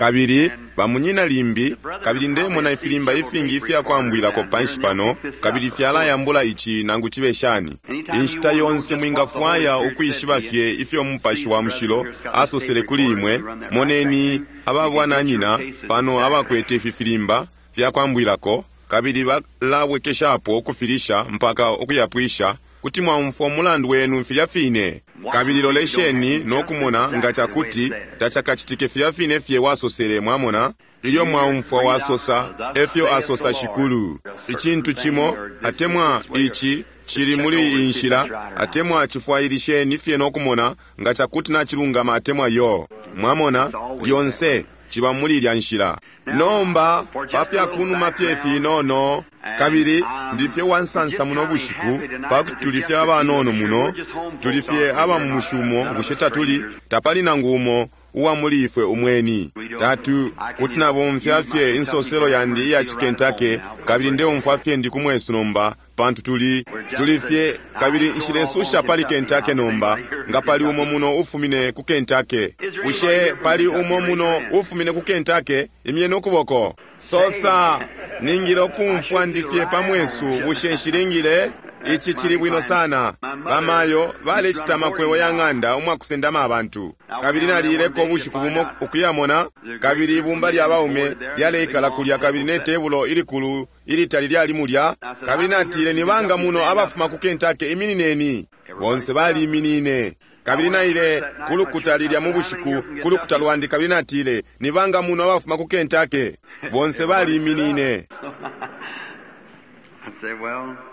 Kabili bamunyina limbi, kabili ndemona ifilimba ifingi ifya kwambwilako panshi pano, kabili fyalayambula ici nangu cibe shani. Inshita yonse mwingafwaya ukwishiba fye ifyo Mupashi wa Mushilo asosele kuli imwe, moneni aba bwananyina pano abakwete ifi filimba fya kwambwilako, kabili balabwekeshapo ukufilisha mpaka ukuyapwisha. Kuti mwaumfwa umulandu wenu filya fine. Kabili lolesheni no kumona nga cakuti tacakacitike filya fine fye wasosele, mwamona. Ilyo mwaumfwa wasosa, efyo asosa Shikulu. Icintu cimo, atemwa ici cili muli iyi nshila, atemwa cifwailisheni fye no kumona nga cakuti nacilungama atemwa iyo. Mwamona, lyonse ciba muli ilya nshila. Nomba, pa fya kunuma fye finono, kabili ndi fye wansansa muno bushiku, pakuti tuli fye abanono muno, tuli fye aba mu mushi umo, bushe tatuli? Tapali nangu umo uwa muli ifwe umweni. Tatu, kuti nabomfya fye insoselo yandi iya ci Kentucky, kabili ndeumfwa fye ndi ku mwesu nomba, pantu tuli, tuli fye, kabili nshilesusha pali Kentucky nomba, nga pali umo muno ufumine ku Kentucky. Bushe pali umo muno ufumine ku Kentucky? Imyeni ukuboko. Sosa, Ningile ukumfwa ndi fye pa mwesu, bushe nshilingile? Ici cili bwino sana. Bamayo balecita amakwebo ya ng'anda umwakusendama abantu. Kabili naliileko ubushiku bumo ukuyamona, kabili ibumba lya baume lyaleikala kulya kabili ne tebulo ilikulu ilitali lyali mulya. Kabili natile, Ni banga muno abafuma ku Kentucky? Iminineni. Bonse baliiminine. Kabili naile ku lukuta lilya mu bushiku, ku lukuta lwandi, kabili natile, Ni banga muno abafuma ku Kentucky? Bonse baliiminine.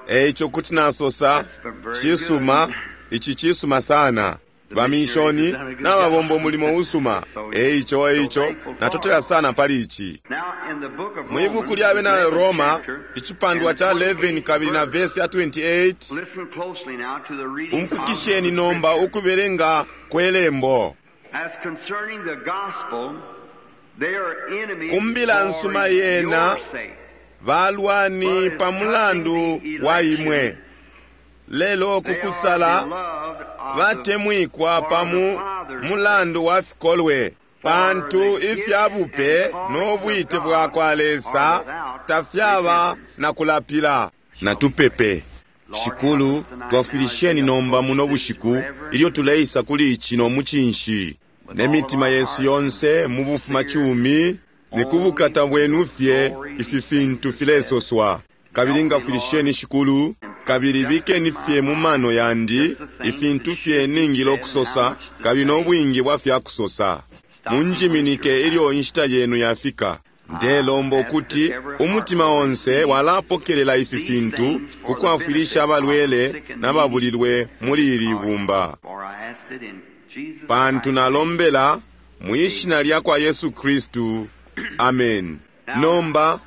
E ico kuti nasosa, Cisuma, ici cisuma sana. Baminshoni nababomba umulimo usuma. E ico, e ico natotela sana pali ici. Mwi buku lya Bena Roma, icipandwa ca 11 kabili na vesi ya 28, umfwikisheni nomba ukubelenga kwe lembo. Ku mbila nsuma yena balwani pa mulandu wa imwe, lelo kukusala batemwikwa pa mu mulandu wa fikolwe, pantu ifya bupe no bwite bwa kwa Lesa tafyaba na kulapila. Natupepe. Shikulu, twafwilisheni nomba muno bushiku ilyo tuleisa kuli ici no mucinshi ne mitima yesu yonse mu bufumacumi. Ni ku bukata bwenu fye ifi fintu filesoswa. Kabili ngafwilisheni, Shikulu, kabili bikeni fye mu mano yandi ifintu fye ningile ukusosa kabili no bwingi bwa fya kusosa. Munjiminike ilyo inshita yenu yafika. Ndelomba ukuti umutima onse walapokelela ifi fintu ku kwafwilisha abalwele na babulilwe muli ili bumba. Pantu nalombela mwi shina lya kwa Yesu Kristu. Amen. Nomba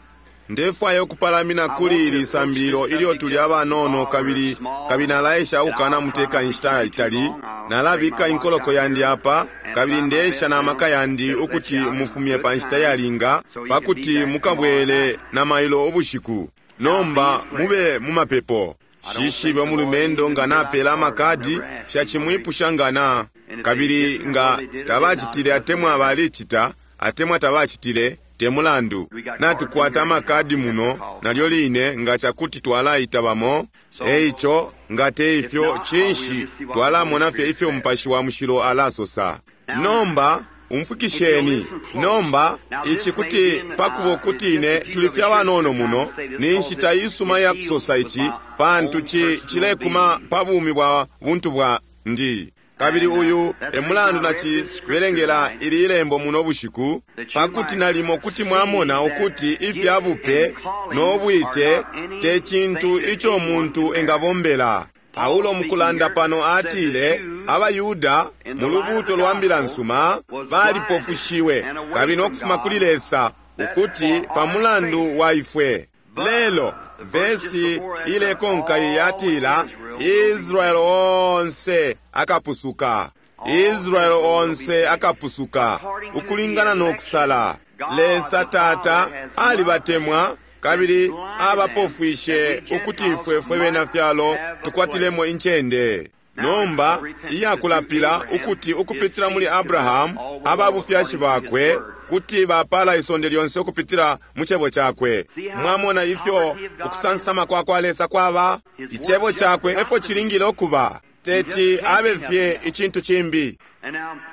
ndefwaya ukupalamina kuli ili sambililo ilyo tuli abanono, kabili kabili nalaesha ukukanamuteka inshita itali. Nalabika inkoloko yandi apa, kabili ndeesha na maka yandi ukuti mufumye pa nshita yalinga pa kuti mukabwele na mailo ubushiku. Nomba mube mu mapepo. Shishibe umulumendo nga napela amakadi, nshacimwipusha nga na, kabili nga tabacitile atemwa balicita atemwa tabacitile, te mulandu. Natukwata amakadi muno nalyo line nga cakuti twalaita bamo. E ico nga te ifyo, cinshi, twalamona fye ifyo Mupashi wa Mushilo alasosa. Nomba umfwikisheni nomba ici kuti pakuba ukuti ine tuli fye abanono muno, ni nshita isuma ya kusosa ici, pantu ci cilekuma pa bumi bwa buntu bwandi. Kabili uyu e mulandu nacibelengela ili ilembo muno bushiku, pakuti nalimo kuti mwamona ukuti ifya bupe no bwite te cintu ico muntu engabombela. Paulo mukulanda pano atile abaYuda mu lubuuto lwa mbila nsuma balipofushiwe kabili no kufuma kuli Lesa, ukuti pa mulandu wa ifwe. Lelo vesi ilekonka yatila Israel onse akapusuka. Israel onse akapusuka ukulingana no kusala. Lesa Tata alibatemwa kabili abapofwishe ukuti ifwe fwe bena fyalo tukwatilemo incende. Nomba iyakulapila ukuti ukupitila muli Abrahamu aba bufyashi bakwe kuti bapala isonde lyonse ukupitila mu cebo cakwe. Mwamona ifyo ukusansama kwa kwa Lesa kwaba? Icebo cakwe efo cilingile ukuba. Teti abe fye icintu cimbi.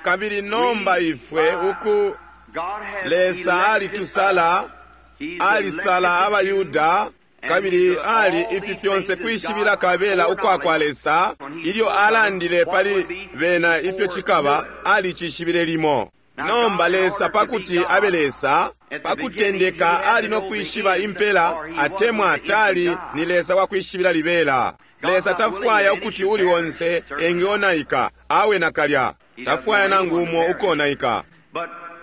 Kabili nomba ifwe uku Lesa alitusala, alisala abaYuda, kabili ali ifi fyonse kwishibila kabela ukwa kwa Lesa. Ilyo alandile pali bena ifyo cikaba, alicishibile limo. Nomba Lesa pakuti abe Lesa, pakutendeka ali no kwishiba impela, atemwa tali ni Lesa wa kwishibila libela. Lesa tafwaya ukuti uli onse engeonaika, awe nakalya. Tafwaya nangu umo ukonaika.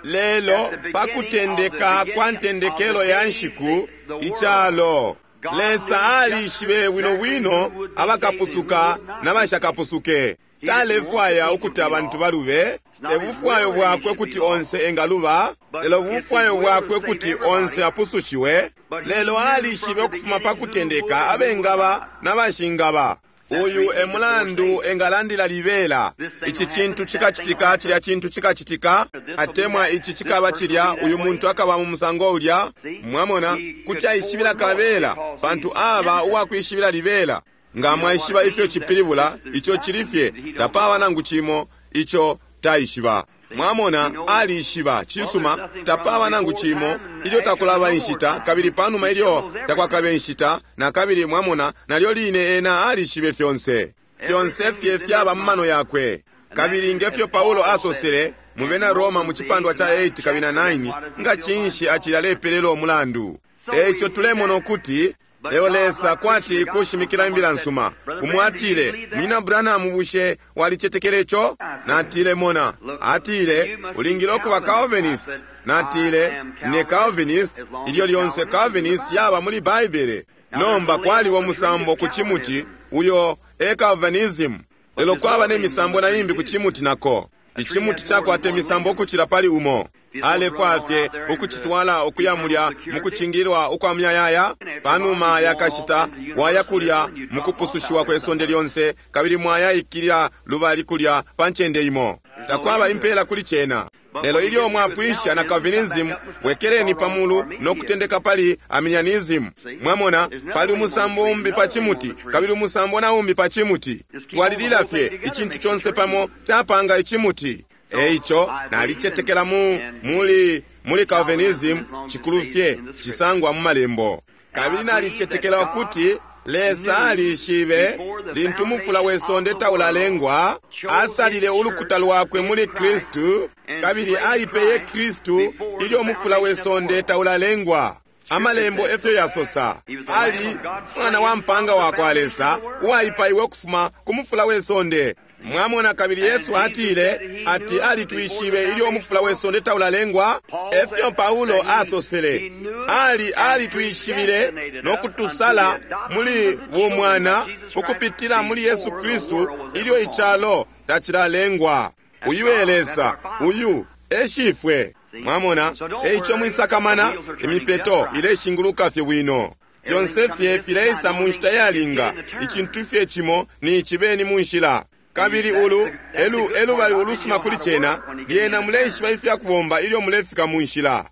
Lelo pakutendeka kwa ntendekelo ya nshiku icalo, Lesa alishibe bwino bwino abakapusuka na bashakapusuke. Talefwaya ukuti abantu balube. Te bufwayo bwakwe kuti onse engaluba, lelo bufwayo bwakwe kuti onse apusushiwe. Lelo alishibe ukufuma pa kutendeka abengaba na bashingaba. Uyu e mulandu engalandila libela. Ici cintu cikacitika, cilya cintu cikacitika, atemwa ici cikaba cilya, uyu muntu akaba mu musango ulya. Mwamona, kuti aishibila kabela, pantu aba uwakwishibila libela. Nga mwaishiba ifyo cipilibula, ico cili fye, tapaba nangu cimo ico taishiba. Mwamona, alishiba, cisuma, tapaba nangu cimo ilyo takulaba inshita, kabili panuma ilyo takwakabe inshita, na kabili mwamona, nalyo line ena alishibe fyonse. Fyonse fye fyaba mu mano yakwe. Kabili ngefyo Paulo asosele mu bena Roma mu cipandwa ca 8 kabili na 9, nga cinshi acili alepelela umulandu. Eico tulemona ukuti lelo Lesa kwati kushimikila imbila nsuma. Umo atile, Munyina Branham, bushe walicetekele ico? Natile, mona. Atile, ulingile ukuba Calvinist. Natile, ne Calvinist, ilyo lyonse Calvinist yaba muli Baibele. Nomba kwaliba umusambo ku cimuti, uyo e Calvinism. Lelo kwaba ne misambo na imbi ku cimuti nako. Icimuti cakwata imisambo ukucila pali umo. Alefwaya fye ukucitwala ukuya mulya mukucingilwa ukwa muyayaya. Panuma yakashita waya kulya mukupusushiwa kwe sonde lyonse, kabili mwaya ikilila lubali kulya pa ncende imo. Takwaba impela kuli cena. Lelo ilyo mwapwisha na Calvinism, bwekeleni pamulu no kutendeka pali Arminianism. Mwamona, pali umusambo umbi pa cimuti, kabili umusambo na umbi pa cimuti. Twalilila fye icintu conse pamo capanga icimuti. Eico nalicetekela mu muli muli Calvinism, cikulu fye cisangwa mu malembo. Kabili nalicetekela ukuti Lesa alishibe lintu mufula we sonde taulalengwa, asalile ulukuta lwakwe muli Kristu, kabili alipeye Kristu ilyo mufula we sonde taulalengwa. Amalembo efyo yasosa. Ali mwana wa mpanga wa kwa Lesa uwaipaiwe ukufuma ku mufula we sonde. Mwamona, kabili Yesu atile ati alitwishibe ilyo umufula we sonde taulalengwa. Efyo Paulo asosele, ali alitwishibile no kutusala muli bumwana ukupitila muli Yesu Kristu ilyo icalo tacilalengwa. Uyu e Lesa, uyu e Shifwe. Mwamona, eico mwisakamana, imipeto ileshinguluka fye bwino. Fyonse fye fileisa mu nshita yalinga. Icintu fye cimo ni cibeni mu nshila. Kabili ulu elu elubali ulusuma kuli cena, lyena muleishiba ifya kubomba ilyo mulefika mu nshila.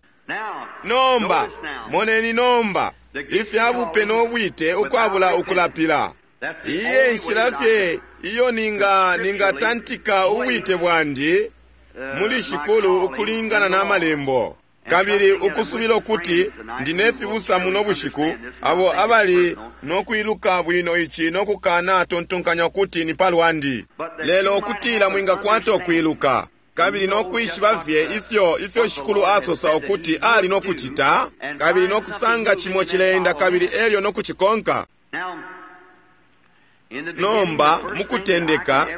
Nomba moneni nomba ifya bupe no bwite ukwabula ukulapila. Iye nshila fye iyo ninga ningatantika ubwite bwandi muli Shikulu ukulingana na malembo. Kabili ukusubila ukuti ndi ne fibusa muno bushiku abo abali no kwiluka bwino ici no kukana tontonkanya ukuti ni palwandi, lelo ukutila mwingakwata ukwiluka kabili no kwishiba fye ifyo ifyo Shikulu asosa ukuti ali no kucita, kabili no kusanga cimo cileenda kabili elyo no kucikonka. Nomba mukutendeka,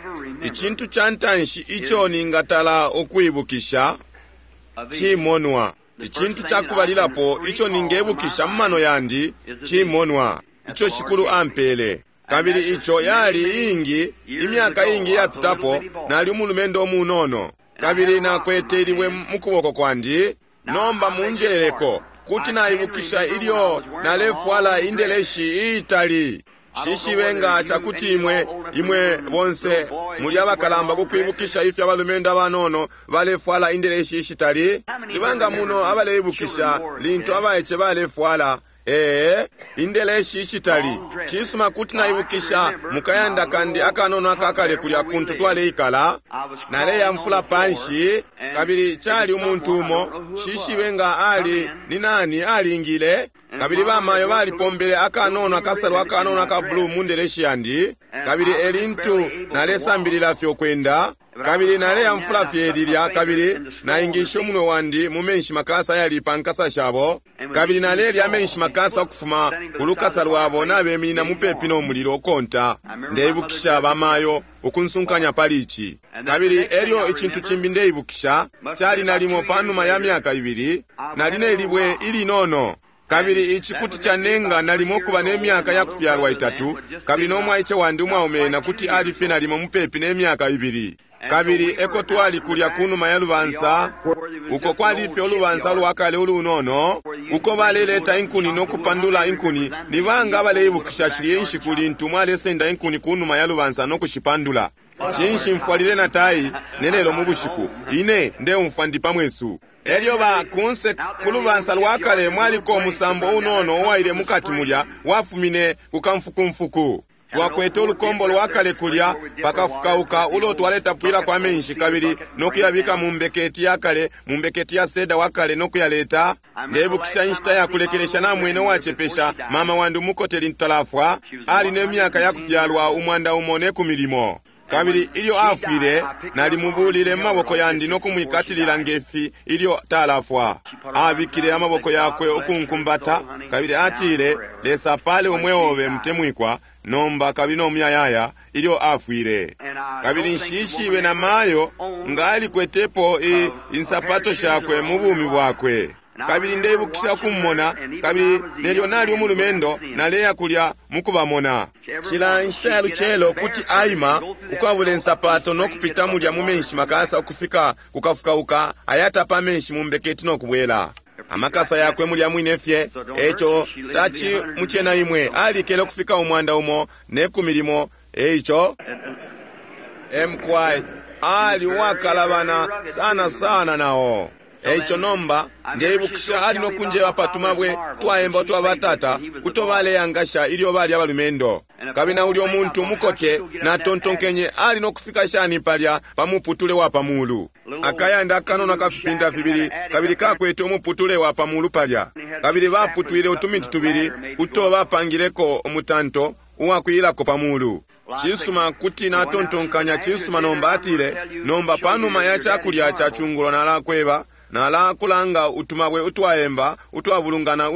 icintu ca ntanshi ico ningatala ukwibukisha cimonwa. Icintu ca kubalilapo ico ningebukisha mu mano yandi cimonwa ico Shikulu ampele. Kabili ico yali ingi, imyaka ingi yapitapo, nali umulumendo umunono, kabili nakwete ilibwe mu kuboko kwandi. Nomba munjeleleko, kuti naibukisha ilyo nalefwala indeleshi iitali. Nshishibe nga cakuti imwe, imwe bonse muli abakalamba ku kwibukisha ifyo abalumendo abanono balefwala indeleshi ishitali. Ni banga muno abaleibukisha lintu abaice balefwala ee indeleshi ishitali? Cisuma, kuti naibukisha mukayanda kandi akanono akakale kulya kuntu twaleikala, naleyamfula panshi, kabili cali umuntu umo, nshishibe nga ali ni nani alingile, kabili bamayo balipombele akanono akasalu akanono aka blue mu ndeleshi yandi, kabili elintu nalesambilila fye ukwenda, kabili naleyamfula fye lilya, kabili naingishe umunwe wandi mu menshi makasa ayali pa nkasa shabo, kabili nalelya amenshi makasa ukufuma ku lukasa lwabo nabeminina mupepi no mulilo ukonta. Ndeibukisha bamayo ukunsunkanya pali ici. Kabili elyo icintu cimbi ndeibukisha, cali nalimo panuma ya myaka ibili, nali ne libwe ilinono. Kabili ici kuti canenga nalimo kuba ne myaka ya kufyalwa itatu, kabili no mwaice wandi umwaume na kuti ali fye nalimo mupepi ne myaka ibili. Kabili eko twali kulya kunuma ya lubansa, uko kwali fye ulubansa lwakale ulunono, uko baleleta inkuni no kupandula inkuni. Ni banga abaleibukisha shilye inshiku lintu mwalesenda inkuni kunuma ya lubansa no kushipandula? Cinshi mfwalile na tai nelelo mu bushiku? Ine ndeumfwa ndi pa mwesu. Elyo ba kunse ku lubansa lwakale mwaliko umusambo unono uwaile mukati mulya, wafumine ku kamfukumfuku. Twakwete ulukombo lwakale kulya pakafukauka ulo twaletapwilako amenshi, kabili no kuyabika mu mbeketi yakale, mu mbeketi ya seda wakale, no kuyaleta. Ndeibukisha inshita ya kulekelesha namwene uwacepesha mama wandi umukote lintu talafwa, ali ne myaka ya kufyalwa 110. Kabili ilyo afwile, nalimubulile mu maboko yandi no kumwikatilila ngefi ilyo talafwa. Abikile amaboko yakwe ukunkumbata, kabili atile, Lesa apale umweo obe mutemwikwa, nomba kabili no muyayaya, ilyo afwile. Kabili nshishibe na mayo nga alikwetepo insapato shakwe mu bumi bwakwe. Kabili ndeibukisha ukumumona, kabili nelyo nali umulumendo naleya kulya mukubamona. Cila nshita ya lucelo kuti aima ukwabula insapato no kupita mulya mu menshi makasa ukufika kukafukauka, ayatapa amenshi mu mbeketi no kubwela. Amakasa yakwe mulya mwine fye, eco taci mucena imwe, alikele ukufika 110, eico mqy ali uwakalabana sana sana nao. Eico nomba ndeibukisha ali no kunjeba patumabwe twaemba utwa batata uto baleyangasha ilyo bali abalumendo. Kabili na ulyo muntu umukote natontonkenye ali no kufika shani palya pa muputule wa pamulu. Akayanda akanono akafipinda fibili, kabili kakwete umuputule wa pamulu palya. Kabili baputwile utumiti tubili uto bapangileko umutanto uwakwilako pamulu. Cisuma, kuti natontonkanya cisuma nomba atile, nomba panuma ya cakulya ca cungulo nalakweba, nalakulanga utumabwe utwaemba utwabulungana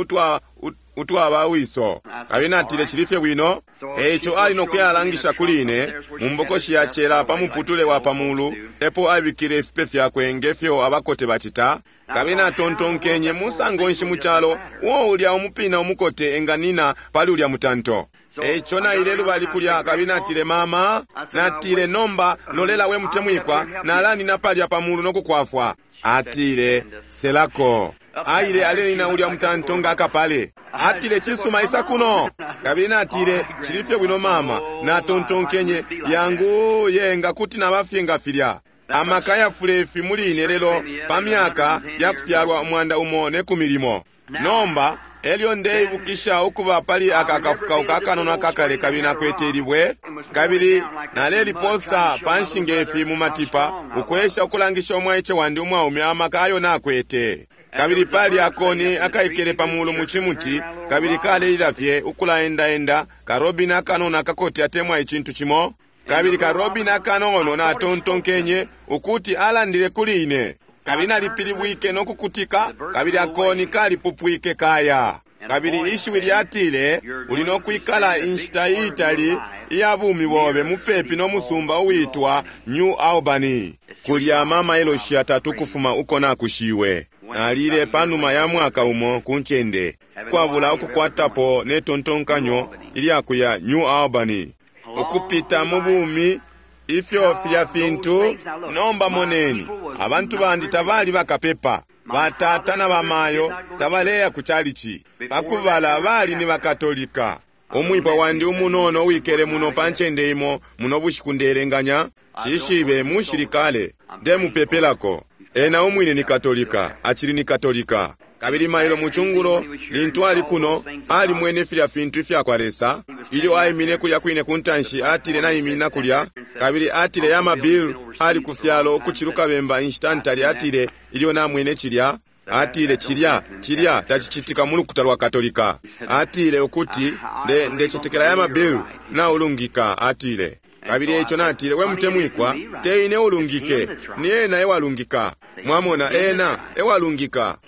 utwaba wiso. Kabili natile cili fye bwino. Eico ali no kuyalangisha kuli ine mu mbokoshi ya cela pa muputule wa pamulu, epo abikile ifipe fyakwe ngefyo abakote bacita. Kabili natontonkenye musango nshi mu calo uo ulya umupina umukote enganina pali ulya mutanto. Eico naile lubali kulya, kabili natile, mama, natile, nomba lolela we mutemwikwa, nalanina palya pamulu no kukwafwa. Atile, selako. Aile alenina ulya mutanto nga akapale. Atile, cisuma, isa kuno. Kabili natile, cili fye bwino mama. Natontonkenye, yangu yenga kuti nabafye nga filya. Amaka yafulefi muli ine lelo pa myaka ya kufyalwa 110. Nomba elyo ndeibukisha ukuba pali aka kafukauka akanono akakale, kabili nakwete ilibwe, kabili naleliposa panshi ngefi mu matipa, ukwesha ukulangisha umwaice wandi umwaume amaka ayo nakwete. Kabili pali akoni akaikele pamulu mu cimuti, kabili kalelila fye ukulaendaenda, karobini akanono akakote atemwa icintu cimo. Kabili karobini akanono natontonkenye ukuti alandile kuli ine. Kabili nalipilibwike no kukutika, kabili akoni kalipupwike kaya. Kabili ishiwi lyatile, uli no kwikala inshita iitali iya bumi bobe mupepi no musumba uwitwa New Albany. Kulya amamailoshi yatatu kufuma uko nakushiwe. Nalile panuma ya mwaka umo ku ncende, kwabula ukukwatapo ne tontonkanyo ilyakuya New Albany. Ukupita mu bumi ifyo filya fintu. Nomba moneni, abantu bandi tabali bakapepa. Batata na bamayo tabaleya ku chalichi. Pakubala bali ni bakatolika. Umwipwa wandi umunono uwikele muno pa ncende imo muno bushiku ndeelenganya, nshishibe, mushilikale. Ndemupepelako. Ena umwine ni Katolika, acili ni Katolika. Kabili mailo mu cungulo, lintu ali kuno, alimwene filya fintu ifyakwa Lesa. Ilyo aimine kulya kwine ku ntanshi, atile naiminina kulya, kabili atile Yama Bill ali ku fyalo ukuciluka bemba inshita ntali, atile, ilyo namwene cilya, atile cilya, cilya tacicitika mu lukuta lwa Katolika. Atile ukuti, nde, ndecetekela Yama Bill naulungika, atile. Kabili eico natile, we mutemwikwa, te ine ulungike, ni ena ewalungika. Mwamona, ena ewalungika.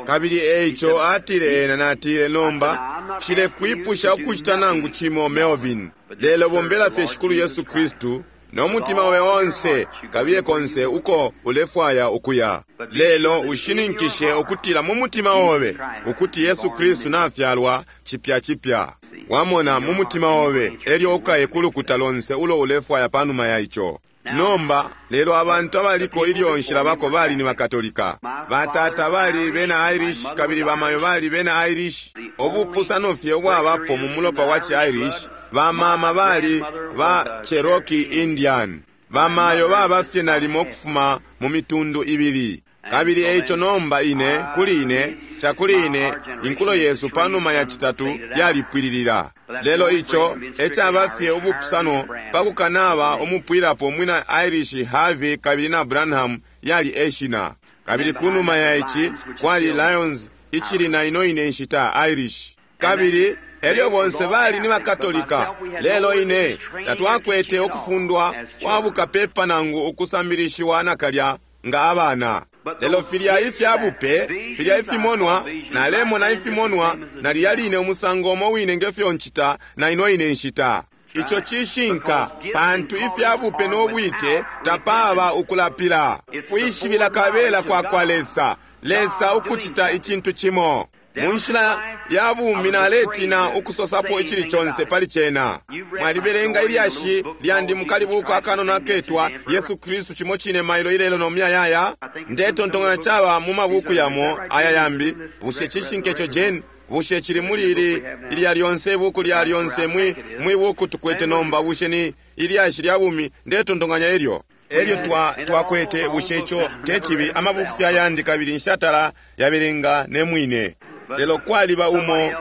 Kabili eico atile ena, natile, nomba, nshilekwipusha ukucita nangu cimo, Melvin, lelo bombela fye Shikulu Yesu Kristu no mutima obe onse, kabiye konse uko ulefwaya ukuya. Lelo ushininkishe ukutila mu mutima obe ukuti Yesu Kristu nafyalwa cipya cipya. Wamona, mu mutima obe, elyo ukaye ku lukuta lonse ulo ulefwaya panuma ya ico. Nomba, lelo abantu abaliko ilyo nshilabako bali ni baKatolika. Batata bali bena Irish kabili bamayo bali bena Irish. Ubupusano fye ubwabapo mu mulopa wa ci Irish, bamama bali ba Cherokee Indian. Bamayo baba fye nalimo ukufuma mu mitundu ibili. Kabili eico nomba ine, kuli ine, cakuli ine, inkulo yesu panuma ya citatu yalipwililila. Lelo ico ecaba fye ubupusano pa kukanaba umupwilapo mwina Irish Harvey kabili na Branham yali eshina. Kabili kunuma ya ici kwali Lyons icili na ino ine nshita Irish. Kabili elyo bonse bali ni bakatolika, lelo ine tatwakwete ukufundwa kwa bukapepa nangu ukusambilishiwa nakalya nga abana. Lelo filya ifya bupe, filya ifimonwa, nalemona ifimonwa, na lilya line umusango umo wine nge fyo ncita na ino ine nshita. Ico cishinka, pantu ifya bupe no bwite tapaba ukulapila. Kwishibila kabela kwa kwa Lesa, Lesa ukucita icintu cimo. Mu nshila ya bumi naletina ukusosapo icili conse pali cena. Mwalibelenga ilyashi lyandi mu kalibuku akanono aketwa Yesu Kristu cimo cine mailo ilelo no muyayaya. Ndetontonkanya caba mu mabuku yamo aya yambi. Bushe cishinka ico, Jane? Bushe cili muli ili ilya lyonse ibuku lya lyonse mwi, mwi buku tukwete nomba? Bushe ni ilyashi lya bumi? Ndetontonkanya elyo. Elyo twa, twakwete, bushe ico te cibi, amabuku fye ayandi kabili nshatala yabelenga ne mwine. Lelo kwaliba umo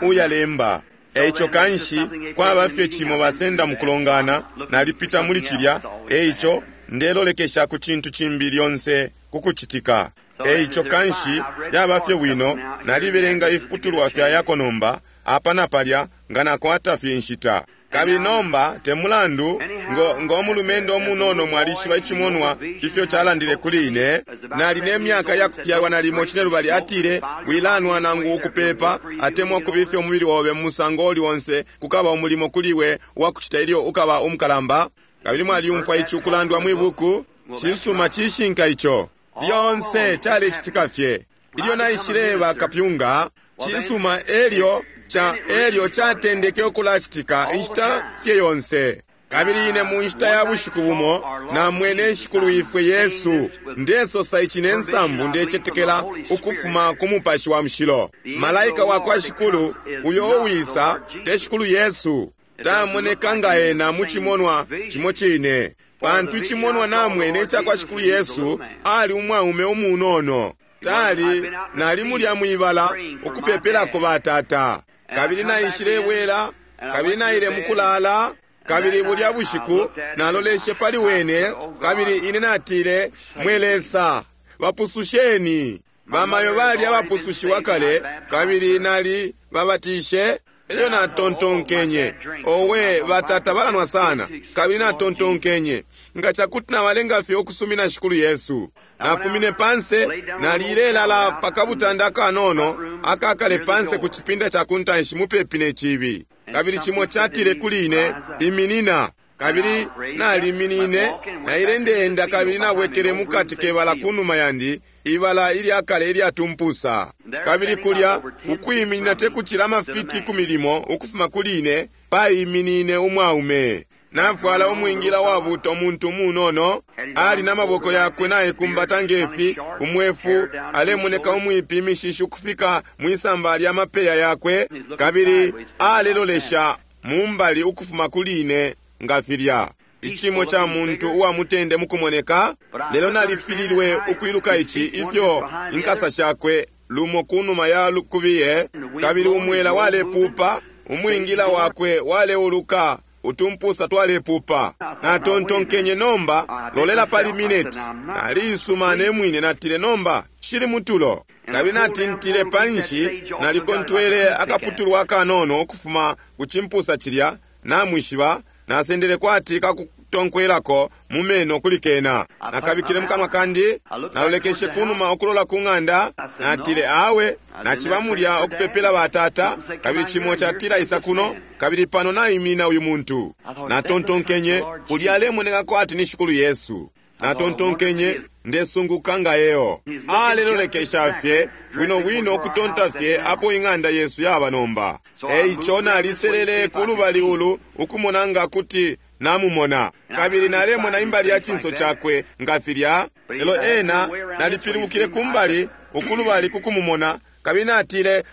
uyalemba. Eico kanshi kwaba fye cimo basenda mukulongana, nalipita muli cilya, eico ndelolekesha ku cintu cimbi lyonse kukucitika. Eico kanshi yaba fye bwino, nalibelenga ifiputulwa fya yako nomba, apa na palya, nga nakwata fye inshita. Kabili nomba te mulandu, ngo, ngo mulumendo umunono mwalishiba icimonwa ifyo calandile kuli ine. Nali ne myaka ya kufyalwa nalimo cinelubali, atile, wilanwa nangu ukupepa, atemwa ukubifya umubili obe mu musango uli onse, kukaba umulimo kuli we uwakucita ilyo ukaba umukalamba. Kabili mwaliumfwa ici ukulandwa mwi buku. Cisuma, cishinka ico. Lyonse calecitika fye. Ilyo naishileba kapyunga, cisuma, elyo ca, elyo catendeke ukulacitika inshita fye yonse. Kabili ine mu nshita ya bushiku bumo namwene Shikulu ifwe Yesu. Ndesosa ici ne nsambu, ndecetekela ukufuma ku Mupashi wa Mushilo. Malaika wa kwa Shikulu uyo uwisa te Shikulu Yesu, tamoneka nga ena mu cimonwa cimo cine. Pantu icimonwa namwene ica kwa Shikulu Yesu ali umwaume umunono. Tali nali mulya mwibala ukupepelako batata. Kabili naishilebwela, kabili naile mukulala, kabili bulya bushiku naloleshe pali wene, kabili ine natile, mwe Lesa, bapususheni. Bamayo bali abapusushiwa kale, kabili nali babatishe. Elyo natontonkenye, owe, batata balanwa sana. Kabili natontonkenye, nga cakuti nabalenga fye ukusumina Shikulu Yesu. Nafumine panse, nalilelala pa kabutanda akanono akakale panse ku cipinda ca kuntanshi mupepi ne cibi. Kabili cimo catile kuli ine, iminina. Kabili naliminine, naile ndeenda kabili nabwekele mukati kebala kunuma yandi, ibala ilyakale ilyatumpusa. Kabili kulya, ukwiminina tekucila amafiti ku milimo ukufuma kuli ine, paiminine umwaume. Nafwala umwingila wabuta, umuntu umunono, ali na maboko yakwe naikumbata ngefi, umwefu, alemoneka umwipi, imishishi ukufika mwisamba lya mapeya yakwe, kabili alelolesha mumbali ukufuma kuli ine nga filya. Icimo ca muntu uwa mutende mukumoneka, lelo nalifililwe ukwiluka ici, ifyo inkasa shakwe lumo kunuma ya lukubiye, kabili umwela walepupa, umwingila wakwe waleuluka, utumpusa twalepupa. Natontonkenye, nomba lolela pali mineti. Naliisuma ne mwine, natile, nomba shili mutulo. Kabili natintile panshi, nalikontwele akaputulwa akanono ukufuma ku cimpusa cilya, namwishiba, nasendele kwati kakutonkwelako mu meno kuli kena. Nakabikile mukanwa kandi, nalolekeshe kunuma ukulola ku ng'anda, natile, awe, naciba mulya ukupepela batata, kabili cimo catila isa kuno, kabili pano naimina uyu muntu. Natontonkenye, ulya alemoneka kwati ni Shikulu Yesu. Natontonkenye, ndesunguka nga eo. Alelolekesha fye bwino bwino ukutonta fye apo ing'anda yesu yaba nomba. Eico naliselele ku lubali ulu ukumona nga kuti namumona, kabili nalemona imbali ya cinso cakwe nga filya. Lelo ena nalipilibukile kumbali ukulubali kukumumona, kabili natile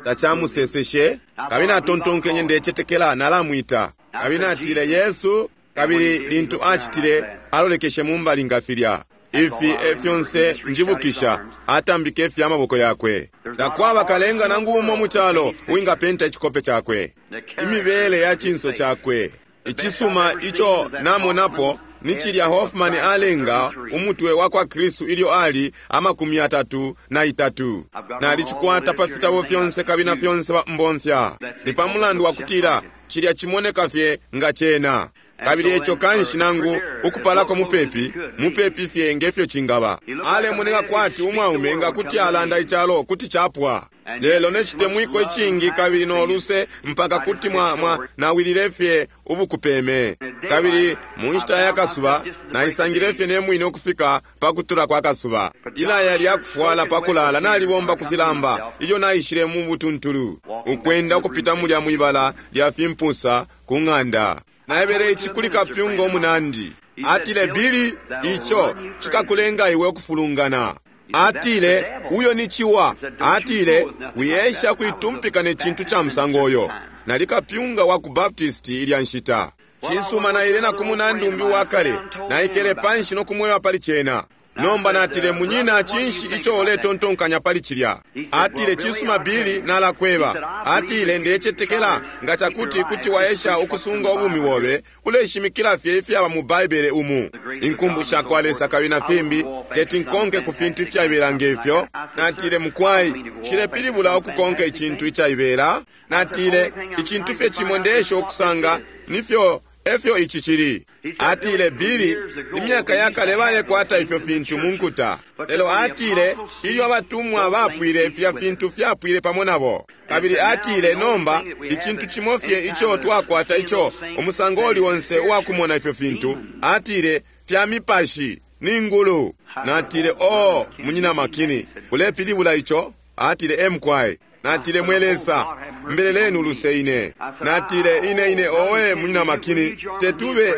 tacamuseseshe. Kabili natontonkenye, ndecetekela nalamwita. Kabili natile, Yesu. Kabili lintu acitile, alolekeshe mumbali nga filya. Ifi e fyonse njibukisha, atambike fye amaboko yakwe. Takwaba kalenga nangu umo mu calo uwingapenta icikope cakwe, imibele ya cinso cakwe. Icisuma ico namonapo ni cilya Hoffman alenga umutwe wa kwa Kristu ilyo ali 33. Nalicikwata pa fitabo fyonse kabili na fyonse mbomfya. Ni pa mulandu wa kutila cilya cimoneka fye nga cena. Kabili eco kanshi nangu ukupalako mupepi, mupepi fye ngefyo cingaba. Alemoneka kwati umwaume nga kuti alanda icalo kuti capwa. Lelo ne citemwiko icingi kabili no luse mpaka kuti mwa nawilile fye ubukupeme. Kabili mu nshita ya kasuba naisangile fye ne mwine ukufika pa kutula kwa kasuba. Ilaya lya kufwala pa kulala nalibomba ku filamba ilyo naishile mu butuntulu, ukwenda ukupita mulya mwibala lya fimpusa ku ng'anda. Naebele ici kuli kapyunga umunandi. Atile, Billy, ico cikakulenga iwe ukufulungana. Atile, uyo ni ciwa. Atile, wiesha kuitumpika ne cintu ca musango uyo. Nali kapyunga wa ku Baptist ilya nshita. Cisuma, naile na ku munandi umbi wa kale. Naikele panshi no kumweba pali cena. Nomba natile, munyina, cinshi ico uletontonkanya pali cilya? Atile, cisuma Billy, nalakweba. Atile, ndecetekela nga cakuti kuti waesha ukusunga ubumi bobe, uleshimikila fye ifyaba mu Baibele umu, inkumbu sha kwa Lesa kabili na fimbi, teti nkonke ku fintu ifyaibela ngefyo. Natile, mukwai, nshilepilibula ukukonka icintu icaibela. Natile, icintu fye cimo ndeesha ukusanga nifyo efyo ici cili. Atile, Billy, imyaka yakale balekwata ifyo fintu mu nkuta. Lelo atile, ilyo abatumwa bapwile, filya fintu fyapwile pamo nabo. Kabili atile, nomba icintu cimo fye ico twakwata ico umusango uli onse uwakumona ifyo fintu, atile, fya mipashi ni ngulu. Natile, oh, munyina Makini, ulepilibula ico? Atile, emkwai. Natile, mwe Lesa, mbeleleni uluse ine. Natile, ine ine, owe munyina Makini,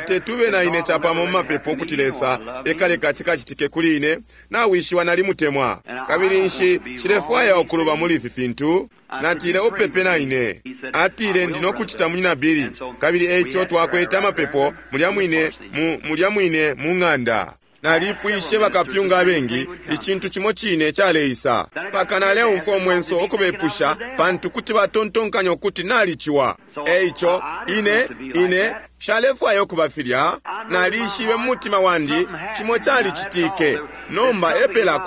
tetube na ine capamo mu mapepo ukuti Lesa ekaleka cikacitike kuli ine. Nawishiwa nalimutemwa, kabili nshi nshilefwaya ukuluba muli ifi fintu. Natile, upepe na ine. Atile, ndi nokucita, munyina Billy. Kabili eico twakwete amapepo mulya mwine mulya mwine mu ng'anda. Nalipwishe bakapyunga abengi, icintu cimo cine caleisa. Mpaka naleumfwa umwenso ukubepusha, pantu kuti batontonkanya ukuti naliciwa. Eico ine ine shalefwaya ukuba filya. Nalishibe mu mutima wandi cimo calicitike. Nomba epela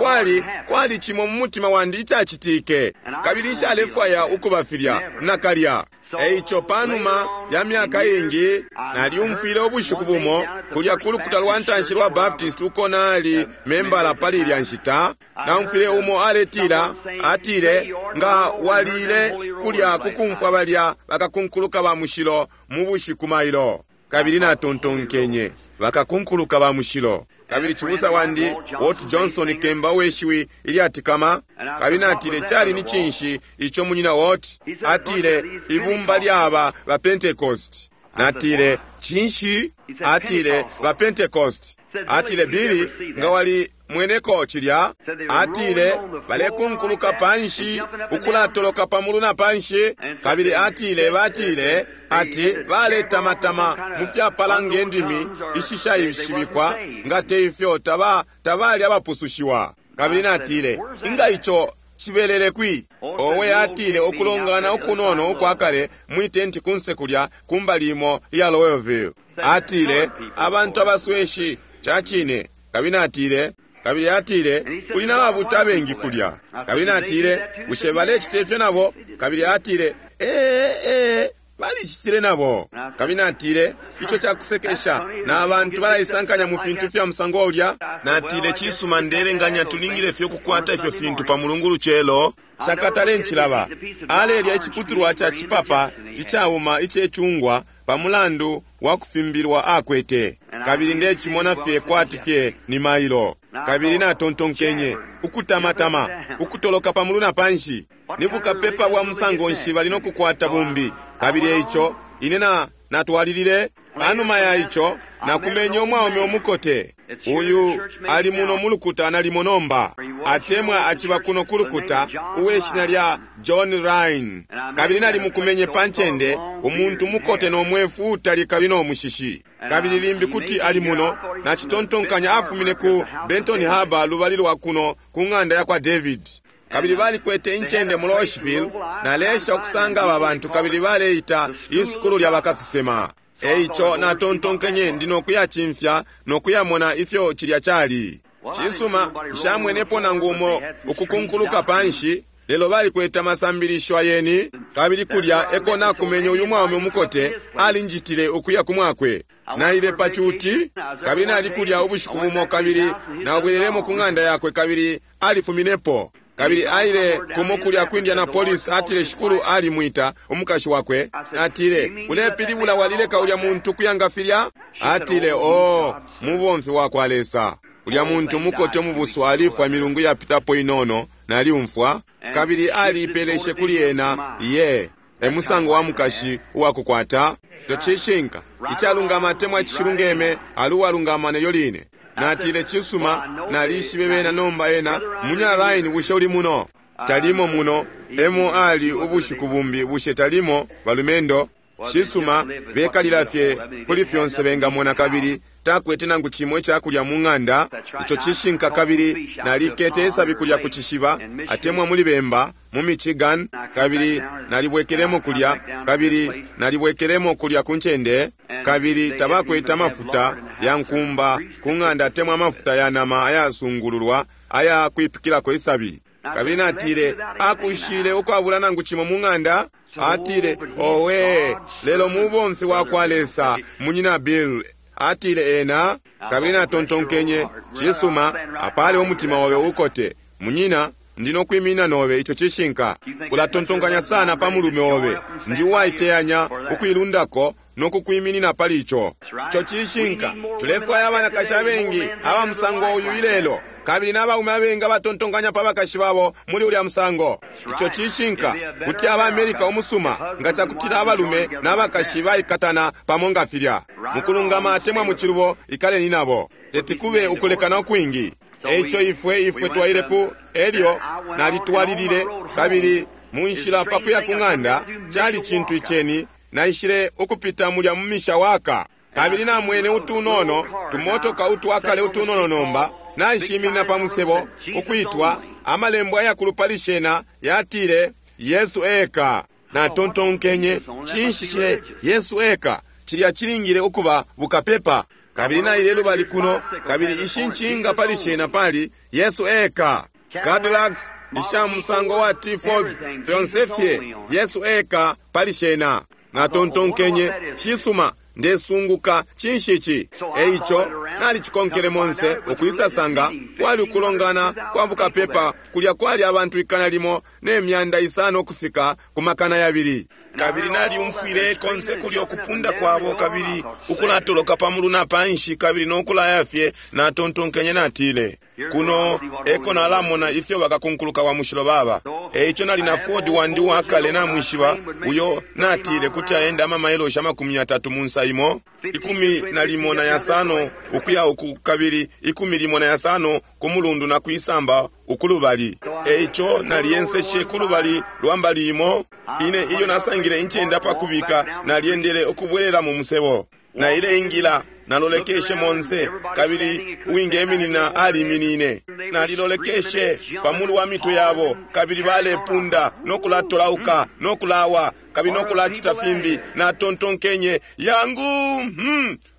kwali cimo mu mutima wandi icacitike, kabili nshalefwaya ukuba filya nakalya. Eico panuma ya myaka ingi nalyumfwile ubushiku bumo kulya ku lukuta lwa ntanshi lwa Baptist uko nali membala pali ilya nshita. Naumfwile umo aletila, atile, nga walile kulya kukumfwa balya bakakunkuluka ba mushilo mu bushiku mailo. Kabili natontonkenye, bakakunkuluka ba mushilo. Kabili cibusa wandi Walt Johnson, kemba weshiwi ilyatikama, kabili natile, cali ni cinshi ico munyina Walt? Atile, ibumba lyaba ba Pentecost. Natile, Cinshi? Atile, Ba Pentecost. Atile, Billy, nga wali mweneko cilya? Atile, Balekunkuluka panshi, ukulatoloka pamulu na panshi. Kabili atile, batile, ati baletamatama mu fyapala nge ndimi ishishaishibikwa, nga te ifyo taba tabali abapusushiwa. Kabili natile, Inga ico cibelele kwi? Owe, atile, ukulongana ukunono ukwa kale mwi tenti kunse kulya kumbali imo iya Louisville. Atile, Abantu abasweshi, ca cine. Kabili natile, kabili atile, Kuli na babuta abengi kulya. Kabili natile, Bushe balecita ifyo nabo? Kabili atile, Ee, ee, balicitile nabo. Kabili natile, Ico cakusekesha, na bantu balaisankanya mu fintu fya musango ulya. Natile, Cisuma, ndeelenganya tulingile fye ukukwata ifyo fintu pa Mulungu lucelo. Nshakatale ncilaba. Alelya iciputulwa ca cipapa icauma ice cungwa pa mulandu wa kufimbilwa akwete. Kabili ndecimona fye kwati fye ni mailo. Kabili natontonkenye, Ukutamatama, ukutoloka pa mulu na panshi, ni bukapepa bwa musango nshi bali no kukwata bumbi? Kabili eico ine na, natwalilile. Panuma ya ico, nakumenye umwaume umukote. Uyu ali muno mu lukuta nalimo nomba, atemwa aciba kuno ku lukuta, uwe shina lya John Rhyn. Kabili nalimukumenye pa ncende, umuntu umukote no mwefu uutali kabili no mushishi. Kabili limbi kuti ali muno, nacitontonkanya afumine ku Benton Harbor lubali lwa kuno ku ng'anda yakwa David. Kabili balikwete incende mu Louisville, naleesha ukusanga aba bantu, kabili baleita isukulu lya bakasesema. E ico natontonkenye ndi no kuyacimfya no kuyamona ifyo cilya cali. Cisuma, nshamwenepo nangu umo ukukunkuluka panshi, lelo balikwete amasambilisho ayeni. Kabili kulya eko nakumenye uyu mwaume umukote, alinjitile ukuya ku mwakwe. Naile pa cuti, kabili nali kulya ubushiku bumo, kabili nabwelelemo ku ng'anda yakwe, kabili alifuminepo. Kabili aile kumo kulya ku Indianapolis, atile Shikulu alimwita, umukashi wakwe. Natile, Ulepilibula walileka ulya muntu kuya nga filya? Atile, Oh, mubomfi wakwa Lesa. Ulya muntu umukote umubusu alifwa imilungu iyapitapo inono, naliumfwa. Kabili aliipeleshe kuli ena. Iye, e musango wa mukashi uwakukwata. Ico cishinka. Icalungama atemwa icishilungeme, ali uwalungama nelyo line. Natile, Cisuma, nalishibe bena nomba ena, Munyina Rhyn, bushe uli muno? Talimo muno, emo ali ubushiku bumbi, bushe talimo, balumendo? Cisuma, bekalila fye kuli fyonse bengamona kabili takwete nangu cimo icakulya mu ng'anda. Ico cishinka. Kabili nalikete isabi kulya ku cishiba, atemwa muli bemba, mu Michigan, kabili nalibwekelemo kulya, kabili nalibwekelemo kulya ku ncende, kabili tabakwete amafuta ya nkumba ku ng'anda atemwa amafuta ya nama ayasungululwa aya kwipikilako isabi. Kabili natile, Akushile ukwabula nangu cimo mu ng'anda? Atile, Owe, lelo mubomfi wakwa Lesa, Munyina Bill, atile ena. Kabili natontonkenye, Cisuma, apale umutima obe ukote, munyina, ndi no kwiminina nobe. Ico cishinka. Ulatontonkanya sana pa mulume obe. Ndi uwaiteyanya ukuilundako no kukwiminina pali ico. Ico cishinka. Tulefwaya abanakashi abengi aba musango uyu ilelo, kabili na baume abengi abatontonkanya pa bakashi babo muli ulya musango. Ico cishinka. Kuti aba America umusuma nga cakutila abalume na bakashi baikatana pamo nga filya. Mukulungama atemwa mucilubo, ikaleni nabo. Teti kube ukulekana ukwingi. Eico ifwe, ifwe twaile ku, elyo nalitwalilile, kabili mu nshila pa kuya ku ng'anda, cali cintu iceni, naishile ukupita mulya mu Mishawaka. Kabili namwene utunono, tumotoka utwakale utunono nomba, naishiminina pa musebo, ukwitwa, amalembo ayakulu pali shena, yatile, Yesu eka. Natontonkenye, Cinshi cile Yesu eka? Cilya cilingile ukuba bukapepa. Kabili naile lubali kuno, kabili ishi ncinga pali shena pali, Yesu eka. Cadillacs, isha musango wa T-Fords, fyonse fye, Yesu eka pali shena. Natontonkenye, Cisuma, ndesunguka cinshi ici? E ico nalicikonkele monse, ukwisasanga kwali ukulongana kwa bukapepa kulya kwali abantu 1,600 ukufika ku 200,000. Kabili nalyumfwile konse kulya ukupunda kwabo kabili ukulatoloka pa mulu na panshi kabili no kulaya fye. Natontonkenye, natile, Kuno eko nalamona ifyo bakakunkuluka wa mushilo baba. Eico nali na Ford wandi uwakale, namwishiba, uyo natile kuti aenda amamailoshi 30 mu nsa imo, 15 ukuya uku kabili 15 ku mulundu na kwisamba ukulubali. Eico naliyenseshe kulubali lwa mbali imo. Ine ilyo nasangile incende apakubika, nalyendele ukubwelela mu musebo. Naile ingila, nalolekeshe monse, kabili uwingeminina aliminine. Nalilolekeshe pamulu wa mitwe yabo, kabili balepunda no kulatolauka no kulawa kabili no kulacita fimbi. Natontonkenye, yangu,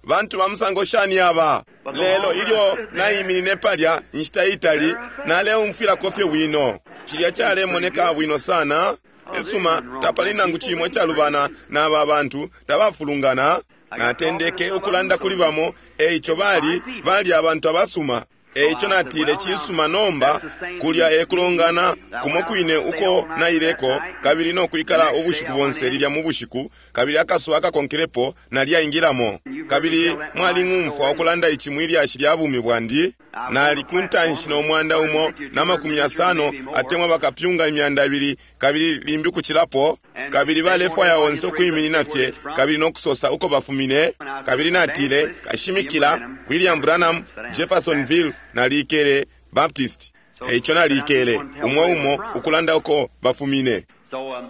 bantu ba musango shani aba? Lelo ilyo naiminine palya inshita itali, naleumfwilako fye bwino. Cilya calemoneka bwino sana. Esuma, tapali nangu cimo icalubana n'aba bantu, tabafulungana. Natendeke ukulanda kuli bamo, eico bali abantu abasuma. Eico natile, cisuma, nomba kulya ekulongana kumo kwine uko naileko, kabili no kwikala ubushiku bonse lilya mu bushiku, kabili akasuba akakonkelepo nalyaingilamo. Kabili mwaling'umfwa ukulanda ici mwilyashi lya bumi bwandi. Nali kuntanshi no 150 atemwa bakapyunga 200, kabili limbi kuchilapo, kabili balefwaya onse ukwiminina fye kabili no kusosa uko bafumine. Kabili natile, kashimikila William Branham, Jeffersonville, nalikele Baptist. Eico nalikele umwe umo ukulanda uko bafumine.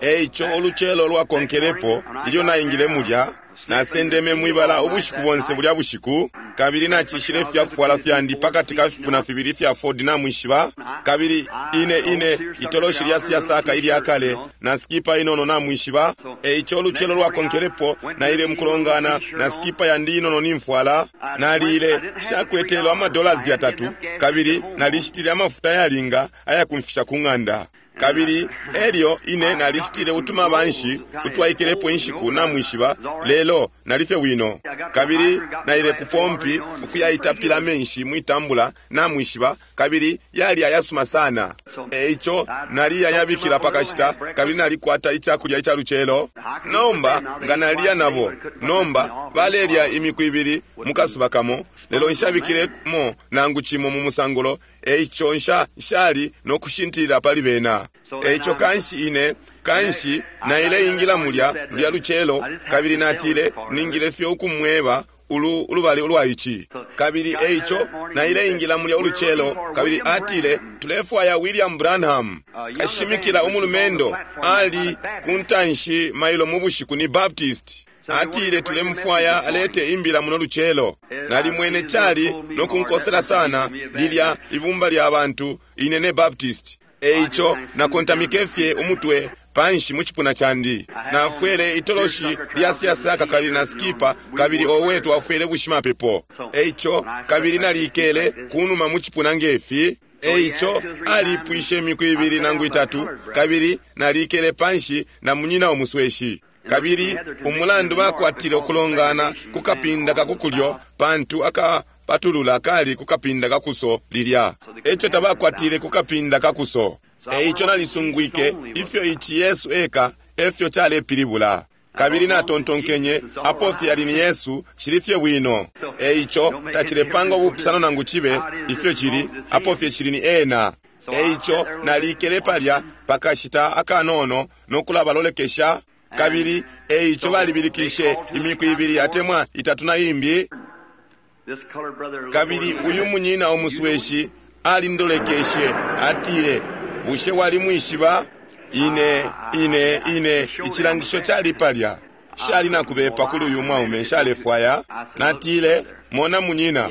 Eico ulucelo lwakonkelepo ilyo naingile mulya, nasendeme mwibala ubushiku bonse bulya bushiku, kabili nachishile ifyakufwala fyandi pakati ka fipuna fibili fya Ford namwishiba, kabili ine itoloshi lya siyasaka ilya kale na skipa inono namwishiba. Eico ulucelo lwakonkelepo naile mukulongana na skipa yandi inono nimfwala. Nalile shakwetelo amadollars 3, kabili nalishitile amafuta yalinga ayakumfisha ku ng'anda. Kabili elyo ine nalishitile utuma banshi utwaikelepo inshiku namwishiba, lelo nalifye wino. Kabili naile ku pompi ukuyaitapila amenshi mwitambula namwishiba, kabili yali ayasuma sana. Eico naliyayabikila pakashita, kabili nalikwata icakulya ica lucelo. Nomba nga naliya nabo, nomba balelya imiku ibili mukasuba kamo, lelo nshabikilemo nangu cimo mu musangulo. Eico nshali no kushintilila pali bena. Eico kanshi ine kanshi naile ingila mulya lya lucelo, kabili natile ningile fye ukumweba ulubali ulwa ici. Kabili eico naile ingila mulya ulucelo, kabili atile tulefwaya William Branham, kashimikila umulumendo ali kuntanshi mailo mu bushiku ni Baptist. Atile tulemufwaya alete imbila muno lucelo. Nalimwene cali no kunkosela sana lilya ibumba lya bantu ine ne Baptist. Eico nakontamike fye umutwe panshi mu cipuna candi. Nafwele itoloshi lya siyasaka kabili na skipa, kabili owe twafwele bushimapepo. Eico kabili nalikele kunuma mu cipuna ngefi. Eico alipwishe imiku ibili nangu itatu, kabili nalikele panshi na munyina umusweshi. Kabili umulandu bakwatile ukulongana ku kapinda kakukulyo, pantu akapatulula kali ku kapinda kakuso lilya. Eco tabakwatile ku kapinda kakuso. Eico nalisungwike ifyo ici Yesu eka efyo calepilibula. Kabili natontonkenye apo fye ali ni Yesu cili fye bwino. Eico tacilepanga ubupusano nangu cibe ifyo cili, apo fye cili ni ena. Eico nalikele palya pakashita akanono no kulabalolekesha. Kabili eico balibilikishe imiku ibili atemwa itatu na imbi. Kabili uyu munyina umusweshi alindolekeshe, atile, bushe walimwishiba? Ine icilangisho cali palya. Shali nakubepa kuli uyu mwaume, nshalefwaya. Natile, mona munyina,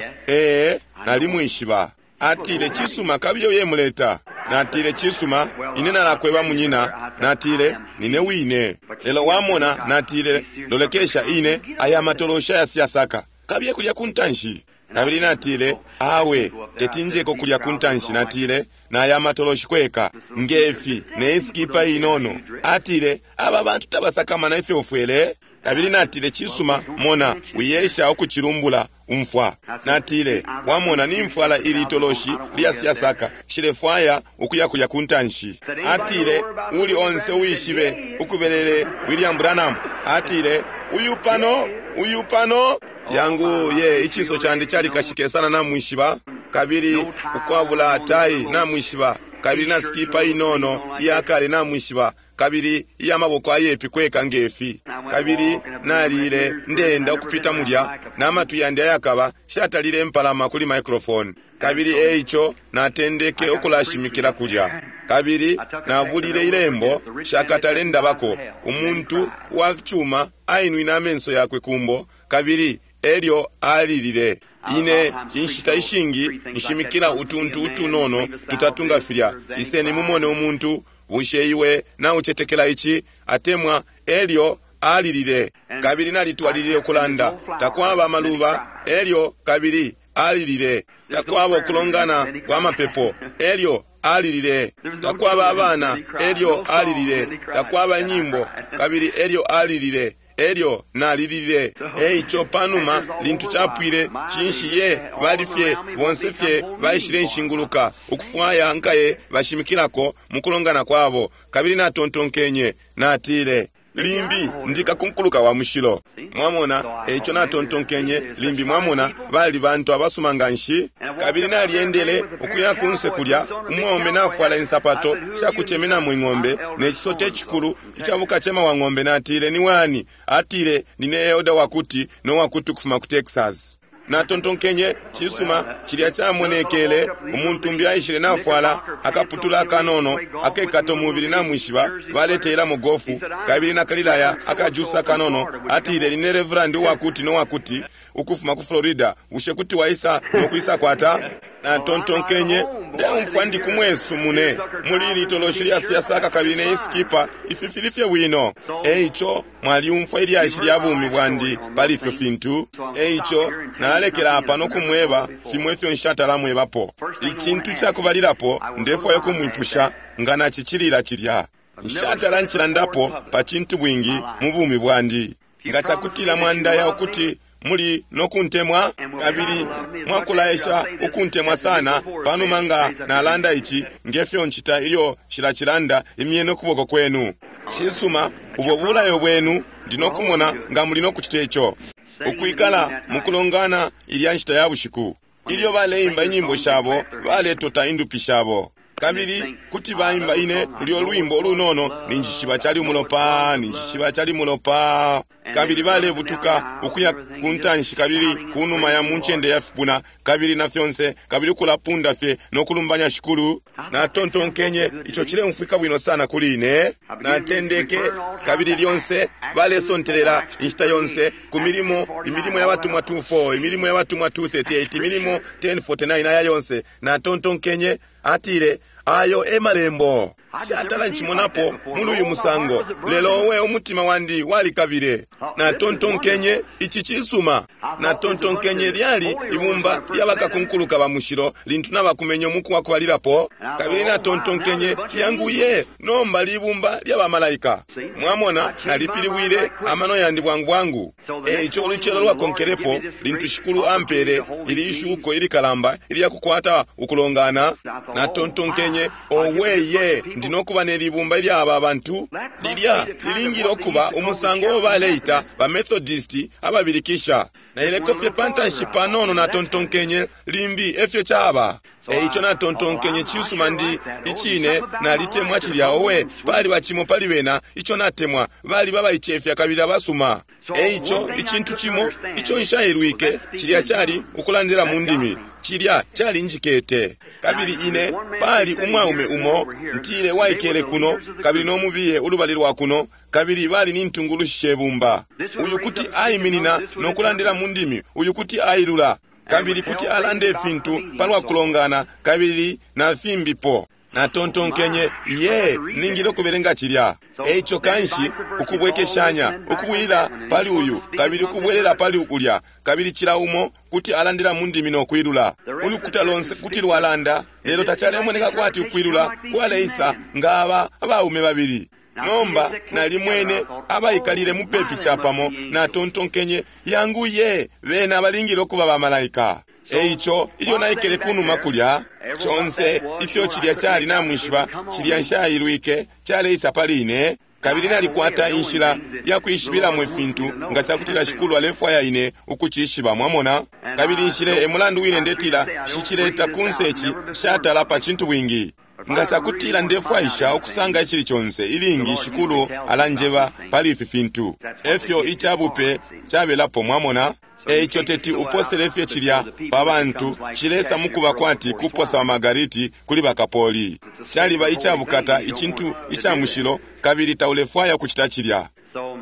nalimwishiba. Atile, cisuma, kabili uye muleta. Natile, cisuma, ine nalakweba munyina. Natile, nine wine. Lelo wamona, natile, lolekesha ine aya matolosha ya siyasaka, kabiye kulya kuntanshi. Kabili natile, awe tetinjeko kulya kuntanshi. Natile, naya matoloshi kweka ngefi neiskipa inono. Atile, aba bantu tabasakamana ifyo ufwele. Kabili natile, cisuma, mona, wiyesha ukucilumbula umfwa. Natile, wamona nimfwala ili itoloshi lya siyasaka, shilefwaya ukuya kulya kuntanshi. Atile, uli onse uwishibe ukubelele William Branham. Atile, uyu pano, uyu pano. Yangu ye ichiso chandi chalikashike sana namwishiba, kabili ukwabula tai namwishiba. kabili na sikipa inono iyakale namwishiba, kabili iya maboko ayepi kweka ngefi. Kabili nalile ndeenda ukupita mulya na matwi yandi ayakaba, shatalile mpalama kuli microphone. Kabili eico natendeke ukulashimikila kulya. Kabili nabulile ilembo shakatale ndabako, umuntu wa cuma ainwine amenso yakwe kumbo, kabili elyo alilile. Ine inshita ishingi nshimikila utuntu utunono tutatu nga filya. Iseni mumone umuntu, bushe iwe naucetekela ici? Atemwa elyo alilile. Kabili nalitwalilile ukulanda, takwaba amaluba, elyo kabili alilile. Takwaba ukulongana kwa mapepo, elyo alilile. Takwaba abana, elyo alilile. Takwaba inyimbo, kabili elyo alilile. Elyo nalilile. Eico panuma lintu capwile, cinshi ye bali fye bonse fye baishile nshinguluka ukufwaya nkaye bashimikilako mukulongana kwabo. Kabili natontonkenye, natile, limbi ndikakunkuluka wa mushilo. Mwamona, eico natontonkenye, limbi mwamona bali bantu abasuma nganshi. Kabili nalyendele ukuya kunse kulya, umwaume nafwala insapato shakucemenamo ing'ombe ne cisote cikulu icabukacema wa ng'ombe. Natile, ni wani? Atile, nine elder wakuti no wakuti ukufuma ku Texas. Natontonkenye, cisuma, cilya camonekele umuntu umbi aishile nafwala akaputula akanono akekata umubili namwishiba, baleteelamo gofu, kabili nakalilaya akajusa akanono. Atile, nine reverend uwakuti no wakuti ukufuma ku Florida, bushe kuti waisa no kwisa kwata? Natontonkenye, ndeumfwa ndi kumwesu mune muli litoloshi lya siyasaka kabili ne iskipa, ifi fili fye bwino. Eico mwaliumfwa ilyashi lya bumi bwandi pali ifyo fintu. Eico nalekela apa no kumweba fimwe ifyo nshatalamwebapo. Icintu cakubalilapo ndefwayo kumwipusha nga nacicilila cilya. Nshatala ncilandapo pa cintu bwingi mu bumi bwandi. Nga cakutila mwandaya ukuti muli nokuntemwa, kabili mwakulaesha ukuntemwa sana panuma nga nalanda ici, ngefyo ncita ilyo nshilacilanda, imyeni ukuboko kwenu. Cisuma, ubo bulayo bwenu, ndi nokumona nga muli nokucita ico. Ukwikala mukulongana ilya nshita ya bushiku, ilyo baleimba inyimbo shabo, baletota indupi shabo. Kabili kuti baimba ine lulyo lwimbo ulunono, ninjishiba cali umulopa, ninjishiba cali mulopa. Kabili balebutuka ukuya ku ntanshi kabili kunuma ya muncende ya fipuna, kabili na fyonse, kabili ukulapunda fye no kulumbanya Shikulu. Natontonkenye, ico cileumfwika bwino sana kuli ine. Natendeke, kabili lyonse balesontelela inshita yonse ku milimo, imilimo ya batumwa 2:4, imilimo ya batumwa 2:38, imilimo 10:49, aya yonse. Natontonkenye, atile, ayo e malembo. Shatala nchimonapo muli uyu musango, lelo owe umutima wandi walikabile. Natontonkenye, ici cisuma. Natontonkenye lyali ibumba lyabakakunkuluka ba mushilo lintu nabakumenye umuku wa kubalilapo. Kabili natontonkenye, yanguye, nomba libumba lyabamalaika. Mwamona, nalipilibwile amano yandi bwangu bwangu. Eico ulucelo lwakonkelepo lintu Shikulu ampele ili ishuko ilikalamba ilyakukwata ukulongana, natontonkenye, oweye, ndi nokuba nelibumba ilya aba bantu. Lilya lilingile ukuba umusango uo baleita ba Methodist ababilikisha. Naileko fye pantanshi panono, natontonkenye, limbi efyo caba. Eico natontonkenye, cisuma, ndi icine nalitemwa cilya. Owe, pali bacimo pali bena ico natemwa, bali babaicefya kabili abasuma. Eico icintu cimo ico nshailwike, cilya cali ukulandila mu ndimi, cilya cali njikete. Kabili ine pali umwaume umo ntile waikele kuno, kabili nomubiye ulubali lwa kuno, kabili bali ni ntungulushi shebumba. Uyu kuti aiminina no kulandila mu ndimi, uyu kuti ailula, kabili kuti alande ifintu palwa kulongana, kabili na fimbipo. Natontonkenye, ye, ningile ukubelenga cilya. Eico kanshi ukubwekeshanya, ukubwila pali uyu, kabili ukubwelela pali ukulya, kabili cila umo kuti alandila mu ndimi no kwilula. Ulukuta lonse kuti lwalanda, lelo tacalemoneka kwati ukwilula kwaleisa nga aba abaume babili. Nomba nalimwene abaikalile mupepi capamo, natontonkenye, yangu ye, bena balingile ukuba bamalaika. Eico ilyo naikele kunuma kulya, conse ifyo cilya cali namwishiba, cilya nshailwike caleisa pali ine. Kabili nalikwata inshila ya kwishibilamo ifintu nga cakutila Shikulu alefwaya ine ukucishiba, mwamona. Kabili nshile e mulandu wine ndetila shicileta kunse ici shatala pa cintu bwingi. Nga cakutila ndefwaisha ukusanga icili conse, ilingi Shikulu alanjeba pali ifi fintu. Efyo icabupe cabelapo, mwamona. Eico teti uposele fye cilya pa bantu, cilesa mukuba kwati kuposa bamagariti kuli bakapoli. Caliba icabukata, icintu ica mushilo, kabili taulefwaya ukucita cilya.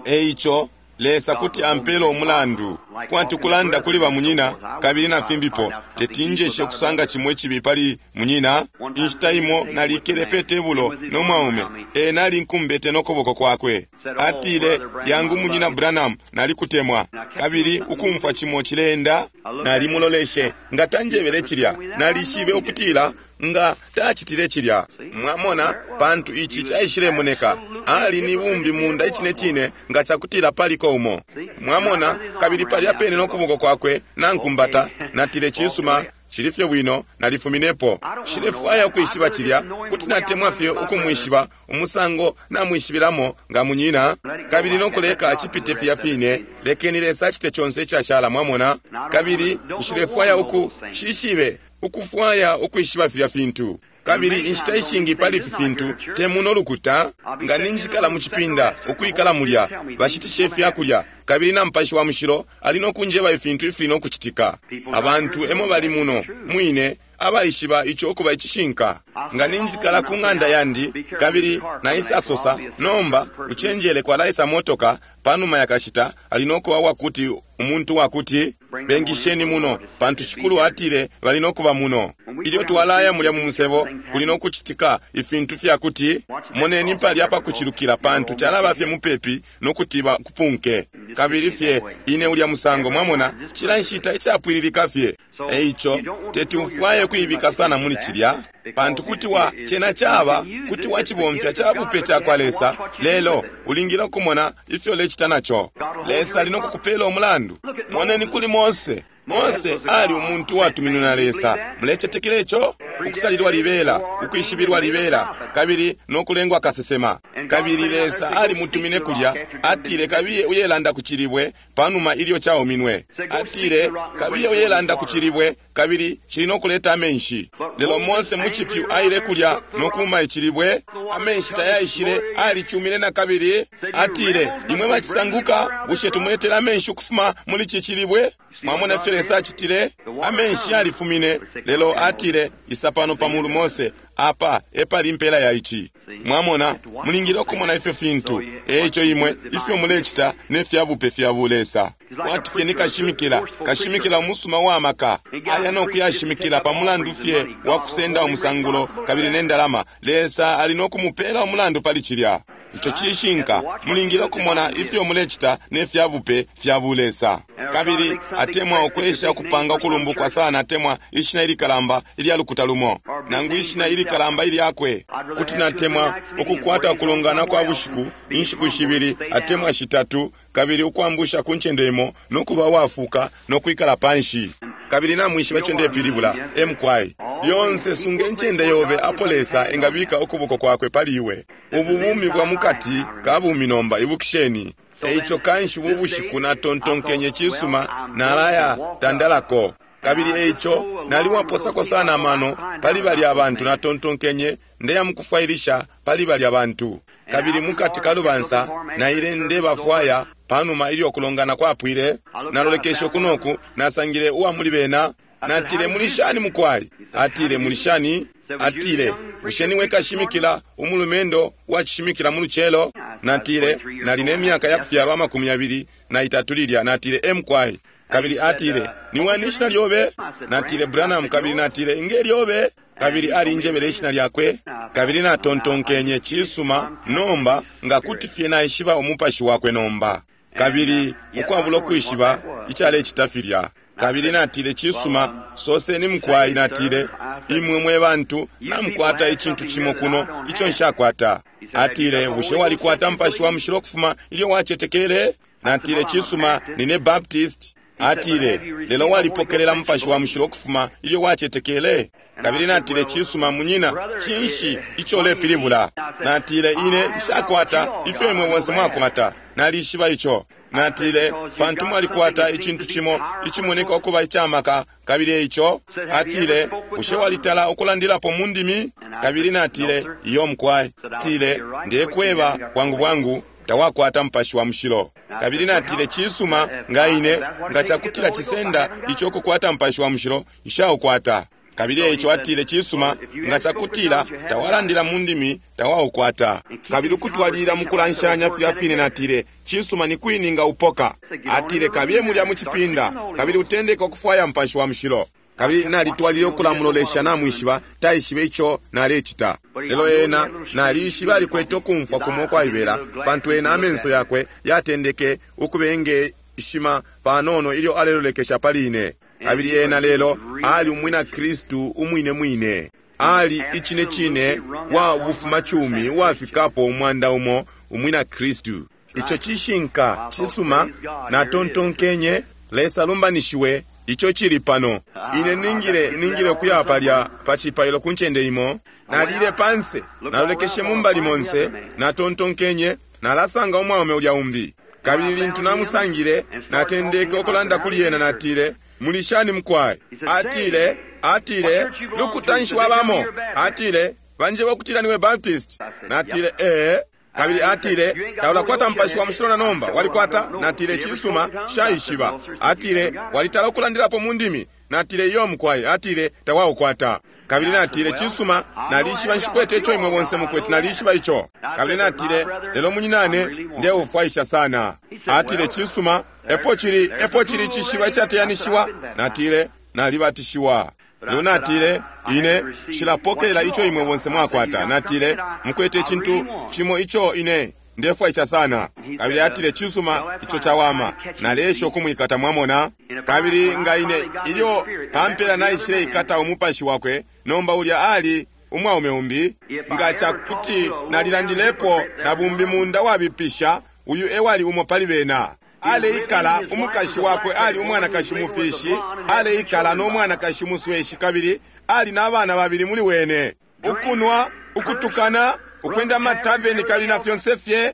Eico Lesa kuti ampela umulandu, kwati kulanda kuli bamunyina kabili na fimbipo. Teti njeshe ukusanga cimo icibi pali munyina. Inshita imo nalikele pe tebulo no mwaume, ena alinkumbete no kuboko kwakwe. Atile, Yangu Munyina Branham, nalikutemwa. Kabili ukumfwa cimo cileenda, nalimuloleshe. Nga tanjebele cilya, nalishibe ukutila nga tacitile cilya. Mwamona, pantu ici caishilemoneka. Ali ni bumbi munda icine cine nga cakutila paliko umo. Mwamona, kabili palya pene no kuboko kwakwe nankumbata, natile cisuma, cili fye bwino, nalifuminepo. Nshilefwaya ukwishiba cilya, kuti natemwa fye ukumwishiba umusango namwishibilamo nga munyina, kabili no kuleka cipite filya fine, lekeni Lesa acite conse icashala, mwamona. Kabili nshilefwaya uku, nshishibe, ukufwaya ukwishiba filya fintu. Kabili inshita ishingi pali ifi fintu, te muno lukuta, nga ninjikala mu cipinda, ukwikala mulya, bashitisha ifyakulya, kabili na Mupashi wa Mushilo ali no kunjeba ifintu ifili no kucitika. Abantu emo bali muno, mwine, abaishiba ico ukuba icishinka. Nga ninjikala ku ng'anda yandi, kabili naisasosa, nomba, ucenjele kwalaisa motoka, panuma yakashita, ali no kuba wakuti, umuntu wakuti, bengisheni muno, pantu Shikulu atile bali no kuba muno. Ilyo twalaya mulya mu musebo, kuli no kucitika ifintu fya kuti, moneni palya pa kucilukila, pantu calaba fye mupepi no kuti bakupunke. Kabili fye ine ulya musango, mwamona, cila nshita icapwililika fye. Eico, teti ufwaye kuibika sana muli cilya, pantu kuti wa, cena caba, kuti wacibomfya ca bupe cakwa Lesa, lelo ulingile ukumona ifyo ulecita naco. Lesa ali no kukupela umulandu. Moneni kuli Mose. Mose ali umuntu uwatuminwe na Lesa. Mulecetekela ico? Ukusalilwa libela, ukwishibilwa libela, kabili no kulengwa kasesema. Kabili Lesa alimutumine kulya, atile kabiye uyelanda ku cilibwe panuma ilyo cauminwe. Atile kabiye uyelanda ku cilibwe, kabili cili no kuleta amenshi. Lelo Mose mu cipyu aile kulya no kuuma icilibwe, amenshi tayaishile, alicumine na kabili. Atile, imwe bacisanguka, bushe tumuletela amenshi ukufuma muli ci cilibwe? Mwamona ifyo Lesa acitile? Amenshi yalifumine, lelo atile, isa pano pa mulu Mose, apa epali impela ya ici. Mwamona, mulingile ukumona ifyo fintu. Eico imwe, ifyo mulecita ne fya bupe fya bulesa. Kwati fye ni kashimikila, kashimikila umusuma wa maka, aya no kuyashimikila pa mulandu fye wa kusenda umusangulo kabili ne ndalama. Lesa ali no kumupela umulandu pali cilya. Ico cishinka, mulingile ukumona ifyo mulecita ne fya bupe fya bulesa. Kabili atemwa ukwesha ukupanga ukulumbukwa sana, atemwa ishina ilikalamba ilya lukuta lumo, nangu ishina ilikalamba ilyakwe. Kuti natemwa ukukwata ukulongana kwa bushiku, inshiku shibili atemwa shitatu, kabili ukwambusha ku ncende imo no kuba uwafuka no kwikala panshi. Kabili namwishiba ico ndepilibula, e mukwai. Lyonse sunga incende yobe apo Lesa engabika ukuboko kwakwe pali iwe. Ubu bumi bwa mukati ka bumi nomba, ibukisheni. Eico kanshi ubu bushiku natontonkenye cisuma nalaya tandalako. Kabili eico naliwaposako sana amano pali balya abantu, natontonkenye ndeya mukufwailisha pali balya bantu. Kabili mukati ka lubansa naile ndebafwaya panuma ilyo kulongana kwapwile. Nalolekeshe kunoku, nasangile uwa muli bena. Natile, muli shani mukwai? Atile, muli shani? Atile, bushe niwe kashimikila umulumendo wacishimikila mu lucelo? Natile, nali ne myaka ya kufyalwa 23 lilya. Natile, e mukwai. Kabili atile, niwani ishina lyobe? Natile, Branham. Kabili natile, inge lyobe? Kabili alinjebele ishina lyakwe. Kabili natontonkenye, cisuma, nomba nga kuti fye naishiba umupashi wakwe nomba. Kabili ukwabula ukwishiba icalecita filya. Kabili natile, cisuma, soseni mukwai. Natile, imwe mwe bantu namukwata icintu cimo kuno ico nshakwata. Atile, bushe walikwata Mupashi wa Mushilo kufuma ilyo wacetekele? Natile, cisuma, nine Baptist. Atile, lelo walipokelela Mupashi wa Mushilo kufuma ilyo wacetekele? Kabili natile, cisuma, munyina, cinshi ico ulepilibula? Natile, ine nshakwata ifyo imwe bonse mwakwata. Nalishiba ico. Natile, Pantu mwalikwata icintu cimo icimoneka ukuba icamaka, kabili eico. Atile, Bushe walitala ukulandilapo mu ndimi? Kabili natile, Iyo mukwai. Atile, Ndekweba bwangu bwangu, tawakwata Mupashi wa Mushilo. Kabili natile, Cisuma, nga ine, nga cakutila cisenda ico ukukwata Mupashi wa Mushilo, nshaukwata. Kabili eico atile, Cisuma, nga cakutila tawalandila mu ndimi, tawaukwata. Kabili ukutwalilila mukulanshanya filya fine, natile, Cisuma, ni kwi ninga upoka? Atile, Kabiye mulya mu cipinda, kabili utendeke ukufwaya Mupashi wa Mushilo. Kabili nalitwalilile ukulamulolesha, namwishiba, taishibe ico nalecita. Lelo ena, nalishibe alikwete ukumfwa kumo ukwaibela, pantu ena amenso yakwe yatendeke ukubengeshima panono ilyo alelolekesha pali ine. Kabili ena lelo ali umwina Kristu umwine mwine. Ali icine cine wa bufumacumi uwafikapo 100 umwina Kristu. Ico cishinka cisuma, natontonkenye, Lesa lumbanishiwe, ico cili pano. Ine ningile, ningile ukuya palya pa cipailo ku ncende imo. Nalile panse, nalolekeshe mu mbali monse, natontonkenye, nalasanga umwaume ulya umbi. Kabili lintu namusangile, natendeke ukulanda kuli ena, natile, Muli shani mukwai? Atile, atile, lukuta nshi wabamo? Atile, banjeba ukutila niwe Baptist. Natile, ee. Kabili atile, taulakwata Mupashi wa Mushilo na nomba, walikwata? Natile, cisuma, nshaishiba. Atile, walitala ukulandilapo mu ndimi? Natile, iyo mukwai. Atile, tawaukwata. Kabili natile, cisuma, nalishiba nshikwete ico imwe bonse mukwete, nalishiba ico. Kabili natile, lelo munyinane, ndeufwaisha sana. Atile, cisuma, epo cili, epo cili icishiba icateyanishiwa. Natile, nalibatishiwa. Lelo natile, ine nshilapokelela ico imwe bonse mwakwata. Natile, mukwete icintu cimo ico ine ndefwaisha sana. Kabili atile, cisuma, ico cawama. Naleesha ukumwikata, mwamona. Kabili nga ine, ilyo pampela naishile ikata umupashi wakwe, nomba ulya ali umwaume umbi. Nga cakuti nalilandilepo na bumbi munda wabipisha, uyu ewali umo pali bena. Aleikala, umukashi wakwe ali umwanakashi mufishi, aleikala no mwanakashi musweshi, kabili ali na bana babili muli wene. Ukunwa, ukutukana, ukwenda mataveni kabili na fyonse fye.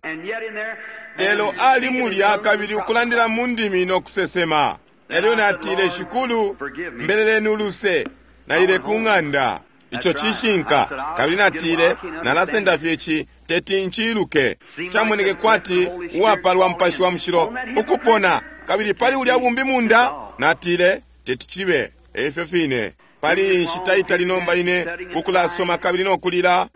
Lelo ali mulya kabili ukulandila mu ndimi no kusesema. Elyo natile, Shikulu, mbeleleni uluse, naile ku ng'anda. Ico cishinka. Kabili natile, nalasenda fye ici, teti nciluke. Camoneke kwati uwapalwa Mupashi wa Mushilo ukupona, kabili pali ulya bumbi munda. Natile, teti cibe efyo fine. Pali inshita itali nomba ine ukulasoma kabili no kulila.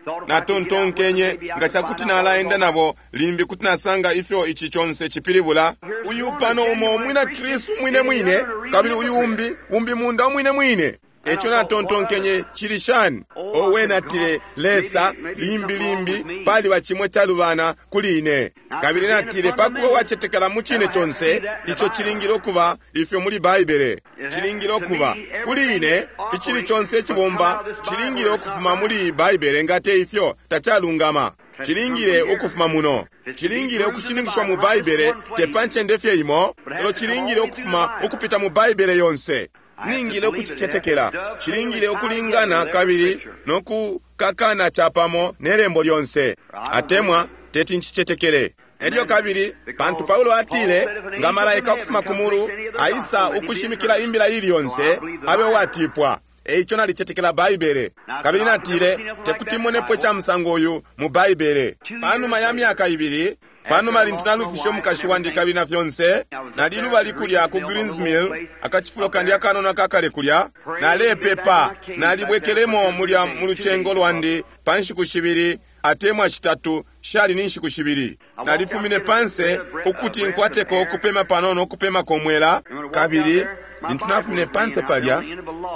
Natontonkenye, nga cakuti nalaenda nabo, limbi kuti nasanga ifyo ici conse cipilibula. Uyu pano umo umwina Kristu umwine mwine, kabili uyu umbi, umbi munda umwine mwine. Eco natontonkenye, cili shani? Owe, natile, Lesa, limbi limbi paliba cimwe calubana kuli ine. Kabili natile, pakuba wacetekela mu cine conse, ico cilingile ukuba ifyo muli Baibele. Cilingile ukuba kuli ine, icili conse icibomba cilingile ukufuma muli Baibele, nga te ifyo tacalungama. Cilingile ukufuma muno. Cilingile ukushininkishwa mu Baibele, te pa ncende fye imo, lelo cilingile ukufuma ukupita mu Baibele yonse. Ningile ukucicetekela. Cilingile ukulingana kabili no kukakana capamo ne lembo lyonse. Atemwa teti ncicetekele. Elyo kabili, pantu Paulo atile, nga malaika ukufuma ku mulu aisa ukushimikila imbila ili yonse, abe uwatipwa. Eico nalicetekela Baibele. Kabili natile, tekuti monepo ica musango uyu mu Baibele. Panuma ya myaka ibili, panuma lintu nalufishe umukashi wandi kabili na fyonse, nalilubali kulya ku Greens Mill, akacifulo kandi akanono akakale kulya, nalepepa, nalibwekelemo mulya mu lucengo lwandi pa nshiku shibili atemwa shitatu, shali ni nshiku shibili. Nalifumine panse ukuti nkwateko ukupema panono, ukupemako mwela. Kabili lintu nafumine panse palya,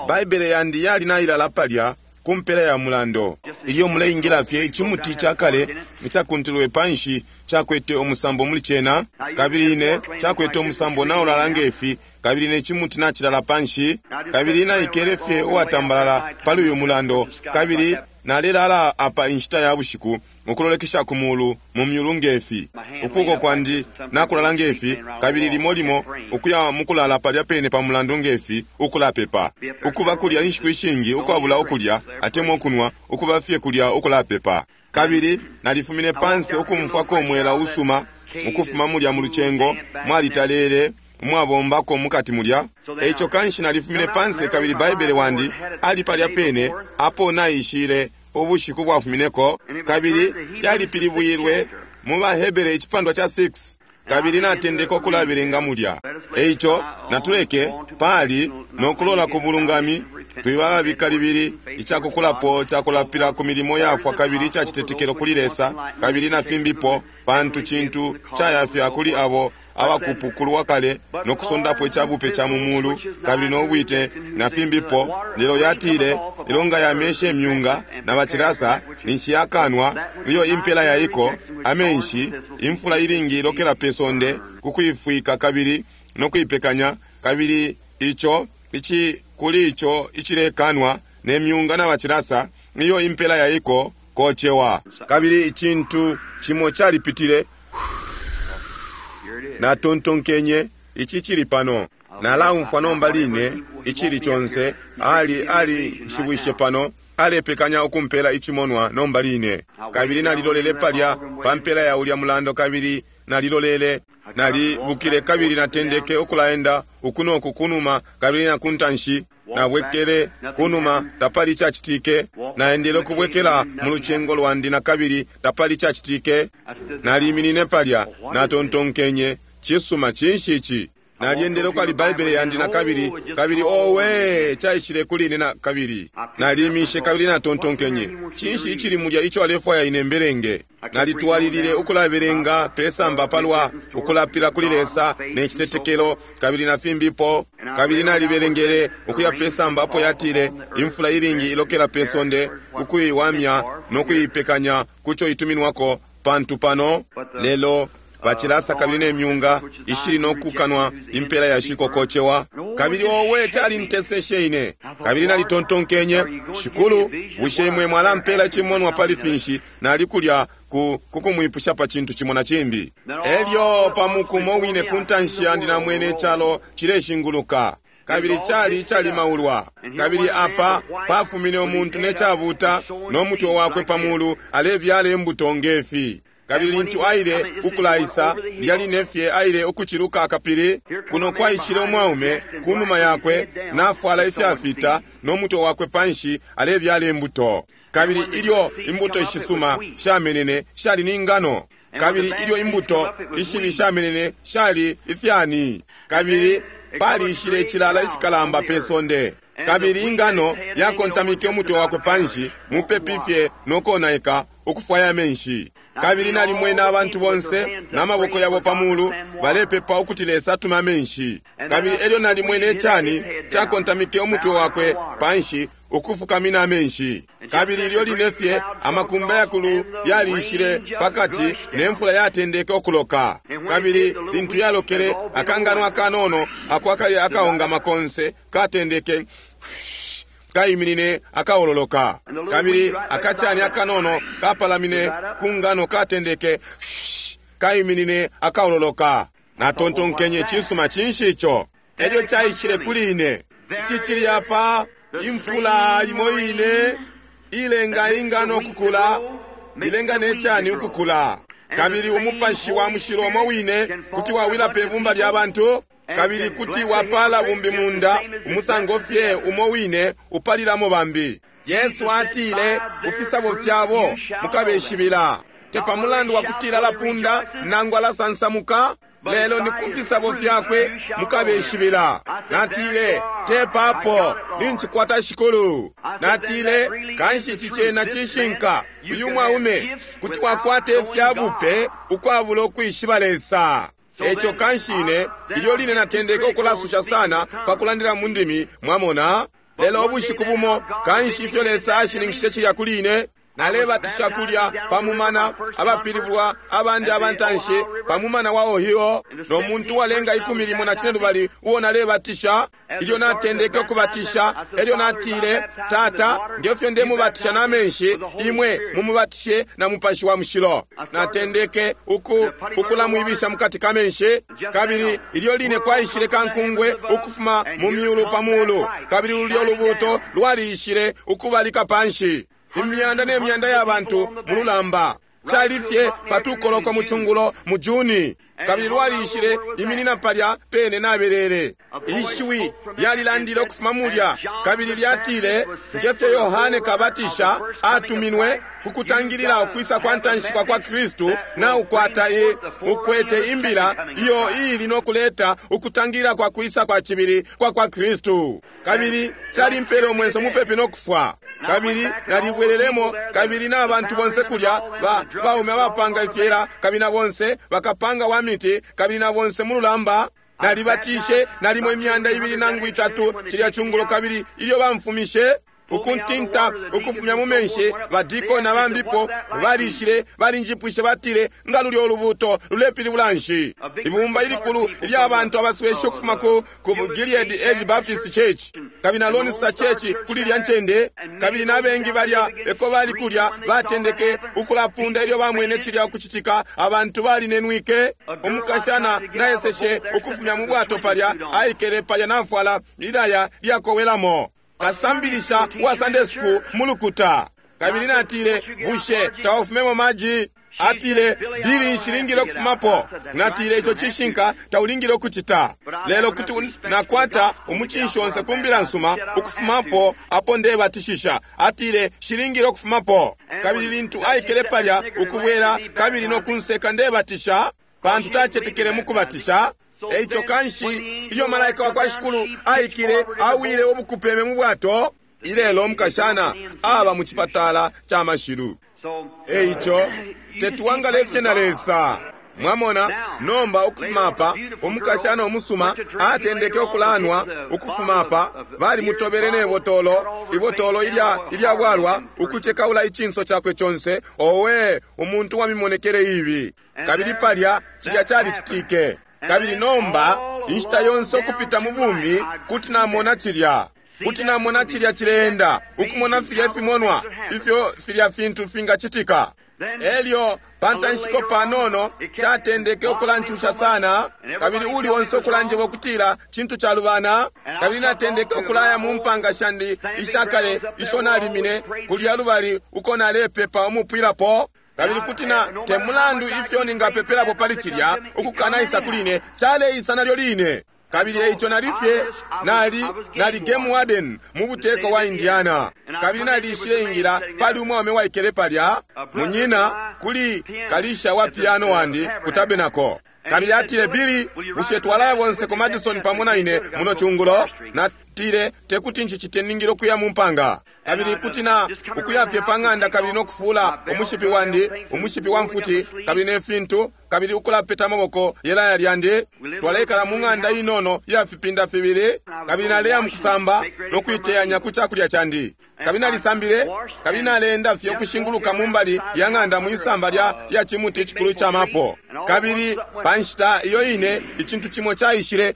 Baibele yandi yali nailala palya ku mpela ya mulando. Ilyo muleingila fye, icimuti cakale icakuntilwe panshi cakwete umusambo muli cena, kabili ine cakwete umusambo naulala ngefi, kabili ne cimuti nacilala panshi, kabili naikele fye uwatambalala pali uyu mulando, kabili nalelala apa inshita ya bushiku ukulolekesha ku mulu mu myulu ngefi, ukuboko kwandi nakulala ngefi, kabili limo limo ukuya mukulala palya pene pa mulandu ngefi, ukulapepa, ukuba kulya inshiku ishingi ukwabula ukulya atemwa ukunwa, ukuba fye kulya ukulapepa. Kabili nalifumine panse ukumfwako umwela usuma. Ukufuma mulya mu lucengo, mwalitalele, umwabombako mukati mulya. Eico kanshi nalifumine panse kabili Baibele wandi ali palya pene apo naishile ubushiku bwafumineko, kabili yalipilibwilwe mu baHebere icipandwa ca 6, kabili natendeke ukulabelenga mulya. Eico natuleke pali no kulola ku bulungami, twiba ababika libili icakukulapo ca kulapila ku milimo yafwa kabili ica citetekelo kuli Lesa, kabili na fimbipo, pantu cintu cayafya kuli abo abakupukulwa kale no kusondapo icabupe ca mu mulu kabili no bwite na fimbipo. Lelo yatile, lelo nga yameshe myunga na bacilasa, ninshi yakanwa iyo impela yaiko amenshi, imfula ilingi ilokela pe sonde ku kuifwika kabili no kuipekanya, kabili ico ici kuli ico icilekanwa ne myunga na bacilasa, iyo impela yaiko kocewa. Kabili icintu cimo calipitile. Natontonkenye, ici cili pano. Nalaumfwa nomba line icili conse. Ali ali nshibwishe pano, alepekanya ukumpela icimonwa nomba line. Kabili nalilolele palya pa mpela ya ulya mulando, kabili nalilolele, nalibukile kabili natendeke ukulaenda uku noku kunuma kabili na kuntanshi. Nabwekele kunuma, tapali icacitike. Naendele ukubwekela mu lucengo lwandi na kabili, tapali icacitike. Naliminine palya, natontonkenye, cisuma, cinshi ici? Nalyendele ukwali Baibele yandi na kabili, kabili owe, caishile kuli ine na kabili. Nalimishe kabili natontonkenye, cinshi icili mulya ico alefwaya ine mbelenge? Nalitwalilile ukulabelenga pesamba palwa ukulapila kuli Lesa ne citetekelo kabili na fimbipo, kabili nalibelengele ukuya pesamba apo yatile imfula ilingi ilokela pe sonde ukuiwamya no kuipekanya kuco ituminwako, pantu pano lelo bacilasa kabili ne myunga ishili no kukanwa impela ya shiko kocewa. Kabili owe, calinteseshe ine. Kabili nalitontonkenye, Shikulu, bushe imwe mwalampela icimonwa pali finshi nali kulya ku kukumwipusha pa cintu cimo na cimbi? Elyo pa mukumo wine ku ntanshi yandi namwene icalo cileshinguluka, kabili cali icalimaulwa. Kabili apa pafumine umuntu ne cabuta no mutwe wakwe pa mulu, alebyala imbuto ngefi. Kabili lintu aile ukulaisa, lilya line fye aile ukuciluka akapili, kuno kwaishile umwaume kunuma yakwe, nafwala ifyafita no mutwe wakwe panshi, alebyala imbuto. Kabili ilyo imbuto ishisuma shamenene, shali ni ngano. Kabili ilyo imbuto ishibi shamenene, shali ifyani. Kabili paliishile icilala icikalamba pe sonde. Kabili ingano yakontamike umutwe wakwe panshi, mupepi fye no konaika, ukufwaya amenshi. Kabili nalimwene abantu bonse na maboko yabo pa mulu balepepa ukuti Lesa atume amenshi. Kabili elyo nalimwene icani cakontamike umutwe wakwe panshi, ukufukamina amenshi. Kabili ilyo line fye amakumba yakulu yaliishile pakati, ne mfula yatendeke ukuloka. Kabili lintu yalokele, akangano akanono ako akali akaongama konse katendeke kaiminine akaololoka. Kabili akacani akanono kapalamine ku ngano katendeke kaiminine akaololoka. Natontonkenye, cisuma, cinshi ico? Elyo caishile kuli ine, ici cili apa, imfula imo ine ilenga ingano ukukula, ilenga ne cani ukukula. Kabili umupashi wa mushilo umo wine kuti wawila pe bumba lya bantu, kabili kuti wapala bumbi munda umusango fye umo wine upalilamo bambi. Yesu atile, kufisabo fyabo mukabeshibila. Te pa mulandu wa kutila alapunda nangu alasansamuka, lelo ni kufisabo fyakwe mukabeshibila. Natile, te papo nincikwata Shikulu. Natile, kanshi ici cena cishinka, uyu mwaume kuti wakwata ifyabupe ukwabula ukwishiba Lesa. Eco kanshi ine ilyo line natendeke ukulasusha sana pa kulandila mu ndimi, mwamona. Lelo ubushiku bumo kanshi ifyo Lesa ashininkishe cilya kuli ine, nalebatisha kulya pa mumana abapilibulwa abandi abantanshi pa mumana wa Ohio, no muntu walenga 15 uo nalebatisha. Ilyo natendeke ukubatisha, elyo natile, Tata, ngefyo ndemubatisha na menshi, imwe mumubatishe na Mupashi wa Mushilo. Natendeke ukulamwibisha mukati ka menshi, kabili ilyo line kwaishile kankungwe ukufuma mu myulu pa mulu, kabili lulyo lubuto lwaliishile ukubalika panshi, imyanda ne myanda ya bantu mu lulamba. Cali fye pa tukoloko mu cungulo mu Juni. Kabili lwalishile iminina palya pene nabelele. Ishiwi lyalilandile ukufuma mulya, kabili lyatile, nge fyo Yohane Kabatisha atuminwe ku kutangilila ukwisa kwa ntanshi kwa kwa Kristu, na ukwata e, ukwete imbila iyo iili no kuleta ukutangilila kwa kwisa kwa cibili kwa kwa Kristu. Kabili calimpele umwenso mupepi no kufwa. Kabili nalibwelelemo, kabili na bantu bonse kulya ba baume abapanga ifyela, kabili na bonse bakapanga wa miti, kabili na bonse mu lulamba. Nalibatishe nalimo imyanda ibili nangu itatu cilya cungulo, kabili ilyo bamfumishe ukuntinta ukufumya mu menshi, badiko na bambipo balishile balinjipwishe, batile, nga lulyo ulubuto lulepilibula nshi? Ibumba ilikulu ilya bantu abasweshe ukufuma ku Gilead Edge Baptist Church kabili na Lone Star Church kuli ilya ncende, kabili na bengi balya eko bali kulya batendeke ukulapunda ilyo bamwene cilya ukucitika. Abantu balinenwike. Umukashana naeseshe ukufumya mu bwato palya, aikele palya nafwala ilaya lyakowelamo, kasambilisha wa Sunday school mulukuta. Kabili natile, bushe taufumemo maji? Atile, Bili, nshilingile ukufumapo. Natile, ico cishinka, taulingile ukucita, lelo kuti nakwata umucinshi onse ku mbila nsuma ukufumapo apo ndebatishisha. Atile, nshilingile ukufumapo. Kabili lintu aikele palya ukubwela kabili no kunseka ndebatisha, pantu tacetekele mu kubatisha. Eico kanshi ilyo malaika wa kwa Shikulu aikile, awile ubukupeme mu bwato. Ilelo umukashana aba mu cipatala ca mashilu. Eico tetuwangale fye na Lesa. Mwamona nomba, ukufuma apa umukashana umusuma atendeke ukulanwa. Ukufuma apa balimutobele ne botolo, ibotolo ilya ilya bwalwa, ukucekaula icinso cakwe conse. Owe, umuntu wa mimonekele ibi! Kabili palya cilya calicitike. Kabili nomba inshita yonse ukupita mu bumi kuti namona cilya, kuti namona cilya cileenda, ukumona filya ifimonwa ifyo filya fintu fingacitika. Elyo pantanshiko panono catendeke ukulancusha sana, kabili uli onse ukulanjeba ukutila cintu calubana. Kabili natendeke ukulaya mu mpanga shandi ishakale isho nalimine kulya lubali uko nalepepa umupwilapo. Kabili kuti na te mulandu ifyo ningapepelapo pali cilya ukukanaisa kuli ine, caleisa nalyo line. Kabili eico nali fye nali nali game warden mu buteko wa Indiana. Kabili nalishile ingila, pali umwaume waikele palya, munyina kuli kalisha wa piano wandi ku tabernacle. Kabili atile, Billy, bushe twalaya bonse ku Madison pamo na ine muno cungulo? Natile, tekuti ncicite, ningile ukuya mu mpanga. Kabili kuti na ukuya fye pa ng'anda kabili no kufula umushipi wandi, umushipi wa mfuti, kabili ne fintu, kabili ukulapeta amaboko yelaya lyandi. Twaleikala mu ng'anda inono ya fipinda fibili, kabili naleya mu kusamba no kuiteyanya ku cakulya candi. Kabili nalisambile, kabili naleenda fye ukushinguluka mu mbali ya ng'anda mwisamba lya lya cimuti icikulu ica mapo. Kabili pa nshita iyo ine icintu cimo caishile,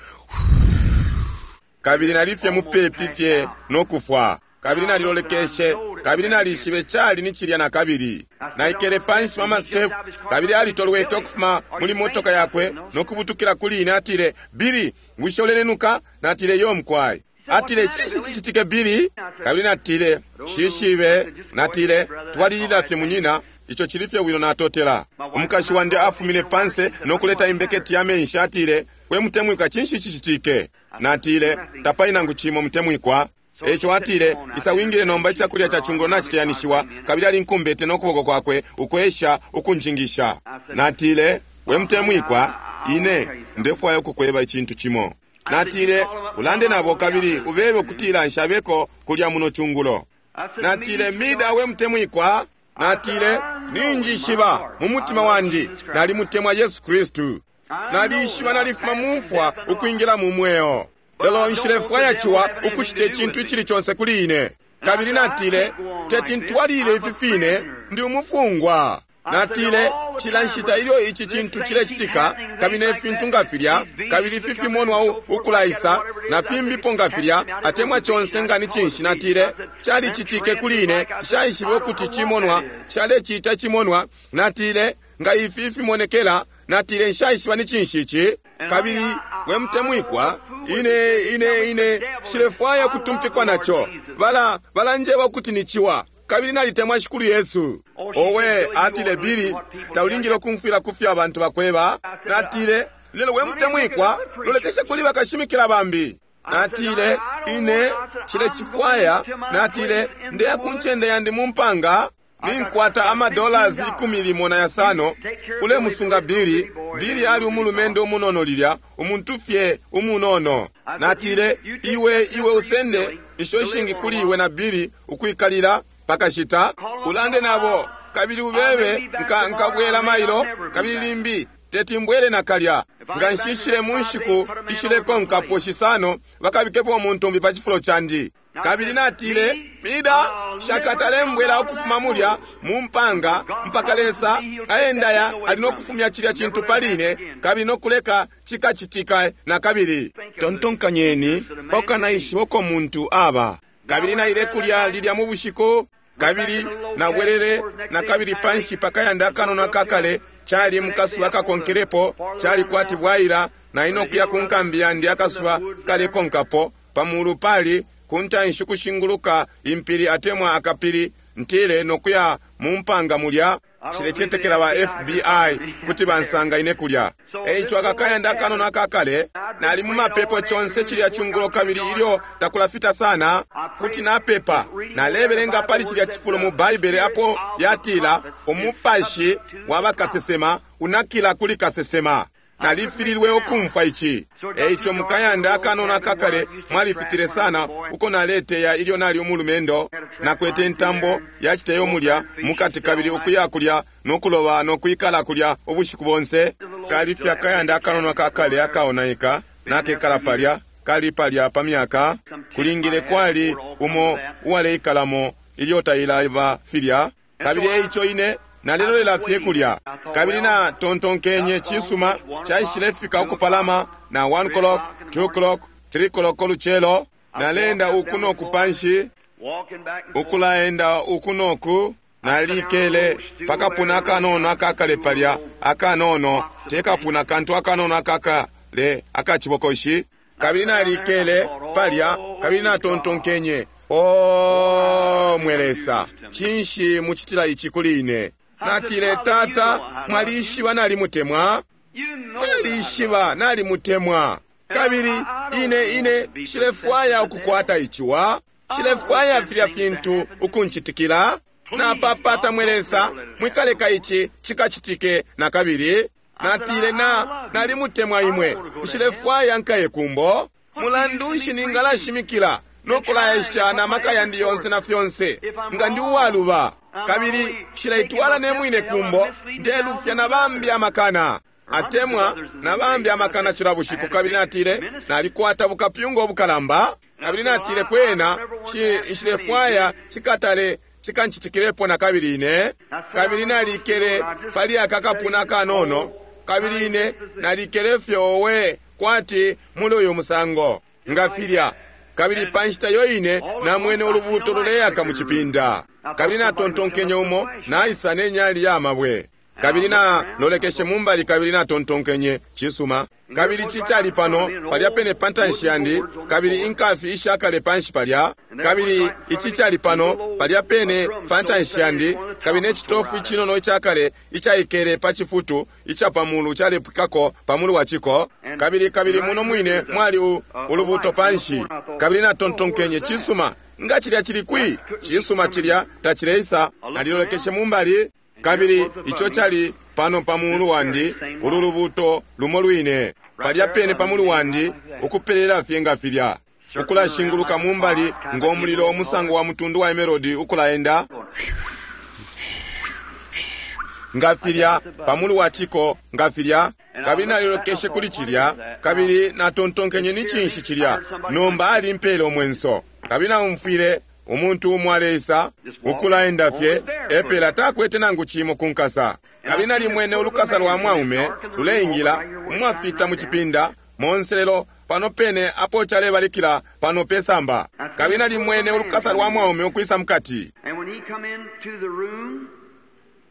kabili nali fye mupepi fye no kufwa. Kabili nalilolekeshe, kabili nalishibe cali ni cilya nakabili. Naikele panshi pa mastepu, kabili alitolweke ukufuma muli motoka yakwe no kubutukila kuli ine. Atile, Billy, bushe ulenenuka? Natile, yo mukwai. Atile, cinshi cicitike, Billy? Kabili natile, shishibe. Natile, twalilila fye munyina, ico cili fye bwino, natotela. Umukashi wandi afumine panse no kuleta imbeketi ya menshi. Atile, we mutemwikwa, cinshi cicitike? Natile, tapali nangu cimo, mutemwikwa. Eico atile, isa wingile nomba, icakulya ca cungulo naciteyanishiwa. Kabili alinkumbete no kuboko kwakwe ukwesha ukunjingisha. Natile, we mutemwikwa, ine ndefwaya ukukweba icintu cimo. Natile, ulande nabo kabili ubebe ukutila nshabeko kulya muno cungulo. Natile, Mida, we mutemwikwa, natile, ninjishiba mu mutima wandi nalimutemwa Yesu Kristu. Nalishiba nalifuma mu mfwa ukwingila mu mweo. Lelo nshilefwaya ciwa ukucita icintu icili conse kuli ine. Kabili natile, teti ntwalile ifi fine, ndi umufungwa. Natile, cila nshita ilyo ici cintu cilecitika, kabili ne fintu nga filya, kabili ifi fimonwa ukulaisa, na fimbipo nga filya, atemwa conse nga ni cinshi, natile, calicitike kuli ine, nshaishibe ukuti cimonwa, calecita cimonwa. Natile, nga ifi fimonekela, natile, nshaishiba ni cinshi ici. Kabili we mutemwikwa, ine ine ine nshilefwaya kutumpikwa naco. Bala balanjeba ukuti ni ciwa. Kabili nalitemwa Shikulu Yesu. Owe, atile, Billy, taulingile ukumfwila kufyo abantu bakweba. Natile, lelo we mutemwikwa, lolekesha kuli bakashimikila bambi. Natile, ine nshilecifwaya. Natile, ndeya ku ncende yandi mu mpanga. Ninkwata ama dollars 15. Ulemusunga Billy. Billy ali umulumendo umunono lilya, umuntu fye umunono. Natile, iwe, iwe usende isho ishingi kuli iwe na Billy ukwikalila pakashita. Ulande nabo kabili ubebe nka nkabwela mailo, kabili limbi teti mbwele nakalya. Nga nshishile mu nshiku ishilekonkapo shisano, bakabikepo umuntu umbi pa cifulo candi. Kabili natile, Mida, shakatale mbwela ukufuma mulya mu mpanga mpaka Lesa aendaya ali no kufumya cilya cintu pali ine, kabili no kuleka cikacitika na kabili. Tontonkanyeni pakukanaishiba uko muntu aba. Kabili naile kulya lilya mu bushiku, kabili nabwelele na kabili panshi pakayanda akanono akakale. Cali mukasuba kakonkelepo, cali kwati bwaila, nali no kuya ku nkambi yandi akasuba kalekonkapo. Pamulu pali kuntanshi kushinguluka impili atemwa akapili, ntile no kuya mu mpanga mulya. Nshilecetekela ba FBI kuti bansanga ine kulya. Eico akakayanda akanono akakale, nali mu mapepo conse cilya cungulo, kabili ilyo takulafita sana kuti napepa. Nalebelenga pali cilya cifulo mu Baibele apo yatila umupashi wa bakasesema unakila kuli kasesema. Nalifililwe ukumfwa ici. Eico mukayanda akanono akakale mwalifitile sana uko naleteya ilyo nali umulumendo. Nakwete intambo yaciteyo mulya mukati, kabili ukuya kulya no kuloba no kwikala kulya ubushiku bonse. Kali fye akayanda akanono akakale akaonaika, nakekala palya, kali palya pa myaka. Kulingile kwali umo uwaleikalamo ilyo tailaba filya. Kabili eico ine nalelolela fye kulya. Kabili na tontonkenye, cisuma, caishile fika ukupalama na 1 o'clock, 2 o'clock, 3 o'clock ulucelo. Naleenda uku noku panshi, ukulaenda uku noku. Nalikele pakapuna akanono akakale palya, akanono tekapuna kantu akanono akakale akacibokoshi. Kabili nalikele palya, kabili natontonkenye, O mwe Lesa, cinshi mucitila ici kuli ine? Natile, Tata, mwalishiba nalimutemwa. Mwalishiba nalimutemwa. Kabili ine, ine nshilefwaya ukukwata iciwa. Nshilefwaya filya fintu ukuncitikila. Napapata mwe Lesa, mwikaleka ici cikacitike na kabili. Natile, na nalimutemwa imwe. Nshilefwaya nkaye kumbo. Mulandu nshi ningalashimikila no kulaesha na maka yandi yonse na fyonse nga ndi uwaluba, kabili nshileitwala ne mwine kumbo, ndelufya na bambi amakana atemwa na bambi amakana cila bushiku. Kabili natile, nalikwata bukapyunga ubukalamba. Kabili natile, kwena nshilefwaya cikatale cikancitikilepo na kabili ine. Kabili nalikele pali aka kapuna akanono, kabili ine nalikele fye owe kwati muli uyu musango nga filya. Kabili pa nshita yo ine namwene ulubuuto luleyaka mu cipinda. Kabili natontonkenye umo naisa ne nyali ya mabwe. Kabili nalolekeshe mumbali, kabili natontonkenye, cisuma. Kabili ci cali pano palya pene pa ntanshi yandi, kabili inkafi ishakale panshi palya. Kabili ici cali pano palya pene pa ntanshi yandi, kabili ne citofu icinono icakale icaikele pa cifutu ica pa mulu calepwikako pa mulu wa ciko. Kabili, kabili muno mwine mwali ulubuuto panshi. Kabili natontonkenye, cisuma, nga cilya cili kwi? Cisuma, cilya tacileisa. Nalilolekeshe mumbali, kabili ico cali pano pa mulu wandi, ulu lubuuto lumo lwine palya pene pa mulu wandi, ukupelela fye nga filya, ukulashinguluka mumbali ngo mulilo umusango wa mutundu wa emerodi, ukulaenda nga filya pa mulu wa ciko nga filya. Kabili nalilolekeshe kuli cilya, kabili natontonkenye, ni cinshi cilya? Nomba alimpele umwenso. Kabili naumfwile umuntu umo aleisa ukulaenda fye epela, takwete nangu cimo ku nkasa. Kabili nalimwene ulukasa lwa mwaume luleingila umwafita mu cipinda monse, lelo pano pene apo calebalikila pano pe samba. Kabili nalimwene ulukasa lwa mwaume ukwisa mukati.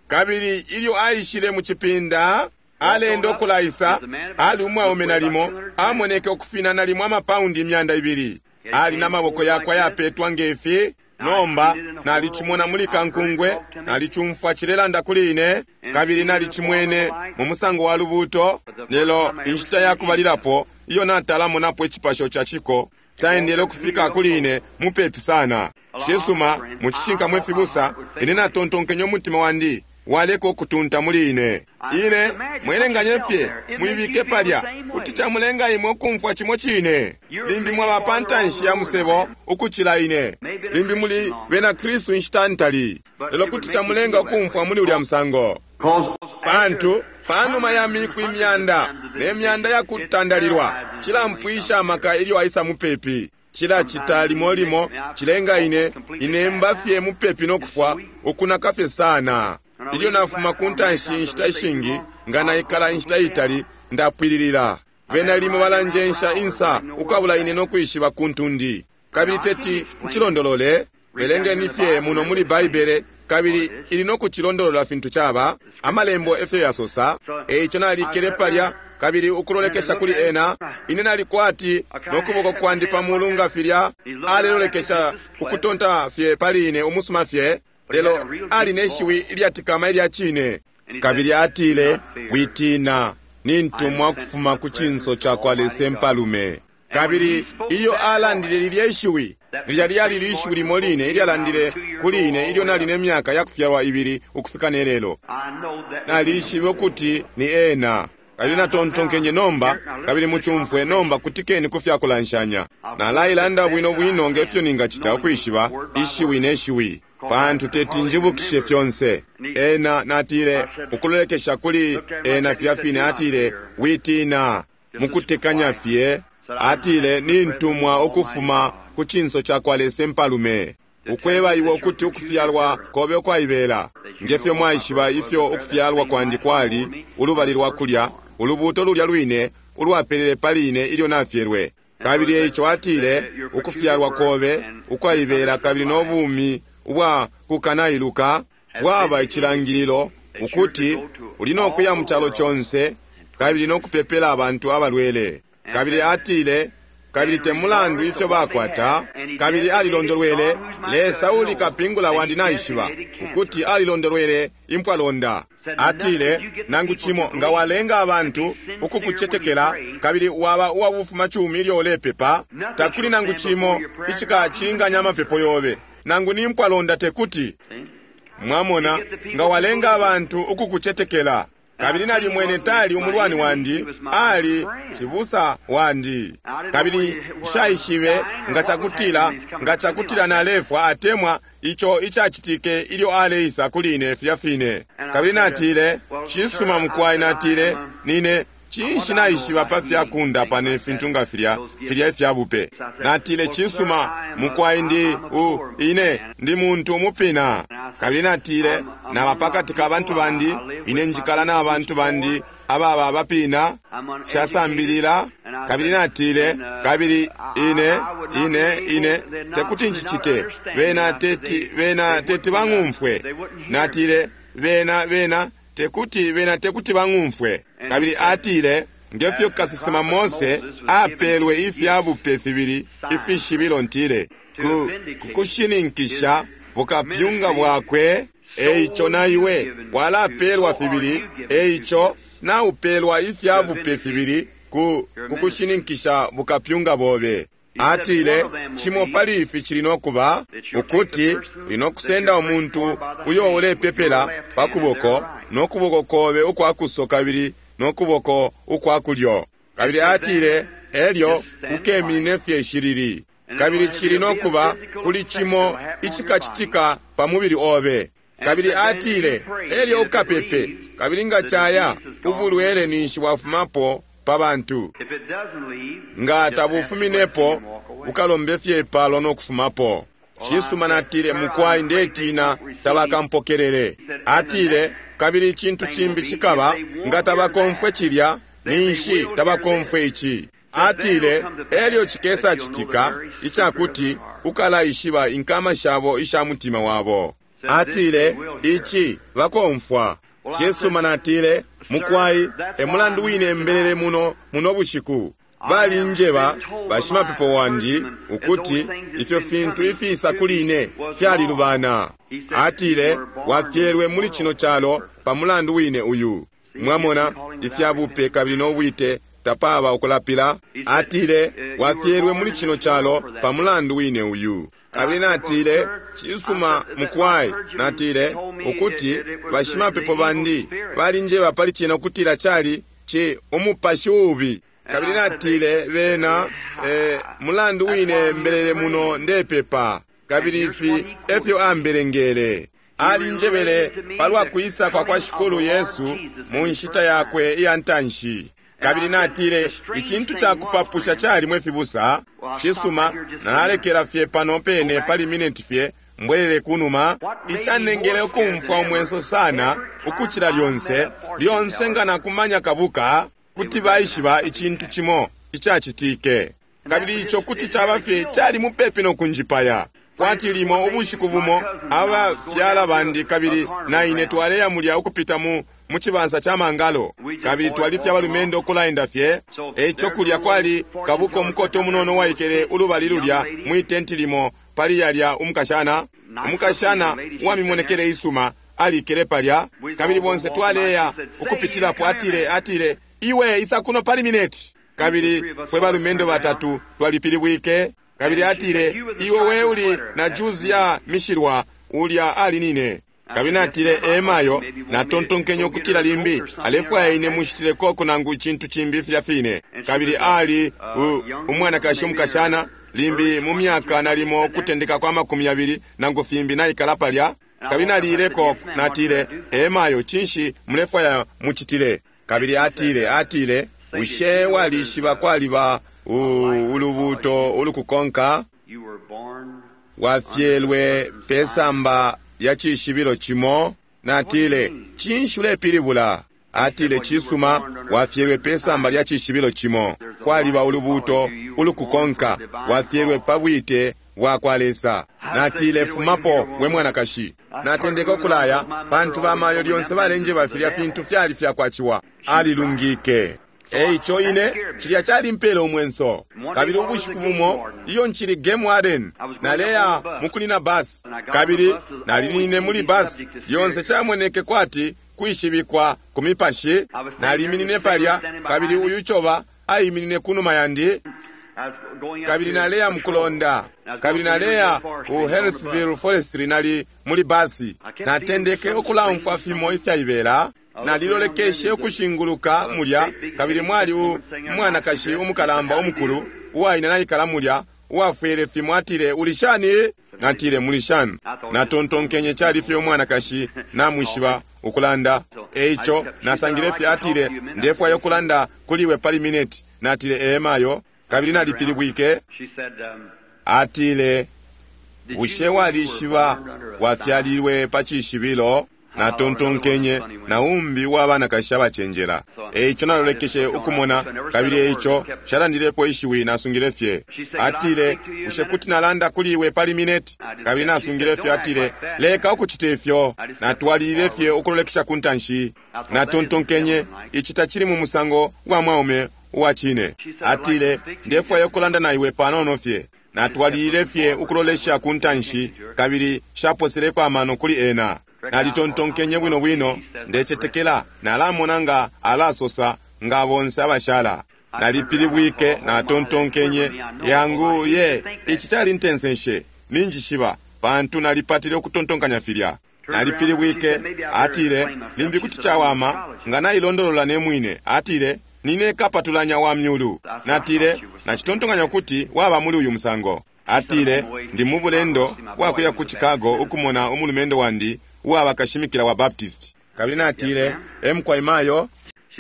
Kabili ilyo aishile mu cipinda, alenda ukulaisa, ali umwaume nalimo amoneke ukufina nalimo amapaundi 200. Ali na maboko yakwe ayapetwa ngefi. Nomba nalicimona muli kankungwe, nalicumfwa cilelanda kuli ine, kabili nalicimwene mu musango wa lubuuto, lelo inshita ya kubalilapo iyo natalamonapo icipasho ca ciko caendele ukufika kuli ine mupepi sana. Cisuma, mu cishinka mwe fibusa, ine natontonkenye umutima wandi waleka ukutunta muli ine. Ine mwelenganye fye, muibike palya, kuti camulenga imwe ukumfwa cimo cine. Limbi mwaba pa ntanshi ya musebo ukucila ine, limbi muli bena Kristu inshita ntali, lelo kuti camulenga ukumfwa muli ulya musango. Pantu panuma ya miku imyanda ne myanda ya kutandalilwa, cilampwisha amaka ilyo aisa mupepi. Cilacita limo limo cilenga ine inemba fye mupepi no kufwa, ukunaka fye sana. Ilyo nafuma ku ntanshi inshita ishingi, nga naikala inshita itali, ndapwililila. Bena limo balanjensha insa ukwabula ine no kwishiba kuntu ndi. Kabili teti ncilondolole, belengeni fye muno muli Baibele, kabili ili no kucilondolola fintu caba, Amalembo efyo yasosa. Eico nalikele palya, kabili ukulolekesha kuli ena, ine nali kwati no kuboko kwandi pa mulu nga filya, alelolekesha ukutonta fye pali ine umusuma fye, lelo ali ne shiwi ilyatikama ilya cine. Kabili atile, Witina, nintumwa kufuma ku cinso ca kwa Lesa Impalume. Kabili ilyo alandile lilye shiwi, lilya lyali lishiwi limo line ilyalandile kuli ine ilyo nali ne myaka ya kufyalwa ibili ukufika ne lelo. Nalishibe ukuti ni ena. Kabili natontonkenye nomba, kabili mucumfwe nomba, kutikeni ku fya kulanshanya. Nalailanda bwino bwino nge fyo ningacita ukwishiba ishiwi ne shiwi, pantu teti njibukishe fyonse. Ena, natile, ukulolekesha kuli ena filya fine, atile, Witina, mukutekanya fye. Atile, Nintumwa ukufuma ku cinso ca kwa Lesa Impalume, ukweba iwe ukuti ukufyalwa kobe ukwaibela. Nge fyo mwaishiba ifyo ukufyalwa kwandi kwali, ulubali lwa kulya, ulubuuto lulya lwine ulwapelele pali ine ilyo nafyelwe. Kabili eico atile, ukufyalwa kobe ukwaibela kabili no bumi ubwa kukanailuka bwaba icilangililo ukuti uli no kuya mu calo conse kabili no kupepela abantu abalwele. Kabili atile, kabili te mulandu ifyo bakwata, kabili alilondolwele, Lesa uli kapingula wandi naishiba ukuti alilondolwele impwalonda. Atile, nangu cimo nga walenga abantu ukukucetekela kabili waba uwa bufumacumi ilyo ulepepa, takuli nangu cimo icikacilinganya amapepo yobe, nangu ni mpwalonda tekuti. Mwamona, nga walenga abantu ukukucetekela. Kabili nalimwene tali umulwani wandi, ali cibusa wandi. Kabili nshaishibe nga cakutila, nga cakutila nalefwa atemwa ico icacitike ilyo aleisa kuli ine filya fine. Kabili natile, cisuma mukwai, natile, nine cinshi naishiba pa fya kundapa ne fintu nga filya, filya ifya bupe. Natile, cisuma mukwai, ndi u, ine ndi muntu umupina. Kabili natile, naba pakati ka bantu bandi, ine njikala na bantu bandi ababa abapina, nshasambilila. Kabili natile, kabili ine, ine, ine tekuti njicite, bena teti, bena teti bang'umfwe. Natile, bena, bena tekuti, bena tekuti bang'umfwe. Kabili atile, nge fyo kasesema Mose apelwe ifya bupe fibili ifishibilo, ntile, ku, kushininkisha bukapyunga bwakwe, eico na iwe walapelwa fibili, eico naupelwa ifya bupe fibili ku kukushininkisha bukapyunga bobe. Atile, cimo pali ifi cili no kuba ukuti uli no kusenda umuntu uyo ulepepela pa kuboko, no kuboko kobe ukwa kuso kabili no kuboko ukwa kulyo. Kabili atile, elyo ukemine fye ishilili. Kabili cili no kuba kuli cimo icikacitika pa mubili obe. Kabili atile, elyo ukapepe, kabili nga caya, ubulwele ninshi bwafumapo pa bantu. Nga tabufuminepo, ukalombe fye ipalo no kufumapo. Cisuma, natile, mukwai, ndetina tabakampokelele. Atile, kabili icintu cimbi cikaba, nga tabakomfwe cilya, ninshi tabakomfwe ici. Atile, elyo cikesa citika icakuti ukalaishiba inkama shabo isha mutima wabo. Atile, ici bakomfwa. Cisuma, natile, mukwai, e mulandu wine mbelele muno muno bushiku. Balinjeba bashimapepo wandi ukuti ifyo fintu ifiisa kuli ine fyalilubana. Atile, Wafyelwe muli cino calo pa mulandu wine uyu. Mwamona, ifya bupe kabili no bwite tapaba ukulapila. Atile, Wafyelwe muli cino calo pa mulandu wine uyu. Kabili natile, Cisuma, mukwai. Natile, ukuti bashimapepo bandi balinjeba pali cena ukutila cali ci umupashi uubi. Kabili natile, Bena, e mulandu wine mbelele muno ndepepa. Kabili ifi efyo ambelengele. Alinjebele palwa kwisa kwa kwa Shikulu Yesu mu nshita yakwe iya ntanshi. Kabili natile, Icintu ca kupapusha cali, mwe fibusa. Cisuma, nalalekela fye pano pene pali mineti fye, mbwelele kunuma. Icanengele ukumfwa umwenso sana ukucila lyonse, lyonse nga nakumanya kabuka, kuti baishiba icintu cimo icacitike. Kabili ico kuti caba fye cali mupepi no kunjipaya. Kwati limo ubushiku bumo abafyala bandi kabili na ine twaleya mulya ukupita mu mu cibansa ca mangalo, kabili twali fye abalumendo ukulaenda fye. Eico kulya kwali kabuka umukote umunono uwaikele ulubali lulya mwi tenti limo pali yalya umukashana, umukashana uwamimonekele isuma alikele palya, kabili bonse twaleya ukupitilapo. Atile, atile, Iwe isa kuno pali mineti. Kabili fwe balumendo batatu twalipilibwike. Kabili atile, Iwe we uli na juzi ya mishilwa, ulya ali nine. Kabili natile, Ee mayo, natontonkenye ukutila limbi alefwaya ine mushitileko nangu icintu cimbi filya fine. Kabili ali u, umwanakashi umukashana, limbi mu myaka nalimo kutendeka kwa 20 nangu fimbi naikala palya. Kabili nalileko, natile, Ee mayo, cinshi mulefwaya mucitile? Kabili atile, atile, Bushe walishiba kwaliba ulubuuto ulukukonka? Wafyelwe pe samba lya cishibilo cimo. Natile, Cinshi ulepilibula? Atile, Cisuma, wafyelwe pe samba lya cishibilo cimo. Kwaliba ulubuuto ulukukonka. Wafyelwe pa bwite bwakwa Lesa. Natile, Fumapo, we mwanakashi. Natendeke ukulaya, pantu bamayo lyonse balenjeba filya fintu fyali fyakwa ciwa. Alilungike. Eico ine, cilya calimpele umwenso. Kabili ubushiku bumo, iyo ncili game warden, naleya mukunina bus. Kabili nalinine muli bus, lyonse camoneke kwati kwishibikwa ku mipashi. Naliminine palya, kabili uyu coba aiminine kunuma yandi. Kabili naleya mukulonda. Kabili naleya ku Harrisville Forestry, nali muli basi. Natendeke ukulaumfwa fimo ifyaibela. Nalilolekeshe ukushinguluka mulya, kabili mwali umwanakashi umukalamba umukulu uwaina naikala mulya, uwafwele fimo. Atile, Uli shani? Natile, Muli shani? Natontonkenye cali fye umwanakashi namwishiba ukulanda. Eico nasangile fye. Atile, Ndefwaya ukulanda kuli iwe pali mineti. Natile, Ee mayo. Kabili nalipilibwike. Atile, Bushe walishiba wafyalilwe pa cishibilo? Natontonkenye, na umbi uwa banakashi abacenjela. Eico nalolekeshe ukumona, kabili eico nshalandilepo ishiwi, nasungile fye. Atile, Bushe kuti nalanda kuli iwe pali mineti? Kabili nasungile fye. Atile, Leka ukucita ifyo. Natwalilile fye ukulolekesha ku ntanshi. Natontonkenye, ici tacili mu musango wa mwaume uwa cine. Atile, Ndefwaya ukulanda na iwe panono fye. Natwalilile fye ukulolesha ku ntanshi, kabili nshaposeleko amano kuli ena. Nalitontonkenye bwino bwino, Ndecetekela nalamona nga alasosa nga bonse abashala. Nalipilibwike, natontonkenye, Yangu, ye, ici calintensenshe. Ninjishiba, pantu nalipatile ukutontonkanya filya. Nalipilibwike. Atile, Limbi kuti cawama nga nailondolola ne mwine. Atile, Nine kapatulanya wa myulu. Natile, Nacitontonkanya ukuti waba muli uyu musango. Atile, Ndi mu bulendo bwa kuya ku Chicago ukumona umulumendo wandi uwaba kashimikila wa Baptist. Kabili natile, E mukwai mayo.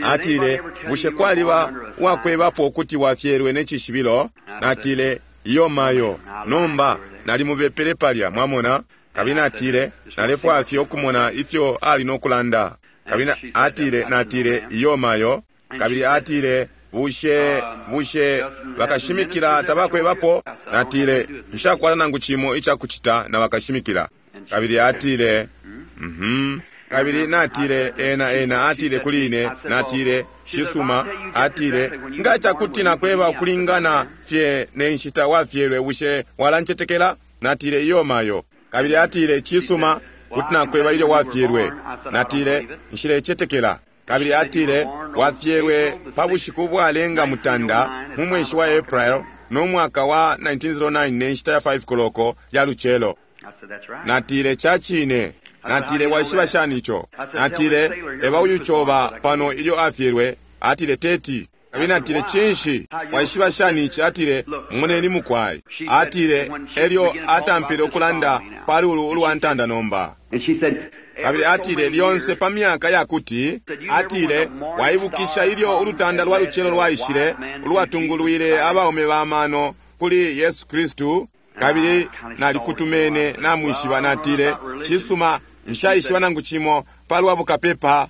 Atile, Bushe kwaliba uwakwebapo ukuti wafyelwe ne cishibilo? Natile, Iyo mayo. Nomba, nalimubepele palya, mwamona. Kabili natile, Nalefwaya fye ukumona ifyo ali no kulanda. Kabili atile, natile, Iyo mayo. Kabili atile, Bushe, bushe bakashimikila tabakwebapo? Natile, Nshakwata nangu cimo ica kucita na bakashimikila. Kabili atile, Mhm. Kabili natile, ena, ena atile kuli ine, natile, Cisuma, atile, nga cakuti nakweba ukulingana fye ne nshita wafyelwe, bushe walancetekela? Natile, iyo mayo. Kabili atile, cisuma, kuti nakweba ilyo wafyelwe. Natile, nshilecetekela. Kabili atile, wafyelwe pa bushiku bwalenga 9 mu mweshi wa April no mwaka wa 1909 ne nshita ya 5 koloko ya lucelo. Natile, ca cine. Natile, waishiba shani ico? Natile, eba uyu coba pano ilyo afyelwe. Atile, teti. Kabili natile, cinshi? Waishiba shani ici? Atile, moneni mukwai. Atile, elyo atampile ukulanda pali ulu ulwa ntanda nomba. Kabili atile, lyonse pa myaka yakuti, atile, waibukisha ilyo ulutanda lwa lucelo lwaishile, ulwatungulwile abaume ba mano kuli Yesu Kristu? Kabili nalikutumene, namwishiba. Natile, cisuma, nshaishiba nangu cimo palwa bukapepa.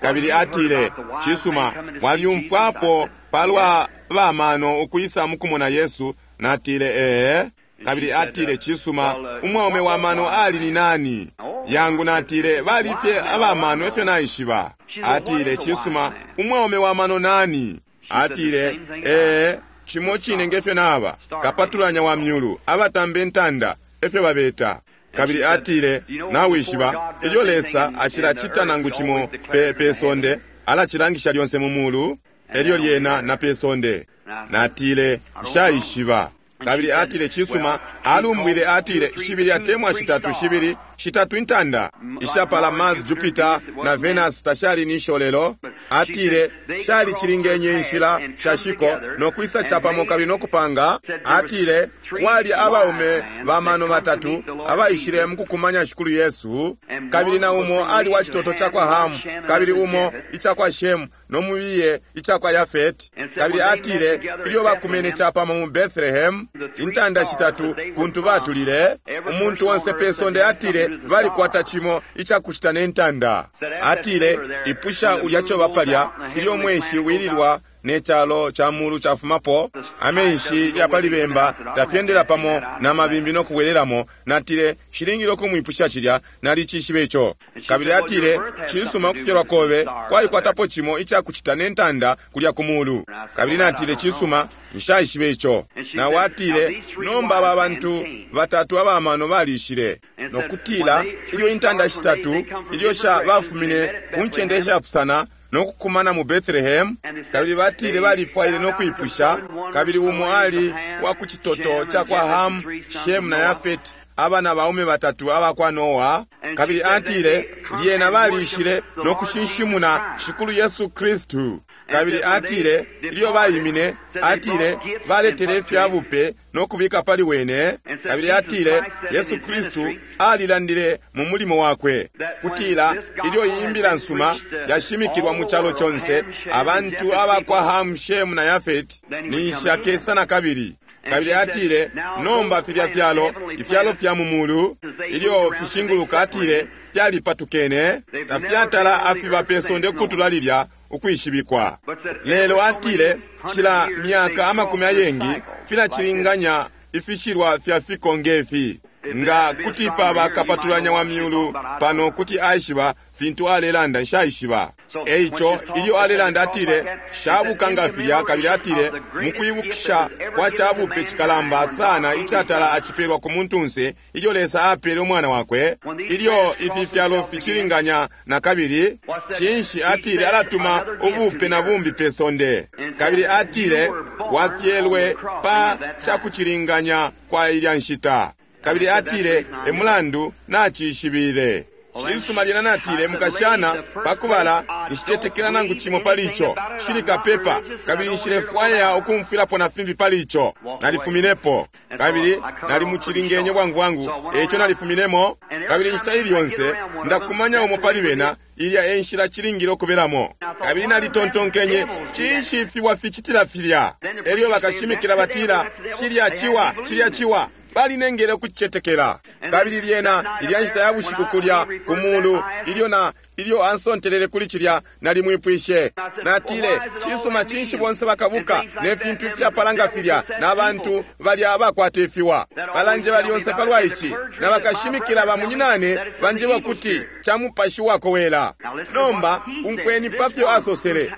Kabili atile, cisuma, walyumfwapo palwa bamano ukwisa mukumona Yesu? Natile, ee. Kabili atile, cisuma, umwaume wa mano ali ni nani? Yangu, natile, bali fye abamano efyo naishiba. Atile, cisuma, umwaume wa mano nani? Atile, ee, cimo cine ngefyo naba, kapatulanya wa myulu, abatambe ntanda, efyo babeta. Kabili atile, nawishiba, ilyo Lesa ashilacita nangu cimo pe, pe sonde, alacilangisha lyonse mu mulu, elyo lyena na pe sonde. Natile, nshaishiba. Kabili atile, cisuma, alumbwile, atile, shibili atemwa shitatu, shibili, shitatu intanda, ishapala Mars, Jupiter na Venus tashali nisho lelo. Atile, shali cilingenye inshila shashiko no kwisa capamo kabili no kupanga. Atile, kwali abaume ba mano batatu abaishile mukukumanya Shikulu Yesu, kabili na umo ali wa citoto ca kwa Hamu, kabili umo ica kwa Shemu, no mubiye ica kwa Yafeti. Kabili atile, ilyo bakumene capamo mu Bethlehem, intanda shitatu kuntu batulile, umuntu onse pe sonde, atile, balikwata cimo ica kucita ne ntanda. Atile, ipusha ulya coba palya, ilyo mweshi wililwa ne calo ca mulu cafumapo, amenshi ya pali bemba tafyendela pamo na mabimbi no kubwelelamo. Natile, shilingile ukumwipusha cilya, nalicishibe ico. Kabili atile, cisuma, ukufyalwa kobe kwalikwatapo cimo ica kucita ne ntanda kulya ku mulu. Kabili natile, cisuma, nshaishibe ico. Nawe atile, nomba aba bantu batatu abamano balishile, no kutila ilyo intanda shitatu ilyo sha bafumine ku ncende ishapusana no kukumana mu Bethlehem, kabili batile balifwaile no kwipusha, kabili umo ali wa ku citoto ca kwa Ham, Shem na Yafeti, abana baume batatu aba kwa Noa. Kabili atile, lyena balishile no kushinshimuna Shikulu Yesu Kristu. Kabili atile, ilyo baimine, atile, baletele ifya bupe no kubika pali wene. Kabili atile, Yesu Kristu alilandile mu mulimo wakwe, kutila ilyo iyi imbila nsuma yashimikilwa mu calo conse, abantu aba kwa Ham, Shem na Yafeti ninshi akesa na kabili. Kabili atile, nomba filya fyalo, ifyalo fya mu mulu, ilyo fishinguluka, atile, fyalipatukene, tafyatala afiba pe sonde kutula lilya ukwishibikwa. Lelo atile, cila myaka amakumi ayengi filacilinganya ifishilwa fya fiko ngefi. Nga kuti paba kapatulanya wa myulu pano kuti aishiba fintu alelanda, nshaishiba. Eico ilyo alelanda atile, shabuka nga filya, kabili atile, mukwibukisha kwa cabupe cikalamba sana icatala acipelwa ku muntunse, ilyo Lesa apele umwana wakwe, ilyo ifi fyalo ficilinganya na kabili, cinshi, atile, alatuma ubupe na bumbi pe sonde. Kabili atile, wafyelwe pa cakucilinganya kwa ilya nshita. Kabili atile, emulandu nacishibile. Cisuma, lyena natile, mukashana, pakubala nshicetekela nangu cimo pali ico, shili kapepa, kabili nshilefwaya ukumfwilapo na fimbi pali ico. Nalifuminepo, kabili nalimucilingenye bwangu bwangu, eico nalifuminemo. Kabili inshita ili yonse ndakumanya umo pali bena, ilya e nshila cilingile ukubelamo. Kabili nalitontonkenye, cinshi fiwa ficitila filya? Elyo bakashimikila batila, cilya ciwa, cilya ciwa. Balinengele ukucetekela. Kabili lyena ilya nshita ya bushiku kulya ku mulu, ilyo na ilyo ansontelele kuli cilya, nalimwipwishe. Natile, Cisuma, cinshi bonse bakabuka ne fintu ifyapala nga filya, na bantu balya abakwata ifiwa? Balanjeba lyonse palwa ici, na bakashimikila ba munyinane banjeba ukuti ca mupashi wakowela. Nomba umfweni pa fyo asosele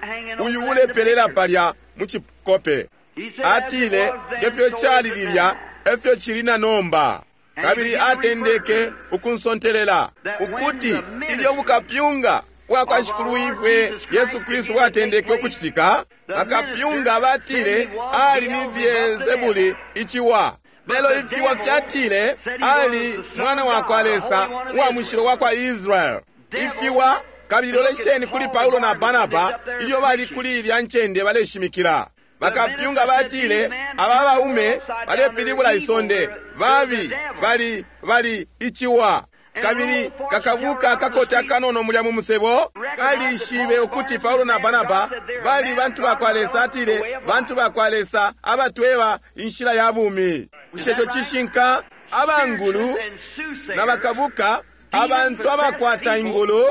uyu ulepelela palya mu cikope. Atile, Nge fyo cali lilya, e fyo cili na nomba. Kabili atendeke ukunsontelela ukuti ilyo bukapyunga bwa kwa Shikulwifwe Yesu Kristu bwatendeke ukucitika, bakapyunga batile ali ni Beelsebuli, iciwa. Lelo ifiwa fyatile ali Mwana wa kwa Lesa, uwa mushilo wa kwa Israel. Ifiwa, kabili lolesheni kuli Paulo na Barnaba ilyo bali kuli ilya ncende baleshimikila. Bakapyunga batile aba baume balepilibula isonde, babi, bali, bali iciwa. Kabili kakabuka akakota akanono mulya mu musebo kalishibe ukuti Paulo na Barnaba bali bantu ba kwa Lesa. Atile, bantu ba kwa Lesa abatweba inshila ya bumi. Bushe ico cishinka? Abangulu na bakabuka, abantu abakwata ingulu,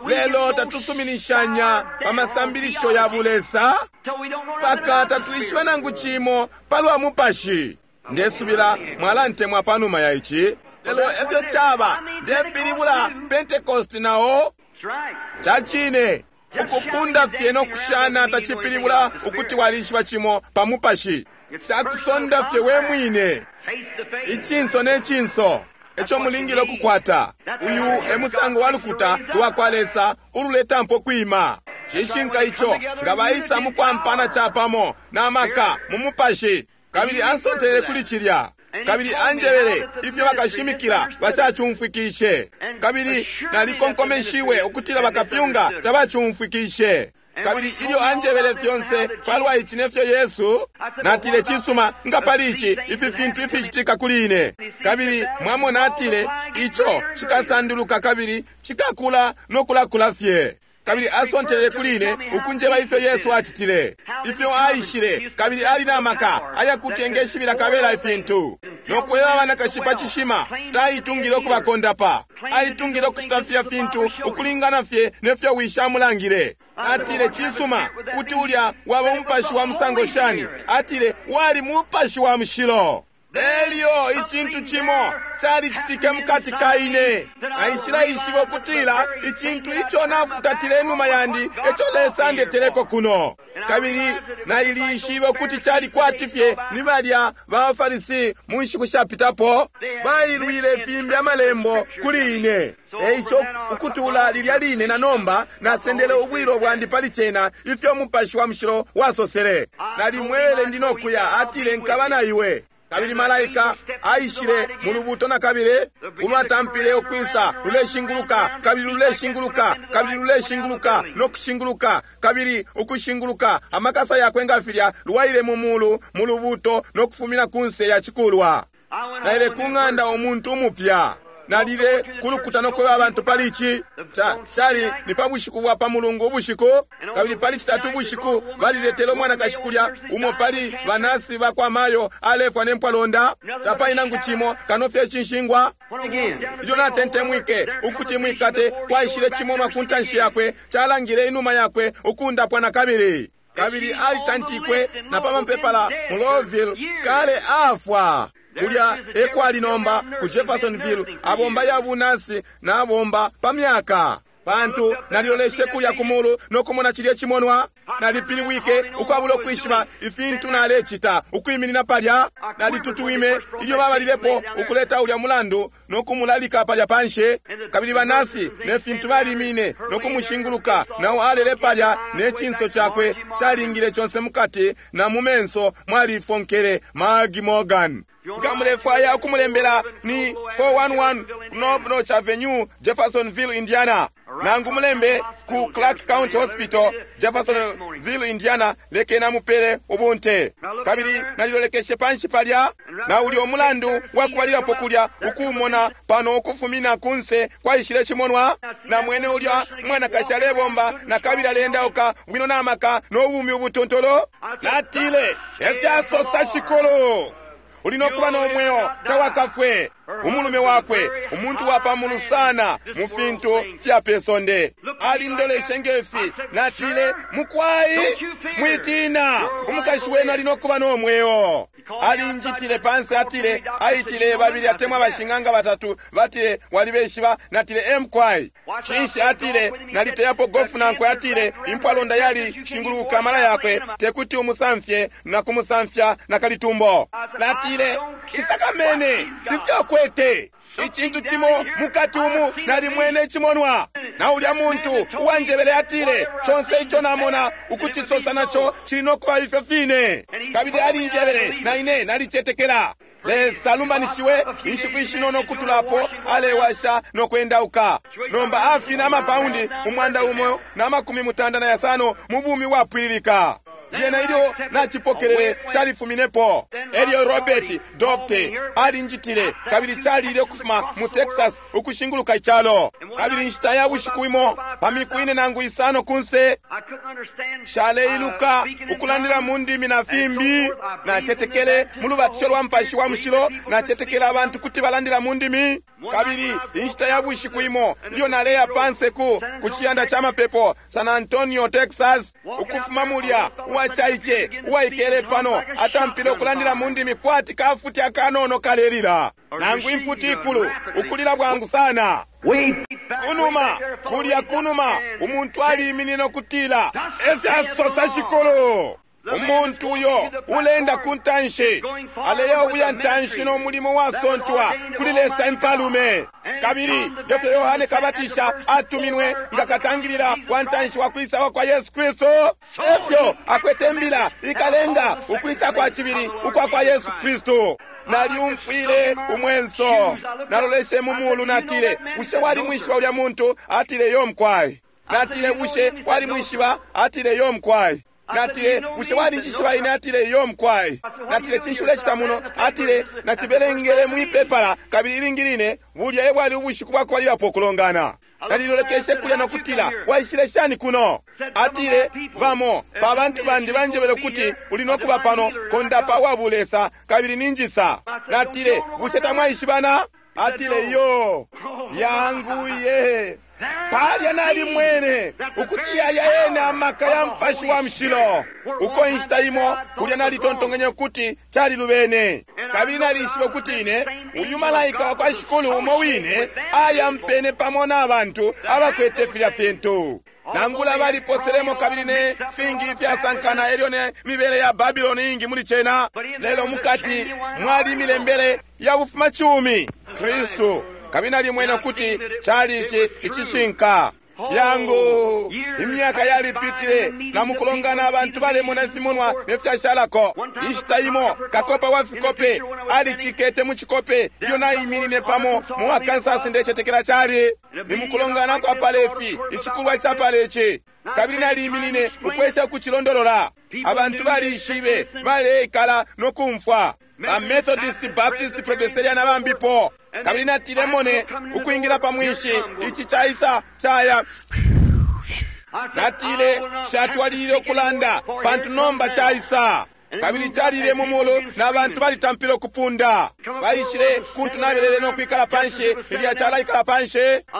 lelo tatusuminishanya pa masambilisho ya bulesa, mpaka tatwishiba nangu cimo palwa mupashi. Ndesubila mwalantemwa panuma ya ici. Lelo efyo caba, ndepilibula Pentecost nao. Ca cine, ukupunda fye no kushana tacipilibula ukuti walishiba cimo pa mupashi. Cakusonda fye we mwine, icinso ne cinso. Eco mulingile ukukwata. Uyu e musango wa lukuta lwa kwa Lesa ululetampo kwima. Cishinka ico, nga baisa mu kwampana capamo na maka mu mupashi. Kabili ansontelele kuli cilya. Kabili anjebele ifyo bakashimikila bashacumfwikishe. Kabili nalikonkomeshiwe ukutila bakapyunga tabacumfwikishe. Kabili ilyo anjebele fyonse palwa ici ne fyo Yesu, natile, Cisuma, nga pali ici, ifi fintu ificitika kuli ine. Kabili mwamona, atile, ico cikasanduluka kabili cikakula no kulakula fye. Kabili asontelele kuli ine ukunjeba ifyo Yesu acitile, ifyo aishile, kabili ali na maka ayakuti engeshibila kabela ifintu, no kweba abanakashi pa cishima. Taitungile ukubakondapa, aitungile ukucita fya fintu ukulingana fye ne fyo Wishi amulangile. Atile, Cisuma, kuti ulya waba umupashi wa musango shani? Atile, Wali mupashi wa mushilo. Elyo icintu cimo calicitike mukati ka ine. Naishileishiba ukutila icintu ico nafutatile inuma yandi eco Lesa andeteleko kuno. Kabili nailishibe ukuti cali kwati fye ni balya ba Farisi mu nshiku shapitapo, bailwile fimbi amalembo kuli ine. Eico ukutula lilya line na nomba nasendele ubwilo bwandi pali cena, ifyo Mupashi wa Mushilo wasosele. Nalimwebele ndi no kuya, atile, Nkaba na iwe. Kabili malaika aishile mu lubuto na kabili, ulwatampile ukwisa luleshinguluka, kabili luleshinguluka, kabili luleshinguluka, no kushinguluka, kabili ukushinguluka, amakasa yakwe nga filya, lwaile mu mulu mu lubuto no kufumina kunse ya cikulwa. Naile ku ng'anda umuntu umupya. Nalile ku lukuta no kweba abantu pali ici. Cali ni pa bushiku bwa pa Mulungu ubushiku, kabili pali Citatu ubushiku baliletele umwanakashi kulya, umo pali banasi ba kwa Mayo alefwa ne mpwalonda. Tapali nangu cimo kano fye icinshingwa. Ilyo natentemwike ukuti mwikate, kwaishile cimonwa ku ntanshi yakwe, calangile inuma yakwe ukundapwa na kabili. Kabili alitantikwe na pa mapepala mu Louisville, kale afwa. Kulya ekwali nomba ku Jeffersonville, abomba ya bunasi na abomba pa myaka. Pantu naliloleshe kulya ku mulu no kumona cilye cimonwa, nalipilibwike ukwabula ukwishiba ifintu nalecita, ukwiminina palya. Nalitutwime ilyo babalilepo ukuleta ulya mulandu no kumulalika palya panshi. Kabili banasi ne fintu balimine no kumushinguluka, nao alele palya ne cinso cakwe calingile conse mukati na mu menso mwalifonkele. Maggie Morgan. Nga mulefwaya ukumulembela ni 411 Knob Notch Avenue, Jeffersonville, Indiana. Nangu mulembe ku Clark County Hospital, Jeffersonville, Indiana, lekeni amupele ubunte. Kabili nalilolekeshe panshi palya, na ulyo mulandu wakubalilapo kulya ukuumona pano ukufumina kunse kwaishile cimonwa, na mwene ulya mwanakashi alebomba na kabili aleendauka bwino na maka no bumi ubutontolo. Natile, efyasosa Shikulu. Uli no kuba no mweo, tawakafwe. Umulume wakwe, umuntu wa pamulu sana mu fintu fya pe sonde, alindoleshe ngefi. Natile, mukwai, mwitina, umukashi wenu ali no kuba no mweo. Alinjitile panse, atile, aitile babili atemwa bashing'anga batatu, batile, walibeshiba. Natile, emkwai. Cinshi? Atile, naliteyapo gofu nankwe. Atile, impwalonda yali shinguluka amala yakwe, tekuti umusamfye na kumusamfya na kalitumbo. Natile, shisakamene ifyo akwete icintu cimo mukati umu, nalimwene icimonwa. Na ulya muntu uwanjebele atile, conse ico namona ukucisosa naco cili no kuba ifyo fine. Kabili alinjebele, na ine nalicetekela. Lesa alumbanishiwe. Inshiku ishinono kutulapo alewasha no kwendauka. Nomba afina amapaundi 195 mu bumi bwapwililika. Lyena ilyo nacipokelele, califuminepo. Elyo Robert Dofte alinjitile, kabili calile ukufuma mu Texas ukushinguluka icalo. Kabili inshita ya bushiku imo, pa miku 4 nangu 5 kunse, shaleiluka ukulandila mu ndimi na fimbi. Nacetekele mu lubatisho lwa Mupashi wa Mushilo, nacetekele abantu kuti balandila mu ndimi. Kabili inshita ya bushiku imo ilyo naleya panse ku ciyanda ca mapepo, San Antonio, Texas, ukufuma mulya, uwacaice uwaikele pano atampile ukulandila mu ndimi kwati kafuti akanono kalelila, nangu imfuti ikulu, ukulila bwangu sana. Kunuma kulya kunuma, umuntu aliiminine ukutila, efyasosa Shikulu. Umuntu uyo ulenda ku ntanshi aleya ubuya ntanshi no mulimo wasontwa kuli Lesa impalume. Kabili ngefyo Yohane Kabatisha atuminwe nga katangilila wa ntanshi wa kwisa kwa Yesu Kristu, efyo akwete mbila ikalenga ukwisa kwa cibili ukwa kwa Yesu Kristu. Naliumfwile umwenso, naloleshe mu mulu, natile, bushe walimwishiba ulya muntu? Atile, yo mkwai. Natile, bushe walimwishiba? Atile, yo mkwai. Natile, bushe walinjishiba ine? Atile, yo mkwai. Natile, cinshi ulecita muno? Atile, nacibelengele mwipepala, kabili ilingi line bulya e bwali ubushiku bwakubalilapo ukulongana. Nalilolekeshe kulya no kutila, waishile shani kuno? Atile, bamo pa bantu bandi banjebele kuti uli no kuba pano kondapa wa bulesa, kabili ninjisa. Natile, bushe tamwaishibana? Atile, yo yanguye. Palya nalimwene ukuti yaya ena amaka ya Mupashi wa Mushilo. Uko inshita imo kulya nalitontongenye ukuti calilubene, kabili nalishiba ukuti ine uyu malaika wa kwa Shikulu umo wine ayampene pamo na bantu abakwete filya fintu. Nangula baliposelemo kabili ne fingi ifyasankana, elyo ne mibele ya Babiloni ingi muli cena, lelo mukati mwali milembele ya bufumacumi Kristu. Kabili nalimwene ukuti cali ici icishinka. Yangu, imyaka yalipitile, na mukulongana abantu balemona ifimonwa ne fyashalako. Inshita imo kakopa wa fikope alicikete mu cikope ilyo naiminine pamo mu Arkansas, ndecetekela cali ni mukulongana kwa palefi, icikulwa ca paleci. Kabili naliminine ukwesha ukucilondolola. Abantu balishibe, baleikala no kumfwa, ba Methodist, Baptist, Presbyterian na bambipo. Kabili natile, mone ukwingila pa mwinshi, ici caisa caya. Natile, shatwalilile ukulanda, pantu nomba caisa. Kabili calile mu mulu, na bantu balitampile ukupunda. Baishile kuntu nabelele no kwikala panshi, ilya calaikala panshi.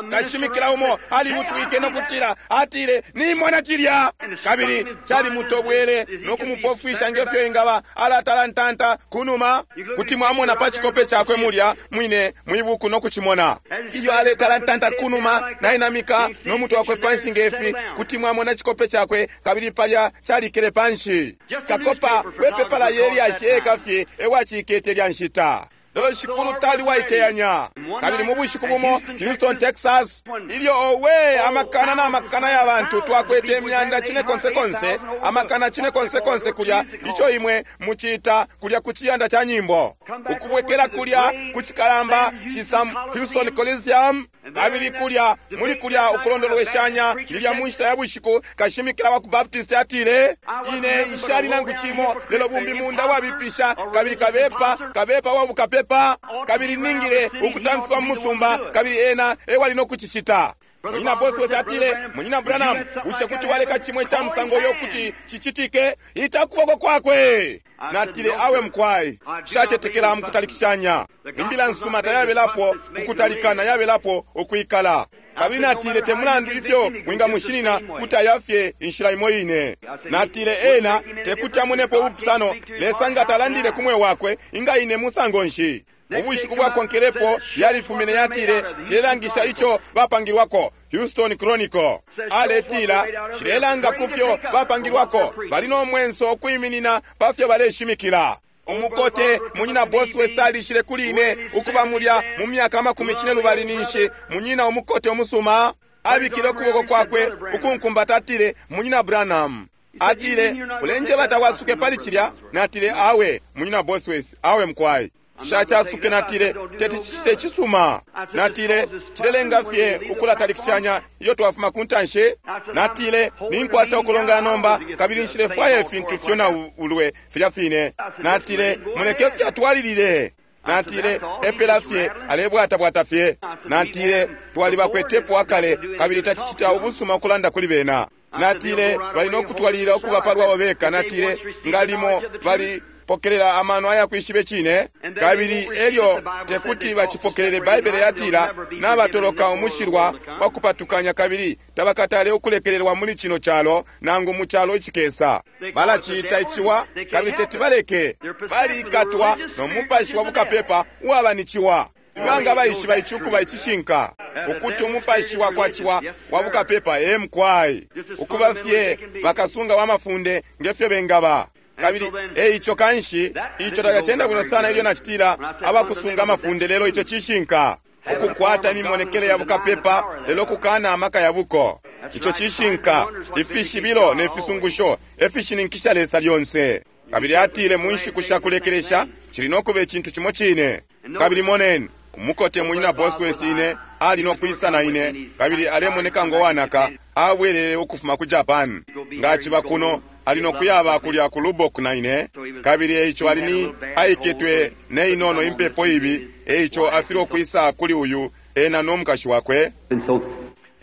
Kashimikila umo alibutwike no kutila, atile, nimona cilya. Kabili calimutobwele no kumupofwisha ngefyo ingaba alatalantanta kunuma. Kuti mwamona pa cikope cakwe mulya mwine mwibuku no kucimona. Ilyo aletalantanta kunuma, nainamika no mutwe wakwe panshi ngefi, kuti mwamona cikope cakwe, kabili palya calikele panshi. Kakopa wepepala yelyashi ekafye ewacikete lya nshita. Lelo Shikulu tali waiteyanya. Kabili mu bushiku bumo Houston, Texas, ilyo owe amakana na makana ya bantu twakwete imyanda cine konse konse, amakana cine konse konse kulya, ico imwe mucita kulya ku ciyanda ca nyimbo, ukubwekela kulya ku cikalamba ci Sam Houston Coliseum. Kabili kulya muli kulya ukulondolweshanya lilya mu nshita ya bushiku, kashimikila wa ku Baptist atile, ine nshali nangu cimo lelo bumbi munda wabipisha, kabili kabepa kabepa wa bukapepa, kabili ningile ukutamfiwa mu musumba, kabili ena ewali no kucicita. Munyina Bosworth atile, Munyina Branham, bushe kuti waleka cimwe ca musango uyo kuti cicitike? Ita kuboko kwakwe. Natile, Awe mukwai, nshacetekela mukutalikishanya. Imbila nsuma tayabelapo ukutalikana, yabelapo ukwikala. Kabili natile, te mulandu ifyo mwingamushinina, kuti aya fye inshila imo ine. Natile, ena tekuti amonepo ubupusano. Lesa nga talandile ku mwe wakwe, inga ine musango nshi? Ubushiku bwakonkelepo yalifumine, yatile, cilelangisha ico bapangilwako. Houston Chronicle aletila, cilelanga kufyo bapangilwako, bali no mwenso ukwiminina pa fyo baleshimikila. Umukote munyina Bosworth alishile kuli ine ukuba mulya mu myaka 20 ninshi munyina umukote umusuma abikile ukuboko kwakwe ukunkumbata, atile, Munyina Branham, atile, ulenjeba tawasuke pali cilya? Natile, awe munyina Bosworth, awe mkwai. Shacasuke. Natile, teti cicite cisuma. Natile, cilelenga fye ukulatalikishanya iyo twafuma ku ntanshi. Natile, ninkwata ukulongana nomba, kabili nshilefwaya ifintu fyo na ulwe filya fine. Natile, muleke fye atwalilile. Natile, epela fye alebwatabwata fye. Natile, twalibakwetepo akale, kabili tacicita ubusuma ukulanda kuli bena. Natile, bali no kutwalilila ukuba palwabo beka. Natile, ngalimo bali pokelela amano ayakwishibe cine, kabili elyo tekuti bacipokelele. Baibele yatila nabatoloka umushilwa wa kupatukanya, kabili tabakatale ukulekelelwa muli cino calo nangu mu calo icikesa. Balaciita iciwa, kabili teti baleke. Balikatwa no mupashi wa bukapepa uwaba ni ciwa. Ibanga baishiba ici ukuba icishinka, ukuti umupashi wa kwa ciwa wa bukapepa emkwai, ukuba fye bakasunga wa mafunde ngefyo bengaba. Kabili eico kanshi ico takacenda bwino sana ilyo nacitila abakusunga amafunde, lelo ico cishinka, ukukwata imimonekele ya bukapepa lelo kukana amaka ya buko. Ico cishinka. Ifishibilo ne fisungusho efishininkisha Lesa lyonse. Kabili atile mu nshiku sha kulekelesha cili no kuba icintu cimo cine. Kabili moneni, umukote munyina Bosworth ine ali no kwisa na ine, kabili alemoneka ngo wanaka, abwelele ukufuma ku Japan. Nga aciba kuno, ali no kuyaba kulya ku Lubbock na ine. Kabili eico ali ni aiketwe ne inono impepo ibi, eico afilwe ukwisa kuli uyu ena no mukashi wakwe.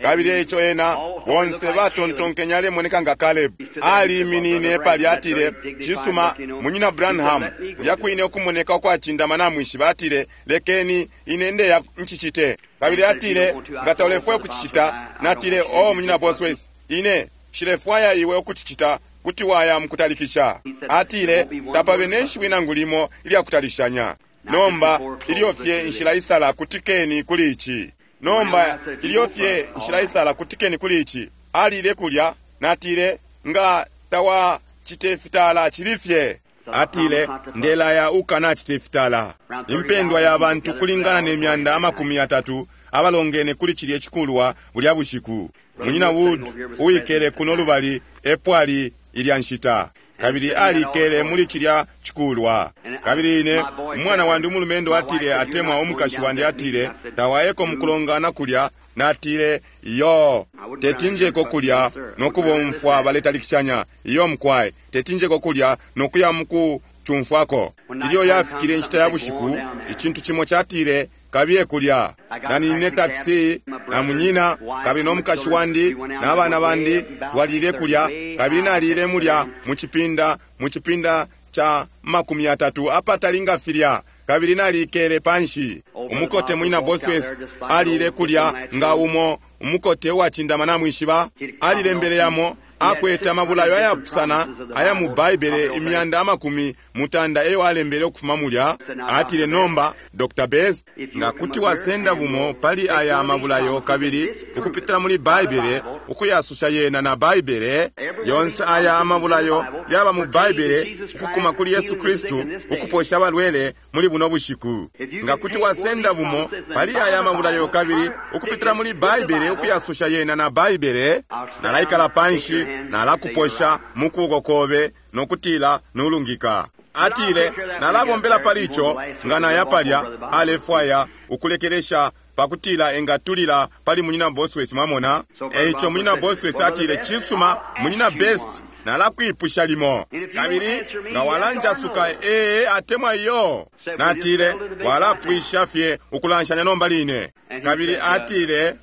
Kabili eico ena bonse batontonkenya alemoneka nga Caleb. Aliminine pali, atile, cisuma, munyina Branham, kulya kwine ukumoneka ukwacindama namwishiba, atile, lekeni ine ndeya ncicite. Kabili atile, nga taulefwaya ukucicita. Natile, oh, munyina Bosworth, ine nshilefwaya iwe ukucicita, kuti waya mukutalikisha. Atile, tapabe ne shiwi nangu limo ilya kutalishanya. Nomba ilyo fye nshila isala, kutikeni kuli ici. Nomba ilyo fye nshila isala, kutikeni kuli ici. Alile kulya, natile, nga tawacite fitala cili fye. Atile, ndelaya ukanacite fitala. Impendwa ya bantu kulingana ne myanda 30 abalongene kuli cilye cikulwa bulya bushiku. Munyina Wood uwikele kuno lubali epwali ilya nshita, kabili alikele muli cilya cikulwa. Kabili ine umwana wandi umulumendo atile, atemwa umukashi wandi atile, tawayeko mukulongana kulya. Natile, iyo, tetinjeko kulya nokubomfwa baletalikishanya. Iyo mkwai, tetinjeko kulya nokuya mukucumfwako. Ilyo yafikile inshita ya bushiku, icintu cimo catile, kabiye kulya. Nanine taxi na munyina kabili no mukashi wandi na bana bandi twalile kulya, kabili nalile mulya mucipinda, mucipinda cha 30 apatali nga filya, kabili nalikele panshi. Umukote munyina Bosworth alile kulya nga umo umukote uwacindama namwishiba, alilembele yamo akwete amabulayo ayapusana aya mu Baibele imyanda 90 eyo alembele ukufuma mulya. Atile, nomba Dr. Best, nga kuti wasenda bumo pali aya amabulayo kabili ukupitila muli Baibele ukuyasusha yena na Baibele yonse, aya amabulayo yaba mu Baibele ukukuma kuli Yesu Kristu ukuposha abalwele muli buno bushiku. Nga kuti wasenda bumo pali aya amabulayo kabili ukupitila muli Baibele ukuyasusha yena na Baibele, nalaikala panshi nalakuposha mukuboko kobe nokutila nulungika. Atile, nalabombela pali ico nga naya palya. Alefwaya ukulekelesha pakutila engatulila pali munyina Bosworth, mwamona. Eico munyina Bosworth atile, cisuma, munyina Best, nalakwipusha limo, kabili nga walanjasuka ee atemwa iyo. Natile, walapwisha fye ukulanshanya nomba line. Kabili atile,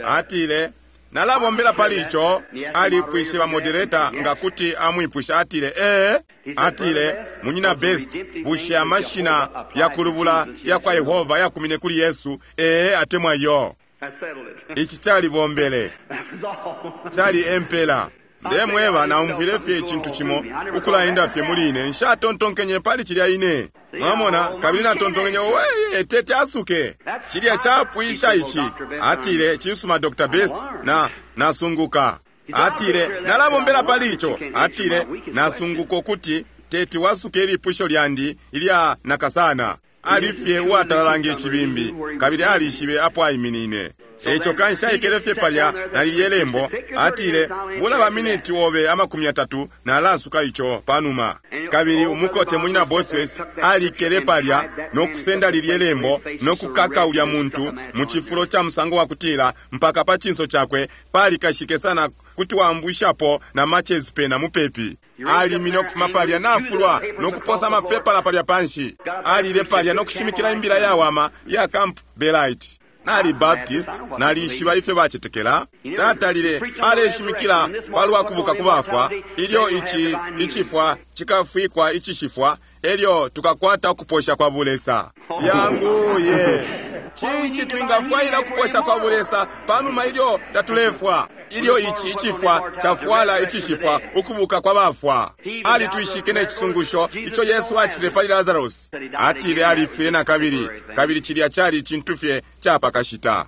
atile, nalabombela pali ico. Alipwishe ba moderator nga kuti amwipusha. Atile, ee. Atile, Munyina Best, bushe amashina yakulubula yakwa Yehova yakumine kuli Yesu, ee atemwa iyo? Ici calibombele. Cali empela. Ndemweba, naumfwile fye icintu cimo ukulaenda fye muli ine. Nshatontonkenye pali cilya ine. Mwamona, kabili natontonkenye, owe, tete asuke. Cilya capwisha ici. Atile, cisuma, Dr. Best, na nasunguka. Atile, nalabombela pali ico. Atile, nasunguka ukuti teti wasuke ilipusho lyandi ilya nakasana. Ali fye uwatalala nge cibimbi, kabili alishibe apo aiminine. Eico kanshi aikele fye palya na lilye lembo. Atile, bula ba miniti obe 30, nalasuka ico panuma. Kabili umukote munyina Bosworth alikele palya no kusenda lilye lembo no kukaka ulya muntu mu cifulo ca musango wa kutila mpaka pa cinso cakwe palikashike sana kuti waambwishapo na matches pena mupepi. Alimine ukufuma palya nafulwa no kuposa amapepala palya panshi. Alile palya no kushimikila imbila yawama ya Camp Belite. Nali Baptist, nalishiba ifyo bacetekela. Tatalile aleshimikila palwa kubuka ku bafwa, ilyo ici icifwa cikafwikwa icishifwa, elyo tukakwata ukuposha kwa bulesa. Yanguye! Cinshi twingafwaila ukuposha kwa bulesa panuma ilyo tatulefwa? Ilyo ici icifwa cafwala icishifwa, ukubuka kwa bafwa. Alitwishike ne cisungusho ico Yesu acitile pali Lazarus. Atile alifwile na kabili, kabili cilya cali icintu fye capakashita.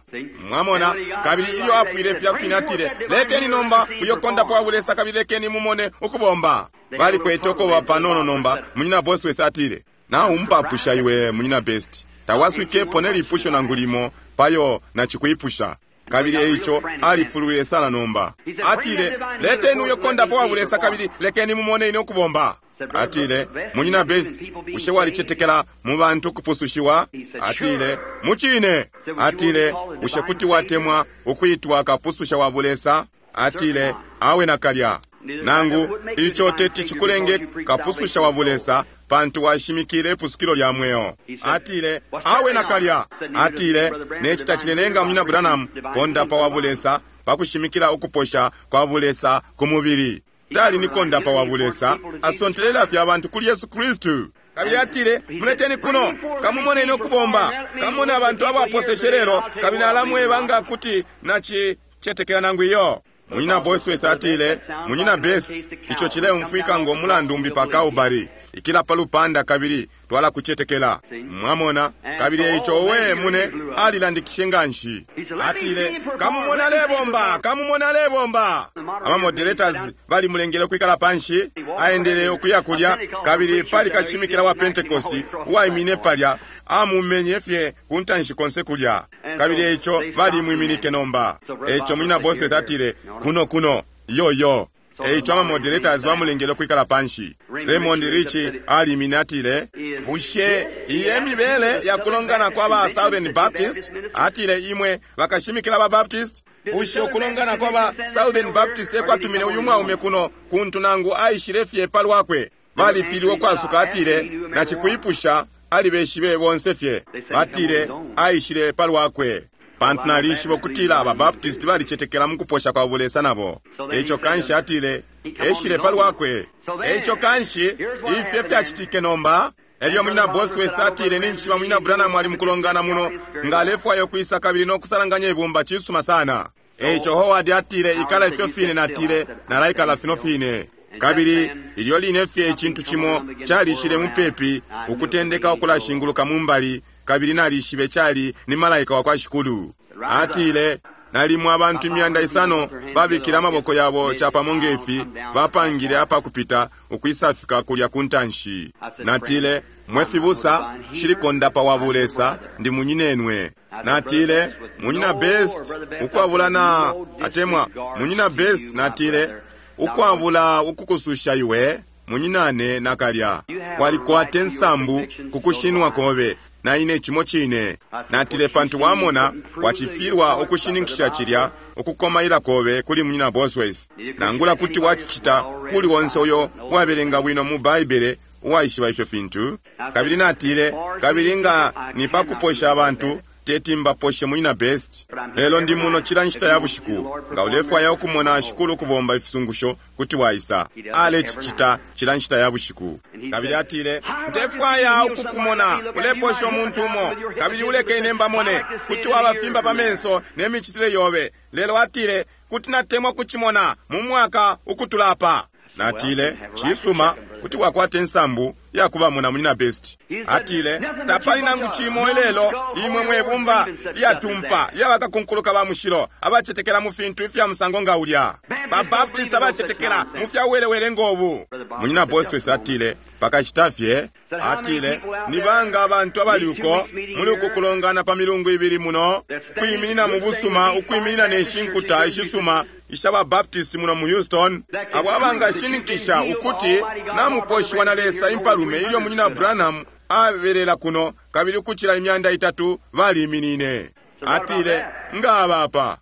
Mwamona, kabili ilyo apwile filya fine atile, lekeni nomba uyo kondapo wa bulesa kabili lekeni mumone ukubomba. Balikwete ukoba panono nomba, munyina Bosworth atile, naumpapusha iwe munyina Best. Tawaswikepo ne lipusho nangu limo payo nacikwipusha. Kabili eico alifulwile sana nomba. Atile, leteni uyo kondapo wa bulesa kabili lekeni mumone ine ukubomba. Atile, munyina Best, bushe walicetekela mu bantu kupusushiwa? Atile, mucine. Atile, bushe kuti watemwa ukuitwa kapususha wa bulesa? Atile, awe nakalya. Nangu ico teti cikulenge kapususha wa bulesa, pantu washimikile ipusukilo lya mweo. Atile, awe nakalya. Atile, neci tacilelenga munyina Branham kondapa wa bulesa pakushimikila ukuposha kwa bulesa ku mubili. Tali ni kondapa wa bulesa, asontelela fye abantu kuli Yesu Kristu. Kabili atile, muleteni kuno, kamumoneni ukubomba, kamumone abantu abaposeshe lelo, kabili alamweba nga kuti nacicetekela nangu iyo. Munyina Bosworth atile, munyina Best, ico cileumfwika ngo mulandu umbi pa Calvary. Ikila pa lupanda kabili twala kucetekela. Mwamona, kabili eico owe mune alilandikishe nganshi. Atile, kamumona alebomba, kamumona alebomba. Ama moderators balimulengele ukwikala panshi, aendele ukuya kulya, kabili pali kashimikila wa Pentecost uwaimine palya, amumenye fye ku ntanshi konse kulya. Kabili eico balimwiminike nomba. Eico munyina Bosworth atile, kuno kuno, yo yo. Eico ama moderators bamulengele ukwikala panshi. Raymond Richie alimine atile, bushe iye mibele ya kulongana kwa ba Southern Baptist? Atile, imwe bakashimikila ba Baptist? Bushe ukulongana kwa ba Southern Baptist ekwatumine uyu mwaume kuno kuntu nangu aishile fye palwakwe? Balifilwe ukwasuka. Atile, nacikwipusha alibeshibe bonse fye. Batile, aishile palwakwe. Pantu nalishiba ukutila aba Baptist balicetekela mu kuposha kwa bulesa nabo. Eico kanshi atile, eshile palwakwe. Eico kanshi, ifyo fyacitike nomba. Elyo munyina Bosworth atile, ninjishiba munyina Branham ali mukulongana muno, nga alefwaya ukwisa kabili no kusalanganya ibumba cisuma sana. Eico Howard atile, ikala ifyo fine, natile, nalaikala fino fine. Kabili ilyo line fye icintu cimo calishile mupepi ukutendeka ukulashinguluka mumbali, kabili nalishibe cali ni malaika wa kwa Shikulu. Atile, nalimo abantu 500 babikile amaboko yabo capamo ngefi, bapangile apakupita ukwisafika kulya ku ntanshi. Natile, mwe fibusa, shili kondapa wa bulesa, ndi munyinenwe. Natile, munyina Best, ukwabula na atemwa munyina Best, natile, ukwabula ukukususha iwe munyinane nakalya. Walikwate nsambu kukushinwa kobe, na ine cimo cine. Natile, pantu wamona wacifilwa ukushininkisha cilya ukukomaila kobe kuli munyina Bosworth. Nangula kuti wacicita kuli wonse uyo wabelenga bwino mu Baibele uwaishiba ifyo fintu. Kabili natile, kabili nga ni pakuposha abantu, teti mbaposhe, Munyina Best, lelo ndi muno cila nshita ya bushiku. Nga ulefwaya ukumona Shikulu ukubomba ifisungusho, kuti waisa. Alecicita cila nshita ya bushiku. Kabili atile, Ndefwaya ukukumona uleposha umuntu umo, kabili uleke ine mbamone. Kuti wabafimba pa menso ne micitile yobe. Lelo atile, Kuti natemwa kucimona mu mwaka ukutula apa. Natile, Cisuma, kuti wakwata insambu yakubamona, Munyina Best. Atile, Tapali nangu cimo ilelo imwe mwe bumba lyatumpa lya bakakunkuluka ba mushilo abacetekela mu fintu ifya musango nga ulya. Ba Baptist abacetekela mu fya buwelewele ngo bu. Munyina Bosworth atile, Pakashita fye. Atile, Ni banga abantu abali uko muli uku kulongana pa milungu ibili muno, ukwiminina mu busuma, ukwiminina ne shi nkuta ishisuma isha ba Baptist muno mu Houston, abo abangashininkisha ukuti namuposhiwa na Lesa Impalume ilyo Munyina Branham abelela kuno, kabili ukucila 300 baliminine. Atile, Nga aba apa.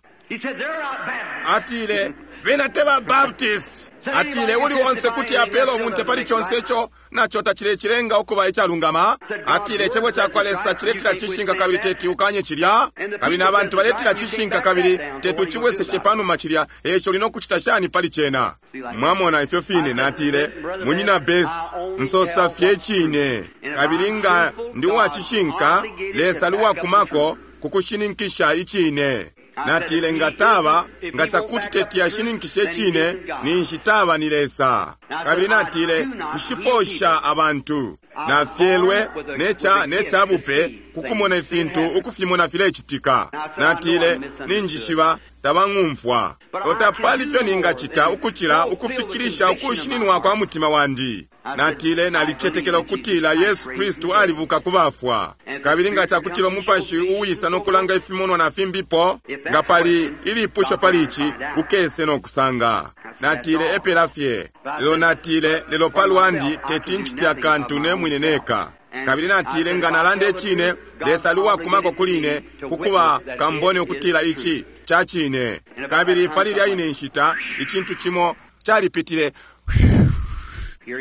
Atile, Bena te ba Baptist. Atile, Uli onse kuti apela ubunte pali conse ico naco tacilecilenga ukuba icalungama. Atile, Icebo cakwa Lesa ciletila cishinka kabili teti ukanye cilya. Kabili na bantu baletila cishinka kabili teti ucibweseshe panuma cilya, eico uli nokucita shani pali cena? Mwamona, ifyo fine. Natile, Munyina Best, nsosa fye icine. Kabili nga ndi uwacishinka, Lesa ali uwakumako ku kushininkisha icine. Natile, Nga taba, nga cakuti teti ashininkishe icine, ninshi taba ni Lesa. Kabili natile, Nshiposha abantu. Nafyelwe ne ca, ne ca bupe ku kumona ifintu ukufimona filecitika. Natile, Ninjishiba tabang'umfwa. Lelo tapali ifyo ningacita ukucila ukufikilisha ukushininwa kwa mutima wandi. Natile, Nalicetekela ukutila Yesu Kristu alibuka ku bafwa. Kabili nga cakutila Umupashi uwisa no kulanga ifimonwa na fimbipo, nga pali ilipusho pali ici, ukese no kusanga. Natile, Epela fye. Lelo natile, Lelo pa lwandi teti ncite akantu ne mwine neka. Kabili natile, Nga nalanda icine, Lesa ali uwakumako kuli ine ku kuba kambone ukutila ici ca cine. Kabili pali ilya ine nshita, icintu cimo calipitile.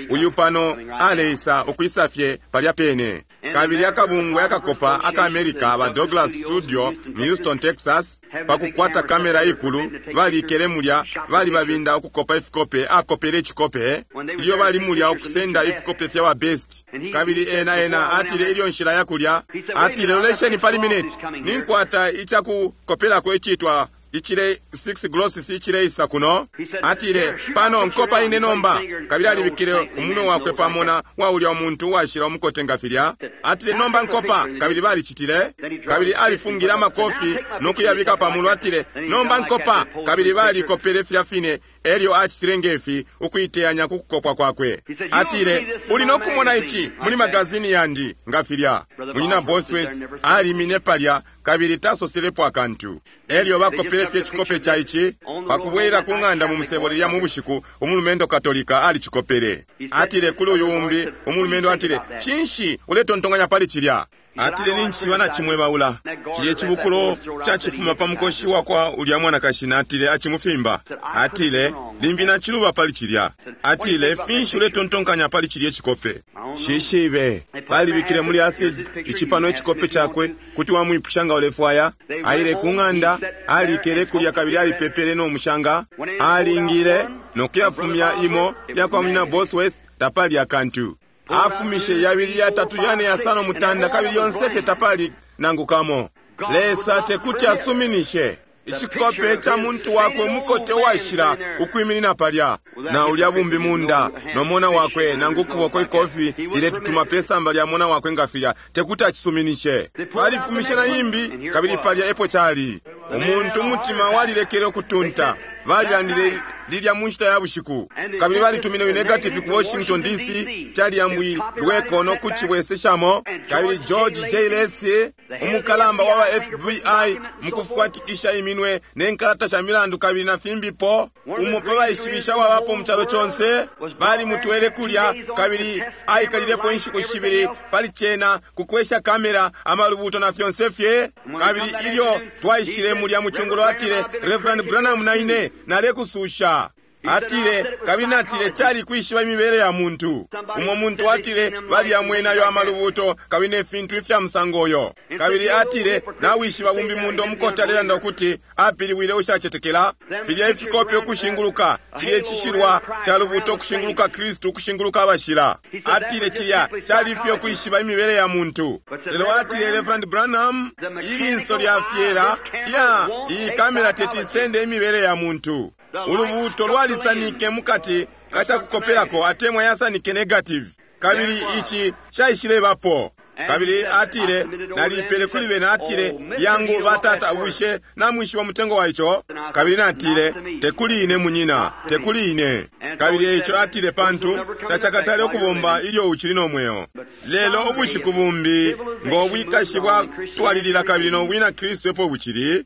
Uyu pano aleisa, ukwisa fye palya pene. Kabili akabungwe akakopa aka America ba Douglas Studio mu Houston, Texas, pa kukwata kamera ikulu, balikele mulya, balibabinda ukukopa ifikope, akopele icikope ilyo bali mulya ukusenda ifikope fya ba Best. Kabili ena, ena atile ilyo nshila ya kulya, atile, Lolesheni pali mineti, ninkwata icakukopelako icitwa icile 6 glosses icileisa kuno. Atile, Pano, nkopa ine nomba. Kabili alibikile umunwe wakwe pa mona wa ulya umuntu uwashila umukote nga filya. Atile, Nomba nkopa. Kabili balicitile. Kabili alifungile amakofi no kuyabika pa mulu. Atile, Nomba nkopa. Kabili balikopele filya fine. Elyo acitile ngefi ukuiteyanya ku kukopwa kwakwe. Atile, Uli no kumona ici muli magazini yandi, nga filya. Munyina Bosworth alimine palya kabili tasoselepo akantu. Elyo bakopele fye icikope ca ici. Pa kubwelela ku ng'anda mu musebo lilya mu bushiku, umulumendo Katolika alicikopele. Atile kuli uyu umbi umulumendo, atile, Cinshi uletontonkanya pali cilya? Atile, Nincishiba nacimwebaula. Cilye cibukulo cacifuma pa mukoshi wakwa ulya mwanakashi, natile, acimufimba. Atile, Limbi naciluba pali cilya. Atile, Finshi uletontonkanya pali cilye cikope? Nshishibe. Balibikile muli acid ici pano icikope cakwe, kuti wamwipusha nga ulefwaya. Aile ku ng'anda, alikele kulya kabili alipepele no mushanga. Alingile no kuyafumya imo yakwa Munyina Bosworth, tapali akantu. Afumishe yabili, yatatu, yane, yasano, mutanda, kabili yonse fye tapali nangu kamo. Lesa tekuti asuminishe icikope ca muntu wakwe umukote uwashila ukwiminina palya na ulya bumbi munda no mona wakwe, nangu ukuboko ikofi liletutuma pe samba lya mona wakwe nga filya, tekuti acisuminishe. Balifumishe na imbi, kabili palya epo cali. Umuntu umutima walilekele ukutunta. Balilandile lilya mu nshita ya bushiku, kabili balitumine uyu negative ku Washington D.C. Caliyambwilweko no kucibweseshamo. Kabili George J. Lacy, umukalamba wa ba FBI, mukufwatikisha iminwe ne nkalata sha milandu kabili na fimbipo, umo pa baishibisha wabapo mu calo conse, balimutwele kulya kabili aikalilepo inshiku shibili pali cena ku kwesha kamera, amalubuto na fyonse fye. Kabili ilyo twaishile mulya mu cungulo, atile, Reverend Branham na ine nalekususha. Atile, kabili natile cali kwishiba imibele ya muntu. Umo muntu atile baliyamwene ayo amalubuto kabili ne fintu ifya musango uyo. Kabili atile, nawishiba bumbi mundo umukota alelanda ukuti apilibwile ushacetekela? Filya ifikope ukushinguluka, cilya icishilwa ca lubuto ukushinguluka Kristu, ukushinguluka abashila. Atile cilya cali fye ukwishiba imibele ya muntu. Lelo atile, Reverend Branham, ilinso lya fyela ya iyi kamera teti isende imibele ya muntu. Ulubuuto lwalisanike mukati ka cakukopelako atemwa yasanike negative, kabili ici caishilebapo. Kabili atile, naliipele kuli bena, atile, Yangu, batata, bushe namwishiba umutengo wa ico? Kabili natile, Tekuli ine, munyina, tekuli ine. Kabili eico atile, Pantu tacakatale ukubomba ilyo ucili no mweo. Lelo ubushiku bumbi, ngo bwikashi bwatwalilila kabili no bwina Kristu epo bucili,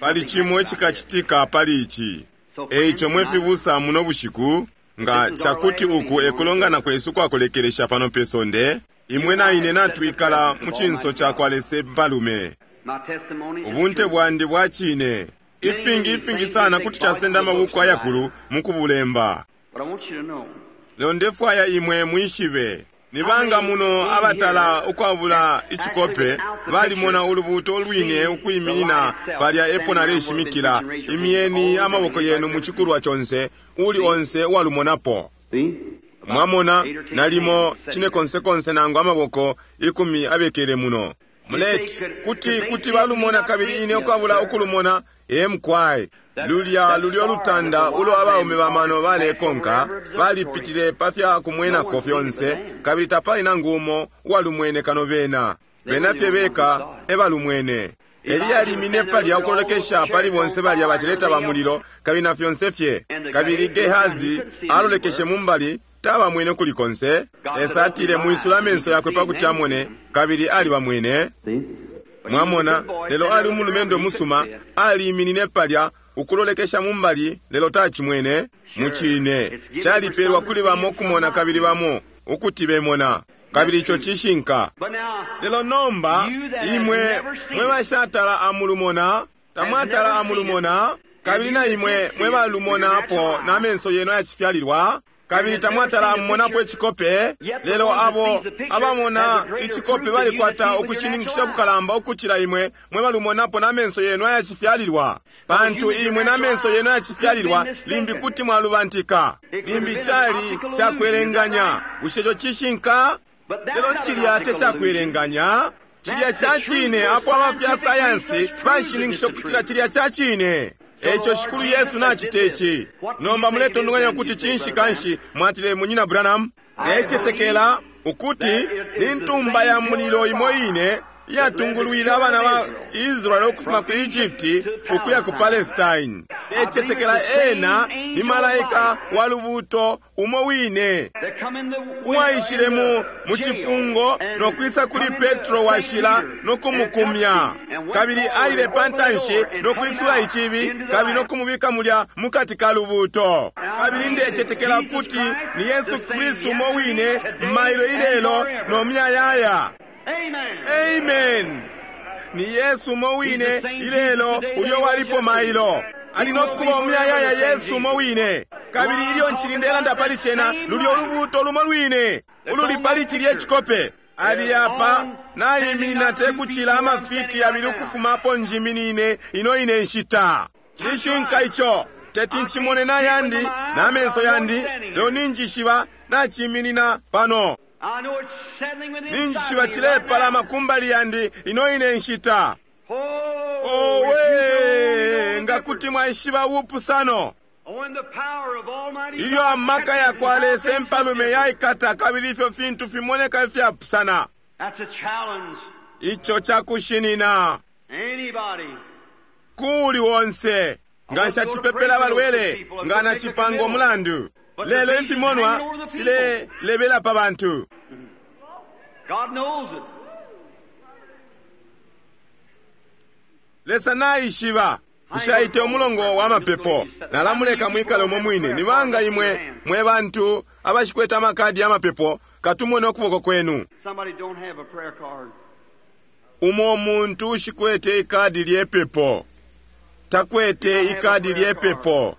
pali cimo icikacitika pali ici. Eico mwe fibusa, muno bushiku, nga cakuti uku ekulongana kwesu kwakulekelesha pano pe sonde, imwe na ine natwikala mu cinso cakwa Lesa impalume. Ubunte bwandi bwa cine. Ifingi, ifingi sana kuti casenda amabuku ayakulu mukubulemba. Lelo ndefwaya imwe mwishibe. Ni banga muno abatala ukwabula icikope balimona ulubuuto ulwine ukwiminina palya epo naleshimikila? Imyeni amaboko yenu mu cikulwa conse, uuli onse uwalumonapo. Mwamona, nalimo cinekonsekonse nangu amaboko ikumi abekele muno. Muleti, kuti, kuti balumona kabili ine ukwabula ukulumona? Ee, mukwai. Lulya, lulyo lutanda ulo abaume ba mano balekonka, balipitile pa fya kumwenako fyonse, kabili tapali nangu umo uwalumwene kano bena. Bena fye beka e balumwene. Eliya alimine palya ukulolekesha pali bonse balya baceleta ba mulilo, kabili na fyonse fye. Kabili Gehazi alolekeshe mu mbali, tabamwene ukuli konse. Lesa atile, Mwisule amenso yakwe pa kuti amone, kabili alibamwene. Mwamona, lelo ali umulumendo musuma, aliiminine palya ukulolekesha mu mbali, lelo tacimwene. Mucine, calipelwa kuli bamo ukumona kabili bamo ukuti bemona. Kabili ico cishinka. Lelo nomba, imwe mwe bashatala amulumona, tamwatala amulumona, kabili na imwe mwe balumonapo na menso yenu ayacifyalilwa, kabili tamwatala amumonapo icikope, lelo abo abamona icikope balikwata ukushininkisha kukalamba ukucila imwe mwe balumonapo na menso yenu ayacifyalilwa. Pantu imwe na menso yenu ayacifyalilwa limbi kuti mwalubantika, limbi cali cakwelenganya. Bushe ico cishinka? Lelo cilya te cakwelenganya, cilya ca cine, apo aba fya sayansi bashininkisha ukutila cilya ca cine. Eico Shikulu Yesu nacita ici. Nomba muletontonkanya ukuti cinshi kanshi mwatile, Munyina Branham? Ndecetekela ukuti ni ntumba ya mulilo imo ine iyatungulwile abana ba Israele ukufuma ku Egypti ukuya ku Palestine. Ndecetekela ena ni malaika wa lubuuto umo wine uwaishile mu, mu cifungo no kwisa kuli Petro washila no kumukumya, kabili aile pa ntanshi no kwisula icibi kabili no kumubika mulya mukati ka lubuuto. Kabili ndecetekela ukuti ni Yesu Kristu umo wine mailo, ilelo, no muyayaya. Amen. Ni Yesu umo wine ilelo ulyo walipo mailo. Ali no kuba umuyayaya, Yesu umo wine. Kabili ilyo ncili ndelanda pali cena, lulyo ulubuuto lumo lwine ululi pali cilye cikope. Ali apa naiminina te kucila amafiti yabili ukufuma apo njiminine ino ine nshita. Cishinka ico. Teti ncimone na yandi, na menso yandi, lelo ninjishiba naciminina pano. Ninjishiba cilepalama kumbali yandi ino ine nshita. Owe, nga kuti mwaishiba ubupusano! Ilyo amaka ya kwa Lesa impalume yaikata kabili ifyo fintu fimoneka ifyapusana. Ico cakushinina kuuli onse. Nga nshacipepela abalwele, nga nacipanga umulandu. Lelo ifimonwa filelebela pa bantu. Lesa naishiba. Nshaite umulongo wa mapepo. Nalamuleka mwikale umo mwine. Ni banga imwe mwe bantu abashikwete amakadi ya mapepo, katumone ukuboko kwenu. Umo muntu ushikwete ikadi lye pepo. Takwete ikadi lye pepo.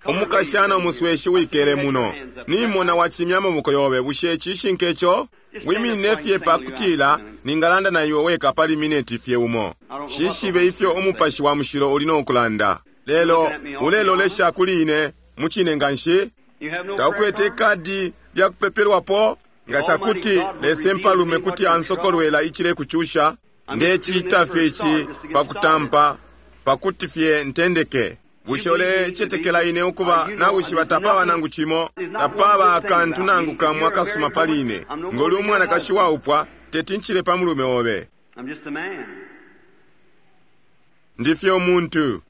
Umukashana umusweshi wikele muno, nimona wacimya amaboko yobe. Bushe cishinka ico? Wiminine fye pakutila ningalanda na iwe weka pali mineti fye umo. Shishibe ifyo Umupashi wa Mushilo uli no kulanda. Lelo ulelolesha kuli ine mucine nganshi. Taukwete ikadi lya kupepelwapo? Nga cakuti Lesa Impalume kuti ansokolwela icilekucusha, ndecita fye ici pakutampa, pakuti fye ntendeke. Bushe ulecetekela ine ukuba nawishiba tapaba nangu cimo, tapaba akantu nangu kamo akasuma pali ine? Ngoli umwanakashi waupwa, teti ncile pa mulume obe. Ndi fye umuntu.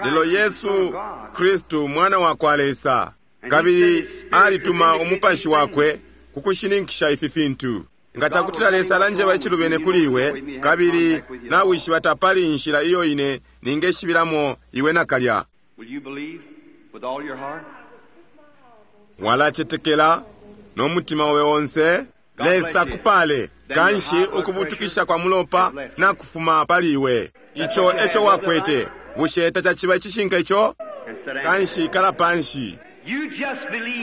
Lelo Yesu Kristu Mwana wa kwa Lesa, kabili alituma Umupashi wakwe ku kushininkisha ifi fintu. Nga cakutila Lesa alanjeba icilubene kuli iwe, kabili nawishiba tapali inshila iyo ine ningeshibilamo iwe nakalya. Walacetekela no mutima obe onse? Lesa kupale. Kanshi ukubutukisha kwa mulopa nakufuma pali iwe. Ico eco wakwete. Bushe tacaciba icishinka ico? Kanshi ikala panshi.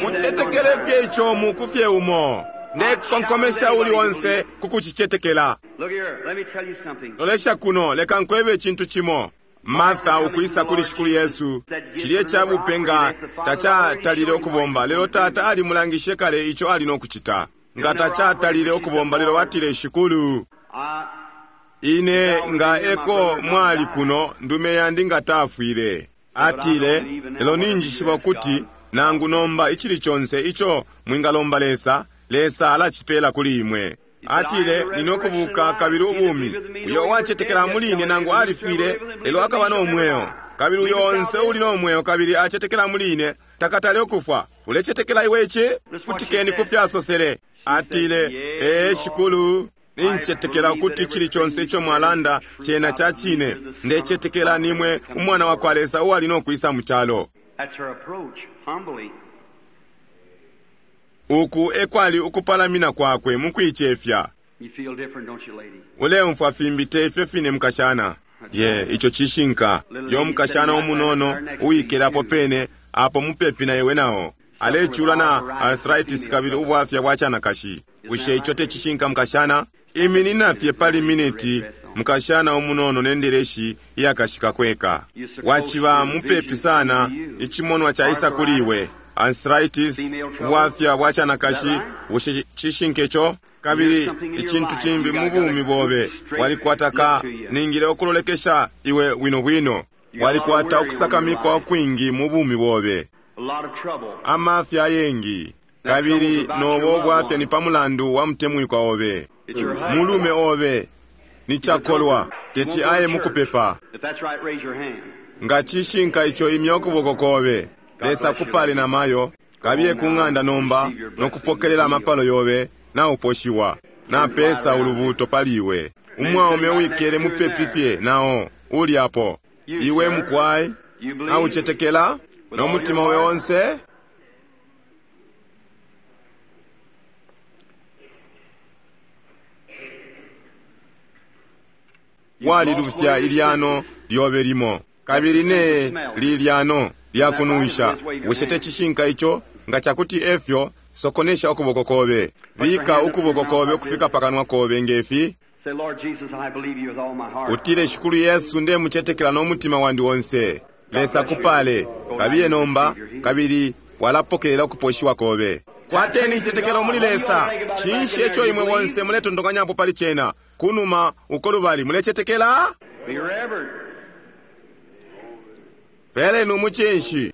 Ucetekele fye ico muku fye umo. Ndekonkomesha uli onse ku kucicetekela. Lolesha kuno, leka nkwebe icintu cimo. Martha ukwisa kuli Shikulu Yesu, cilye ca bupe nga tacatalile ukubomba, lelo Tata alimulangishe kale ico ali no kucita. Nga tacatalile ukubomba, lelo atile, Shikulu, ine nga eko mwali kuno, ndume yandi nga tafwile. Atile, lelo ninjishiba ukuti nangu nomba icili conse ico mwingalomba Lesa, Lesa alacipela kuli imwe. Atile, nine ukubuka kabili ubumi. Uyo uwacetekela muli ine nangu alifwile, lelo akaba no mweo. Kabili uyo onse uli no mweo kabili acetekela muli ine, takatale ukufwa. Ulecetekela iwe ici? Kutikeni ku fyasosele. Atile, ee, Shikulu, nincetekela ukuti cili conse ico mwalanda cena ca cine. Ndecetekela nimwe Umwana wa kwa Lesa uwali no kwisa mu calo. Uku ekwali ukupalamina kwakwe mu kuicefya. Uleumfwa fimbi te ifyo fine, mukashana? Ye, ico cishinka. Yo mukashana umunono uwikelapo pene apo mupepi na iwe nao alecula na arthritis kabili ubwafya bwa canakashi. Bushe ico te cishinka, mukashana? Iminina fye pali mineti, mukashana umunono nendeleshi iyakashika kweka. Waciba mupepi sana, icimonwa caisa kuli iwe. Arthritis, ubwafya bwa canakashi, bushe cishinka ico? Kabili icintu cimbi mu bumi bobe, walikwata ka ningile ukulolekesha iwe bwino bwino. Walikwata ukusakamikwa ukwingi mu bumi bobe, amafya ayengi, kabili nobo bwafya ni pa mulandu wa mutemwikwa obe, mulume obe ni cakolwa, teti aye mukupepa. Nga cishinka ico, imya ukuboko kobe. Lesa kupale na mayo, kabiye ku ng'anda nomba no kupokelela amapalo yobe na uposhiwa. Na pesa ulubuto pali iwe. Umwaume wikele mupepi fye nao uli apo. Iwe mukwai, na ucetekela no mutima obe onse? Walilufya ilyano lyobe limo, kabili ne lilyano lyakununsha. Bushe te cishinka ico? Nga cakuti efyo, sokonesha ukuboko kobe. Bika ukuboko kobe ukufika pakanwa kobe ngefi. Utile, Shikulu Yesu, ndemucetekela no mutima wandi onse. Lesa kupale. Kabiye nomba, kabili walapokelela ukuposhiwa kobe. Kwateni icitetekelo muli Lesa. Cinshi eco imwe bonse muletontokanyapo pali cena? Kunuma uko lubali mulecetekela? Peleni umucinshi.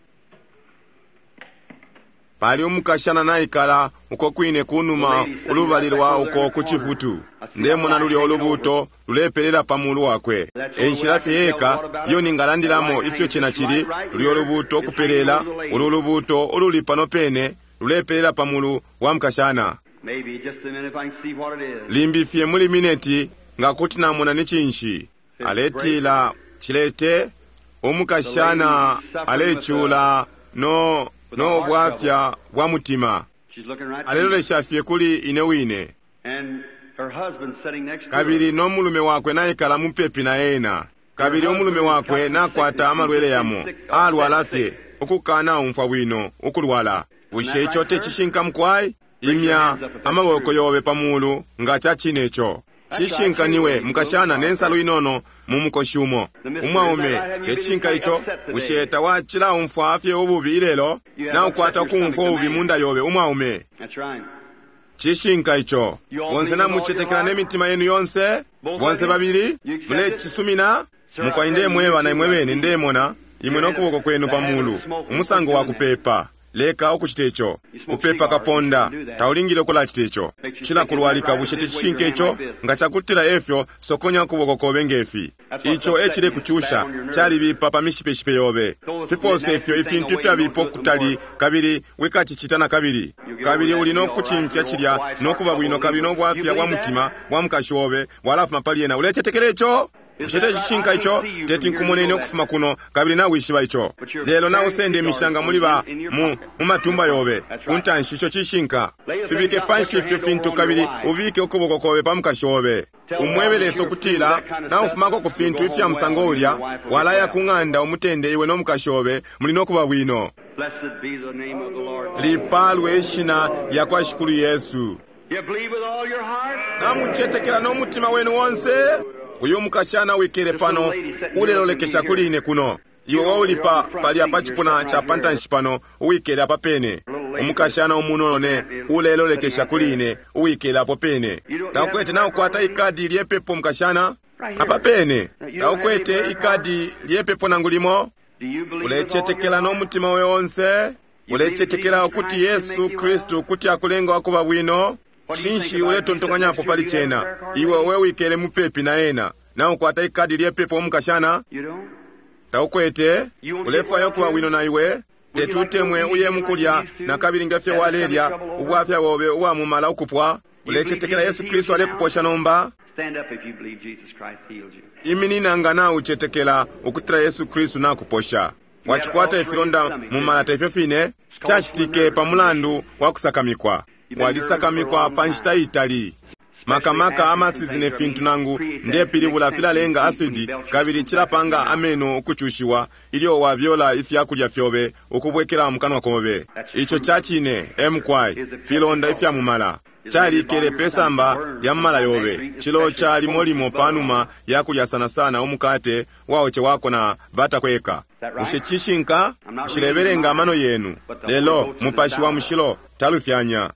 Pali umukashana naikala uko kwine kunuma ulubali lwa uko ku cifutu. Ndemona lulya ulubuto lulepelela pa mulu wakwe. Enshila fye yeka iyo ningalandilamo ifyo cena cili, lulya ulubuto ukupelela, ulu ulubuto ululi pano pene lulepelela pa mulu wa mukashana. Limbi fye muli mineti nga kuti namona ni cinshi. Aletila cilete umukashana alecula no no bwafya bwa mutima. Alelolesha fye kuli ine wine. Kabili no mulume wakwe naikala mupepi na ena. Kabili umulume wakwe nakwata amalwele yamo. Alwala fye. ukukanaumfwa bwino, ukulwala. Bushe ico te cishinka mukwai? Imya amaboko yobe pa mulu nga ca cine ico. Cishinka niwe mukashana ne nsalu inono mu mukoshi umo. Umwaume, te cishinka ico? Bushe tawacilaumfwa fye ububi ilelo? Naukwata ukumfwa ububi mu nda yobe, umwaume. Cishinka ico. Bonse namucetekela ne mitima yenu yonse? Bonse babili? Mulecisumina? Mukwai ndemweba na imwe bene ndemona imwe no kuboko kwenu pa mulu, umusango wa kupepa. Leka ukucita ico. Upepa kaponda, taulingile ukulacita ico. Cilakulwalika, bushe tecishinka ico? Nga cakutila efyo, sokonya ukuboko kobe ngefi. Ico e cilekucusha, calibipa pa mishipeshipe yobe. Fipose ifyo ifintu ifyabipa ukutali, kabili wikacicita na kabili. Kabili uli no kucimfya cilya no kuba bwino, kabili no bwafya bwa mutima bwa mukashi obe bwalafuma pali ena. Ulecetekela ico? Bushe tecishinka ico? Teti nkumoneni ukufuma kuno, kabili nawishiba ico. Lelo nausenda imishanga muli ba mu, mu matumba yobe ku ntanshi. Ico cishinka. Fibike panshi ifyo fintu, kabili ubike ukuboko kobe pa mukashi obe. Umwebe Lesa ukutila naufumako ku fintu ifya musango ulya, walaya ku ng'anda umutende, iwe no mukashi obe muli no kuba bwino. Lipalwe ishina lya kwa Shikulu Yesu. Namucetekela no mutima wenu onse? Uyu mukashana wikele pano ulelolekesha kuli ine kuno. Iwe wauli pa palya pa cipuna ca pantanshi pano uwikele apa pene. Umukashana umunono ne ulelolekesha kuli ine uwikele apo pene. Taukwete naukwata ikadi lyepepo mukashana? Apa pene. Taukwete ikadi lyepepo nangu limo? Ulecetekela no mutima obe onse? Ulecetekela ukuti Yesu Kristu kuti akulenga ukuba bwino? Cinshi uletontonkanyapo pali cena? Iwe we wikele mupepi na ena. Naukwata ikadi lyepepo umukashana? Taukwete? Ulefwaya ukuba bwino na iwe? Teti utemwe uye mukulya na kabili nge fyo walelya, ubwafya bobe ubwa mumala ukupwa? Ulecetekela Yesu Kristu alekuposha nomba? Iminina nga naucetekela ukutila Yesu Kristu nakuposha. Wacikwata ifilonda mumala, te ifyo fine? Cacitike pa mulandu wa kusakamikwa. Walisakamikwa pa nshita itali. Makamaka amasizi ne fintu nangu ndepilibula filalenga asidi, kabili cilapanga ameno ukucushiwa ilyo wabyola ifya kulya fyobe ukubwekela mu kanwa kobe. Ico ca cine, emukwai, filonda ifya mumala. Calikele pe samba lya mumala yobe. Ciloca limo limo pa numa ya kulya sana sana umukate waocewako na bata kweka. Bushe cishinka? Nshilebelenga amano yenu, lelo Mupashi wa Mushilo talufyanya.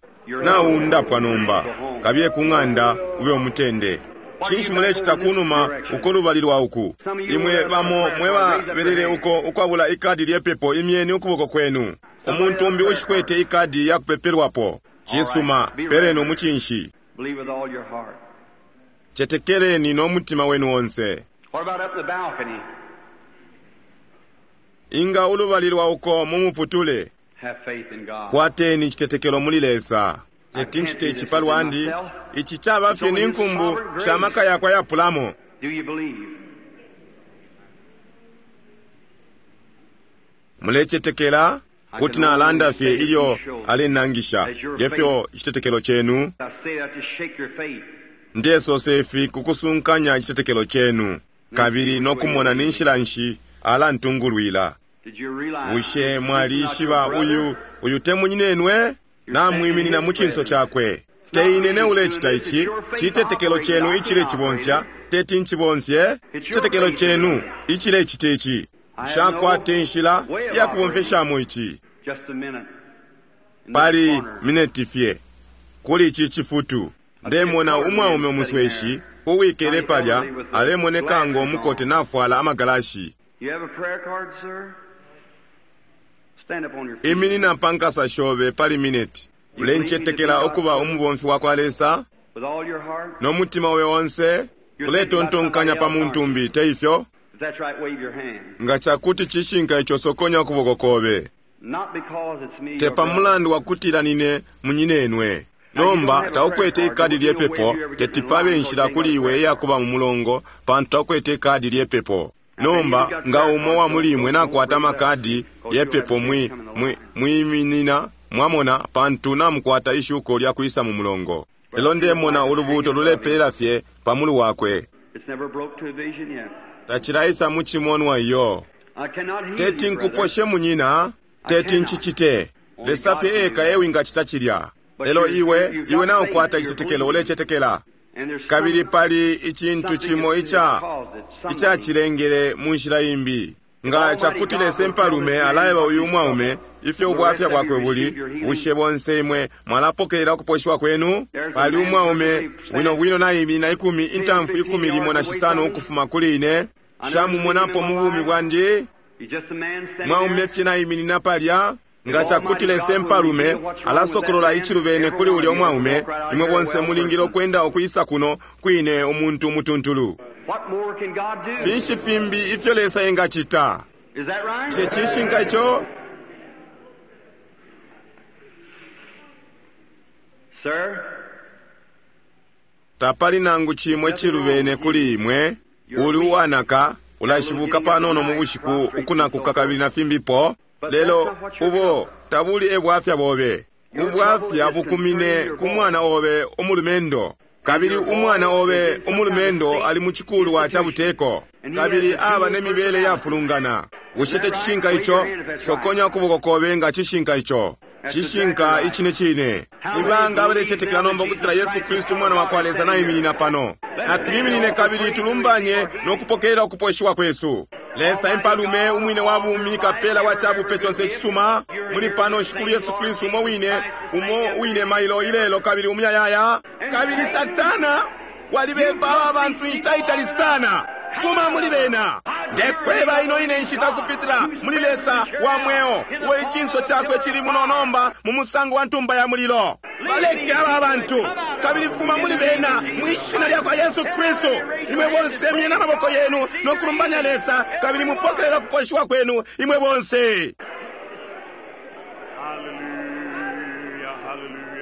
Naundapwa nomba. Kabiye ku ng'anda ube umutende. Cinshi mulecita kunuma uko lubali lwa uku? Imwe bamo mwe babelele uko ukwabula ikadi lyepepo, imyeni ukuboko kwenu. Umuntu umbi ushikwete ikadi ya kupepelwapo. Cisuma, peleni umucinshi. Cetekeleni no mutima wenu onse. Inga ulubali lwa uko mu muputule? Kwateni icitetekelo muli Lesa. Teti ncite ici pa lwandi. Ici caba fye ni nkumbu sha maka yakwe ayapulamo. Mulecetekela? Kuti nalanda fye ilyo alenangisha ngefyo icitetekelo cenu. Ndesose ifi kukusunkanya icitetekelo cenu, kabili no kumona ni nshila nshi alantungulwila. Bushe mwalishiba uyu, uyu te munyinenwe? Namwiminina mu cinso cakwe. Te ine ne ulecita ici, citetekelo cenu icilecibomfya, teti ncibomfye, citetekelo cenu icilecita ici. Nshakwata inshila ya kubomfeshamo ici. Pali mineti fye, kuli ici cifutu, ndemona umwaume umusweshi uwikele palya, alemoneka ngo mukote nafwala amagalashi. Iminina pa nkasa shobe pali mineti. Ulencetekela ukuba umubomfi wa kwa Lesa? No mutima obe onse? Uletontonkanya pa muntu umbi, te ifyo? Nga cakuti cishinka ico, sokonya ukuboko kobe. Te pa mulandu wa kutila nine munyinenwe. Nomba taukwete ikadi lyepepo, teti pabe inshila kuli iwe iyakuba mu mulongo, pantu taukwete ikadi lyepepo. Nomba nga umo wa muli imwe nakwata amakadi yepepo, mwi, mwi, mwiminina, mwamona, pantu namukwata ishuko lya kwisa mu mulongo. Lelo ndemona ulubuuto lulepelela fye pa mulu wakwe. Tacilaisa mu cimonwa iyo. Teti nkuposhe munyina, teti ncicite. Lesa fye eka ewingacita cilya. Lelo iwe, iwe naukwata icitetekelo, ulecetekela. Kabili pali icintu cimo ica icacilengele mu nshila imbi. Nga cakuti Lesa Impalume alaeba uyu umwaume ifyo ubwafya bwakwe buli, bushe bonse imwe mwalapokelela ukuposhiwa kwenu? Pali umwaume bwino bwino naiminina ikumi intamfu ikumi limo na shisano ukufuma kuli ine. Nshamumonapo mu bumi bwandi. Mwaume fye naiminina palya. Nga cakuti Lesa Impalume alasokolola icilubene kuli ulya umwaume, imwe bonse mulingile ukwenda ukwisa kuno kwine umuntu umutuntulu. Finshi fimbi ifyo Lesa engacita? Bushe cishinka ico? Tapali nangu cimo icilubene kuli imwe. Uli uwanaka, ulashibuka panono mu bushiku, ukunakuka kabili na fimbipo. Lelo ubo tabuli e bwafya bobe. Ubwafya bukumine ku mwana obe umulumendo. Kabili umwana obe umulumendo ali mu cikulwa ca buteko, kabili aba ne mibele yafulungana. Bushe te cishinka ico? Sokonya ukuboko kobe nga cishinka ico. Cishinka icine cine. Ni banga abalecetekela nomba ukutila Yesu Kristu Umwana wa kwa Lesa naiminina pano? Natwiminine kabili tulumbanye no kupokelela ukuposhiwa kwesu. Lesa Impalume, Umwine wa bumi, Kapela wa cabupe conse icisuma, muli pano Shikulu Yesu Kristu umo wine, umo wine mailo, ilelo, kabili umuyayaya. Kabili Satana, walibepa aba bantu inshita itali sana. Fuma muli bena. Ndekweba ino ine nshita ukupitila muli Lesa wa mweo, uo icinso cakwe cili muno nomba mu musango wa ntumba ya mulilo. Baleke aba bantu, kabili fuma muli bena mwi Shina lyakwa Yesu Kristu. Imwe bonse myeni amaboko yenu no kulumbanya Lesa, kabili mupokelela ukuposhiwa kwenu, imwe bonse. Hallelujah, hallelujah.